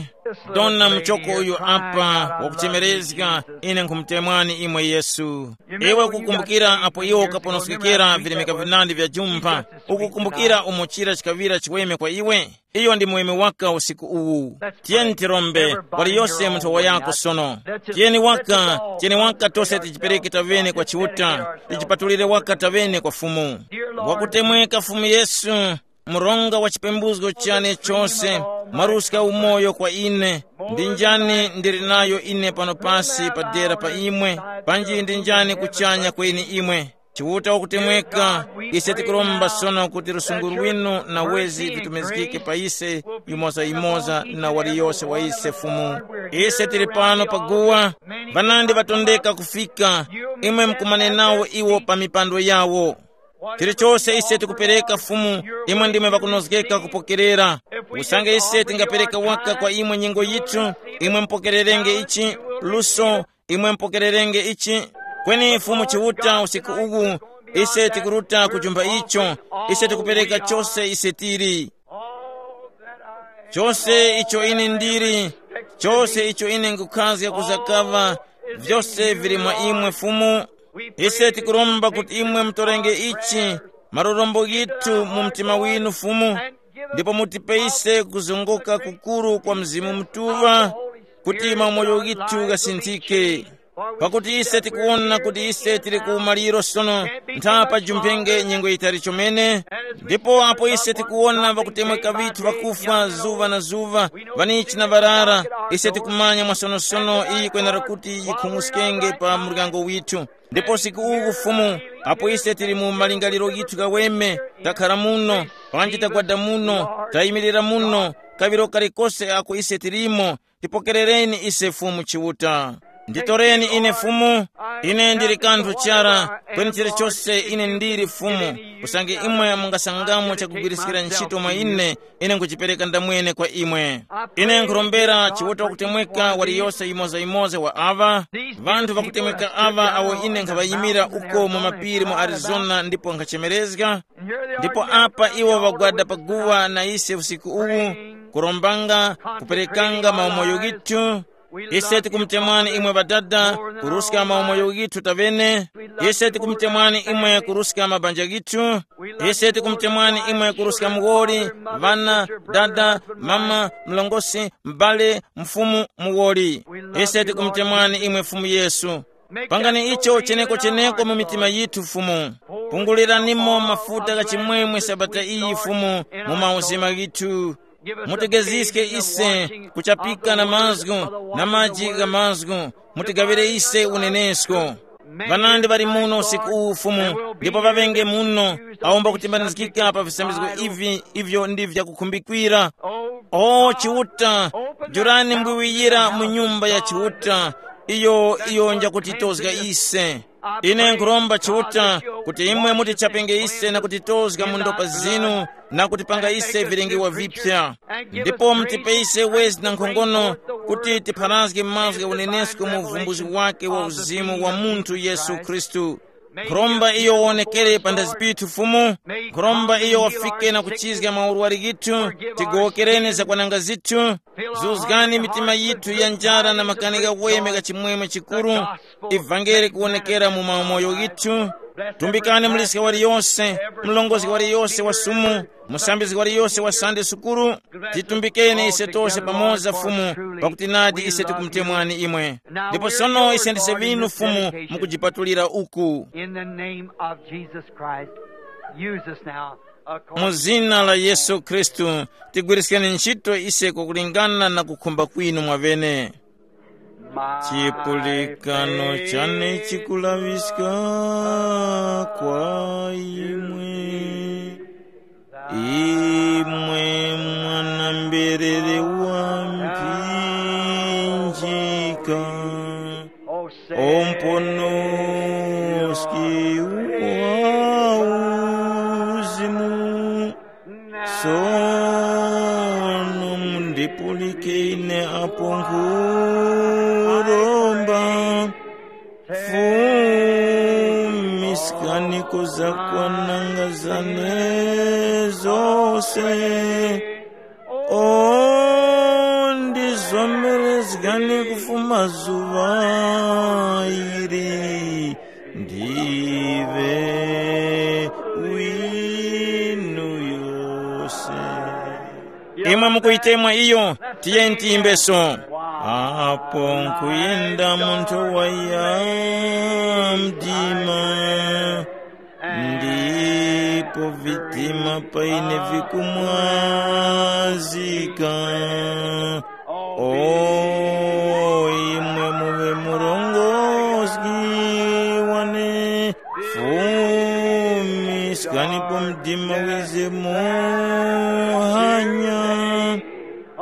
Dona muchoko uyu apa wakuchemerezga, ine nkhumutemwani imwe Yesu. Iwe ukukumbukira apo iwe ukaponoskekera vilemeka vinandi vya jumpha? Ukukumbukira umo chira chikaŵira chiweme kwa iwe? Iyo ndi muweme waka usiku uwu. Tiyeni tirombe, wali yose mu nthowa yako sono. Tiyeni waka, tiyeni waka tose tijipereke tavene kwa Chiuta, tijipatulire waka tavene kwa Fumu. Wakutemweka Fumu Yesu, mronga wa chipembuzgo chane chose, mwaruska umoyo kwa ine. Ndi njani ndili nayo ine pano pasi padera pa imwe? Panji ndi njani kuchanya kweni imwe? Chiuta wakutemweka, ise tikuromba sono kuti lusungu lwinu na wezi vitumizgike pa ise yumoza-yumoza na waliyose wa ise Fumu. Ise tili pano pa guwa, ŵanandi ŵatondeka kufika, imwe mukumane nawo iwo pa mipando yawo. Chilichose ise tikupereka Fumu, imwe ndimwe ŵakunozgeka kupokerera. Usange ise tingapereka waka kwa imwe nyengo yithu, imwe mupokererenge ichi, luso, imwe mupokererenge ichi. Kweni Fumu Chiuta usiku uwu, ise tikuruta kujumba icho, ise tikupereka chose ise tili. Chose icho ine ndili, chose icho ine nkukhazga kuzakaŵa, vyose vili mwa imwe Fumu. Ise tikuromba kuti imwe mutorenge ichi, malorombo ghithu mu mtima winu Fumu, ndipo mutipe ise kuzongoka kukuru kwa Mzimu Mutuŵa, kuti maumoyo ghithu ghasinthike. Pakuti ise tikuwona kuti ise tili ku maliro sono, ntha pajumphenge nyengo yitali chomene. Ndipo apo ise tikuwona ŵakutemweka ŵithu ŵakufwa zuŵa na zuŵa, ŵanichi na ŵarara, ise tikumanya mwasonosono iyi kwenera kuti yikhung'uskenge pa muryango withu. Ndipo usiku uwu Fumu, apo ise tili mu malingaliro ghithu ghaweme, takhara muno, panji tagwada muno, tayimirira muno, kaŵiro kalikose ako ise tilimo, tipokerereni ise Fumu Chiuta. Nditoreni ine Fumu, ine ndili kanthu chara, kweni chilichose ine ndili Fumu, usange imwe mungasangamo chakugwiriskira ntchito mwa ine, ine nkuchipereka ndamwene kwa imwe. Ine nkhurombera Chiuta wakutemweka waliyose yimoza-yimoza wa aŵa, ŵanthu ŵakutemweka aŵa awo ine nkhaŵayimira uko mu mapiri mu Arizona ndipo nkhachemerezga. Ndipo apa iwo ŵagwada paguwa na ise usiku uwu, kurombanga, kuperekanga maumoyo ghithu. Ise tikumutemwani imwe Ŵadada, kuruska maumoyo ghithu taŵene. Ise tikumutemwani imwe kuruska mabanja ghithu. Ise tikumutemwani imwe kuruska muwoli, ŵana, dada, mama, mlongosi, m'bale, mfumu, muwoli. Ise tikumutemwani imwe Fumu Yesu. Pangani icho cheneko-cheneko mu mitima yithu Fumu. Punguliranimo mafuta gha chimwemwe sabata iyi Fumu, mu mauzima ghithu. Mutigeziske ise kuchapika na mazgu na maji gha mazgu. Mutigaŵire ise unenesko. Ŵanandi ŵali muno usiku uwu, Fumu, ndipo ŵaŵenge muno awo mbakutimbanizgika pa visambizgo ivi ivyo ndi vyakukhumbikira. O Chiuta, jurani mbwiwiyira mu nyumba ya Chiuta, iyo iyo njakutitozga ise. Ine nkhuromba Chiuta kuti imwe mutichapenge ise na kutitozga mu ndopa zinu na kutipanga ise vilengewa vipya. Ndipo mutipe ise wezi na nkhongono kuti tipharazge mazgu gha unenesko mu uvumbuzi wake wa uzimu wa munthu Yesu Khristu. Nkhuromba iyo wonekere pa ndazi pithu, Fumu. Nkhuromba iyo wafike na kuchizga maurwari ghithu, tigowokereni zakwananga zithu. Zuzgani mitima yithu ya njara na makani ghaweme gha chimwemwe chikuru. Ivangeli kuwonekera mu mamoyo ghithu. Tumbikani muliska waliyose, mlongozi waliyose wa sumu, musambizgi waliyose wa Sande sukuru. Titumbikeni ise tose pamoza, Fumu, pakuti nadi ise tikumutemwani imwe. Ndipo sono ise ndise vinu, Fumu, mukujipatulira uku. In the name of Jesus Christ, use us now. Mu zina la Yesu Khristu, tigwiriskeni ntchito ise kwakulingana na kukhumba kwinu mwavene. Chipulikano chane chikulaŵiska kwa imwe, imwe mwana mberere wa mphinjika, o mponoski wa uzimu. Sono mundipulike ine apo nkhuromba, fumiskani ku zakwananga zane zose. O ndizomerezgani kufuma zuŵa ili ndiŵe winu yose. Imwe mukuyitemwa iyo, tiyeni tiyimbeso. Apo nkuyenda munthu waya mdima, ndipo vitima paine vikumwazika. O imwe muŵe murongozgi wane, fumiskanipo mdima wize muhanya,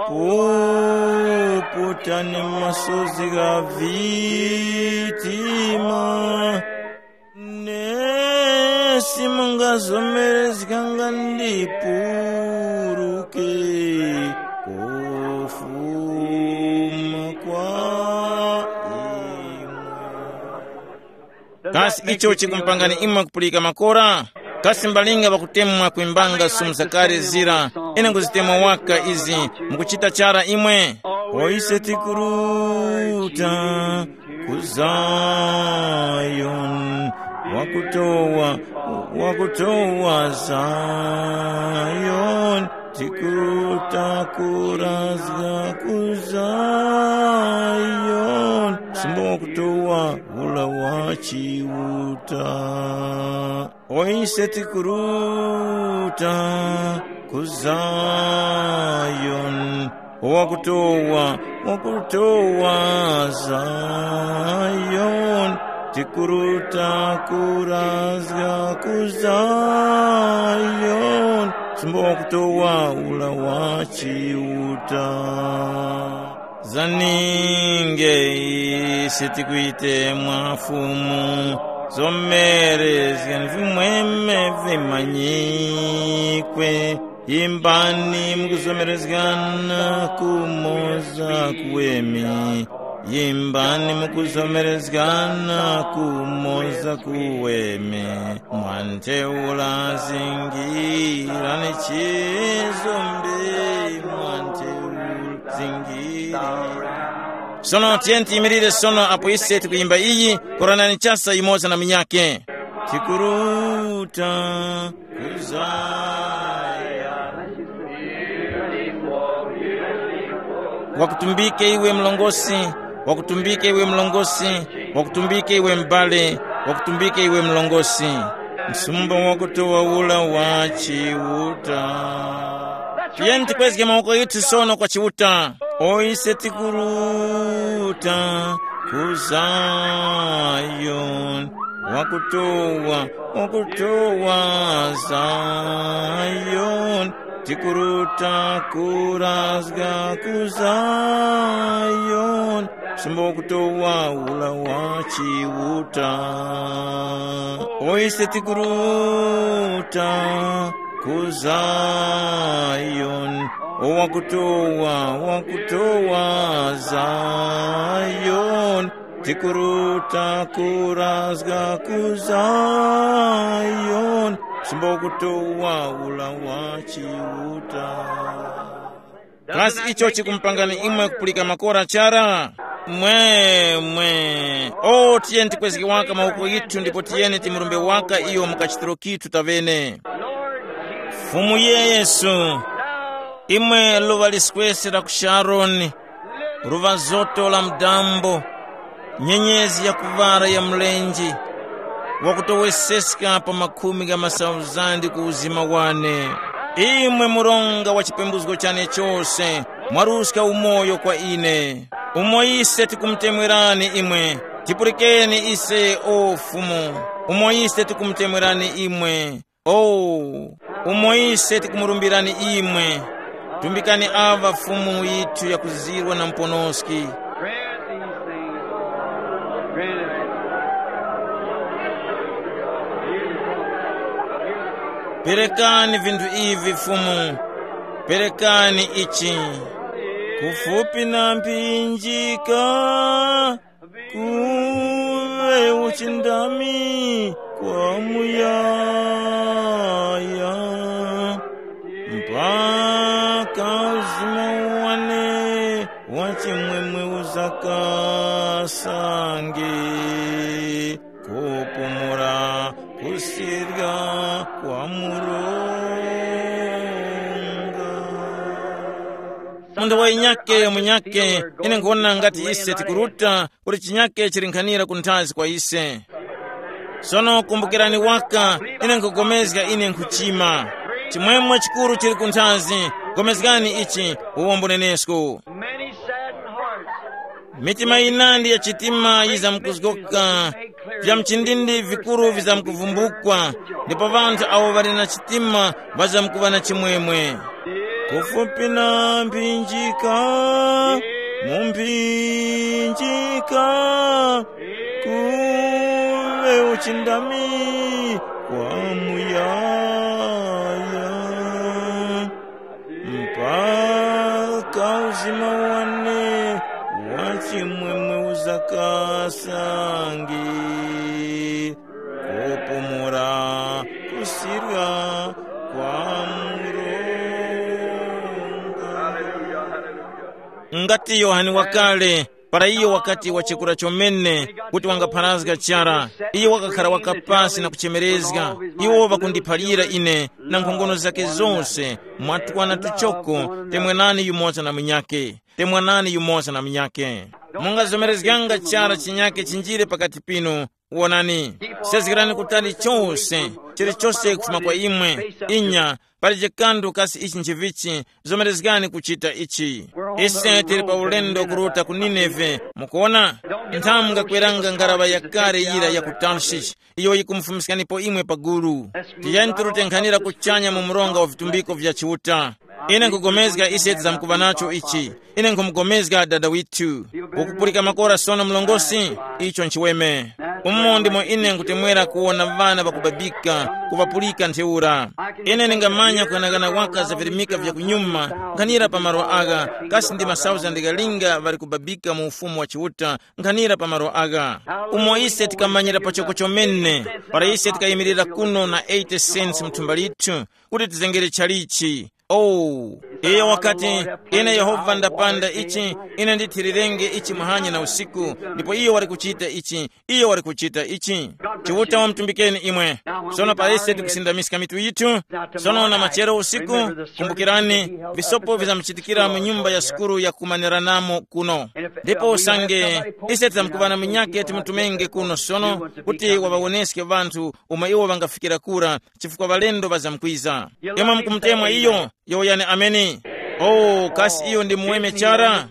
puputani masozi gha vitima. Nesi mungazomerezganga ndipuruke kufuma kwa imwe. Kasi icho chikumpangani imwe kupulika makora? Kasi mbalinga ŵakutemwa kwimbanga sumu zakale zira? Ine nkuzitemwa waka izi, mukuchita chara imwe? Poise tikuruta ku Zayoni, wakutowa, wakutowa Zayoni, tikuruta kurazga ku Zayoni, simba wakutowa ula wa Chiuta. Oise tikuruta ku Zayoni, wakutowa, wakutowa Zayoni, tikuruta kurazga ku Zayoni, simba wakutowa ula wa Chiuta. Zaninge ise tikuyitemwa Fumu, zomerezgani vimweme vimanyikwe. Yimbani mukuzomerezgana kumoza kuweme. Yimbani mukuzomerezgana kumoza kuweme. Mwantheura zingirani chizombe, mwantheura zingirani. Sono tiyeni tiyimirire sono apo ise tikuyimba iyi, koranani chasa yumoza na munyakhe. Tikuruta kuzaya. Wakutumbike iwe mlongosi, wakutumbike iwe mlongosi, wakutumbike iwe m'bale, wakutumbike iwe mlongosi. Msumba wakutowa ula wa Chiuta. Tiyeni tikwezge mawoko yithu sono kwa Chiuta. O ise tikuruta ku Zayoni, wakutowa, wakutowa Zayoni, tikuruta kurazga ku Zayoni, sumba wakutowa ula wa Chiuta. O ise tikuruta ku Zayoni, o wakutowa, wakutowa Zayoni, tikuruta kurazga ku Zayoni, sumba wakutowa ula wa Chiuta. Kasi icho chikumupangani imwe kupulika makora chara? Mwe, mwe. O, tiyeni tikwezge waka mawoko yithu ndipo tiyeni timurumbe waka iyo mu kachitiro kithu tavene. Fumu Yesu, imwe luva liswesi la ku Sharoni, luva zoto la mdambo, nyenyezi ya kuvara ya mlenje, wakutoweseska pa makhumi gha masauzandi ku uzima wane. Imwe muronga wa chipembuzgo chane chose, mwaruska umoyo kwa ine. Umo ise tikumutemwerani imwe, tipulikeni ise, o Fumu. Umo ise tikumutemwerani imwe, o, umo ise tikumurumbirani imwe. Tumbikani ava Fumu yithu yakuzirwa na muponoski. Grant these things, Lord. Grant it. Beautiful. Beautiful. Perekani vinthu ivi Fumu, perekani ichi. Kufupi na mphinjika, kuŵe uchindami kwa muyaya, mpaka uzima wane wa chimwemwe uzakasange, kupumula kusirya kwa Mulungu. Munthu wa inyake munyake, ine nkuwona ngati ise tikuruta kuti chinyake chili nkhanira kunthazi kwa ise. Sono kumbukirani waka, ine nkugomezga ine nkhuchima. Chimwemwe chikuru chili kunthazi, gomezgani ichi, uwombo nenesku. Many saddened hearts. Mitima yinandi ya chitima yizamkuzgoka, vya mchindindi vikuru vizamkuvumbukwa, ndipo ŵanthu awo ŵali na chitima ŵazamkuŵa na chimwemwe. Kufupi na mphinjika, mu mphinjika, kuŵe uchindami kwa muyaya, mpaka uzima wane wa chimwemwe uzakasange, kupumula kusirya kwa Mulungu. Ngati Yohane wakale, para iyo wakati wachekura chomene kuti wangapharazga chara, iyo wakakhara wakapasi na kuchemerezga, iwo ŵakundiphalira ine na nkhongono zake zose, mwa twana tuchoko, temwanani yumoza na munyakhe, temwanani yumoza na munyakhe. Mungazomerezganga chara chinyakhe chinjire pakati pinu. Wonani, sezgerani kutali chose, chilichose kufuma kwa imwe. Inya, palije kanthu kasi ichi nchivichi, zomerezgani kuchita ichi. Ise tili pa ulendo kuruta ku Nineve, mukuona? Nthamu ngakweranga ngaraŵa yakale yira ya ku Tarshishi, iyo yikumufumiskanipo imwe pagulu. Tiyeni turute nkhanira kuchanya mu mronga wa vitumbiko vya Chiuta. Ine nkugomezga ise tizamkuŵa nacho ichi. Ine nkhumugomezga dada withu. Ukupulika makora sono mlongosi? Icho nchiweme. Umo ndimo ine nkutemwera kuwona ŵana ŵakubabika, kuŵapulika ntheura. Ine ndingamanya kughanagana waka za virimika vya kunyuma, nkhanira pa malo agha, kasi ndi masauzandi ghalinga ŵali kubabika mu ufumu wa Chiuta, nkhanira pa malo agha. Umo ise tikamanyira pachoko chomene, para ise tikayimirira kuno na eighty cents mu thumba lithu, kuti tizengere chalichi. Oh, iyo wakati, ine Yehova ndapanda ichi, ine ndithirirenge ichi muhanya na usiku, ndipo iyo wali kuchita ichi, iyo wali kuchita ichi. Chiuta wamutumbikeni imwe. Sono pa ise tikusindamiska mitu yithu. Sono na machero usiku, kumbukirani, visopo vizamuchitikira mu nyumba ya sukulu ya kumaniranamo kuno. Ndipo usange ise titamkuvana munyake timutumenge kuno sono, kuti waŵawoneske ŵanthu umo iwo ŵangafikira kura, chifukwa ŵalendo ŵazamkwiza. Imwe mukumutemwa iyo, yowoyani ameni. Oh, kasi iyo ndi muweme chara?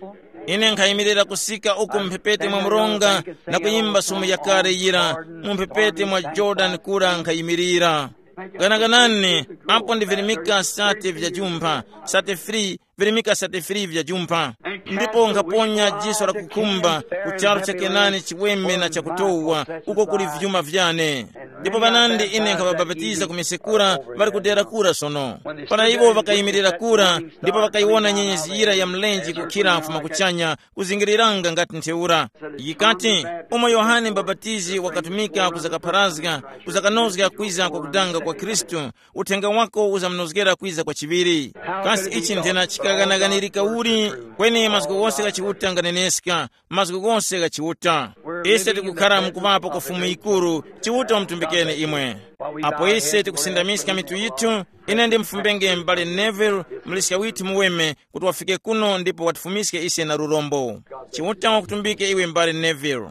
Ine nkhayimirira kusika uko mphepete mwa mronga na kuyimba sumu yakale yira, mu mphepete mwa Jordan kura nkhayimirira. Ganaganani, apo ndi virimika sate vya jumpha, sate free, virimika sate free vya jumpha. Ndipo nkhaponya jiso la kukhumba ku charu cha Kenani chiweme na chakutowa, uko kuli vyuma vyane. Ndipo panandi ine nkhaŵabapatiza ku misekura ŵali kudera kura sono. Para iwo ŵakayimirira kura, ndipo ŵakayiwona nyenyezi yira ya mlenje kukhira mfuma kuchanya, kuzingiriranga ngati ntheura. Yikati, umo Yohane Mbapatizi wakatumika kuzakapharazga, kuzakanozga kwiza kwa kudanga kwa Khristu, uthenga wako uzamunozgera kwiza kwa chiŵiri. Kasi ichi nthena chikaganaganirika uli? Kweni mazgu ghose gha Chiuta nganeneska, mazgu ghose gha Chiuta. Ise tikukhara mukuŵapo kwa Fumu yikuru, Chiuta wamutumbikeni imwe. Apo ise tikusindamiska mitu yithu, ine ndimfumbenge m'bale Neville, muliska withu muweme, kuti wafike kuno ndipo watifumiske ise na lurombo. Chiuta wakutumbike iwe m'bale Neville.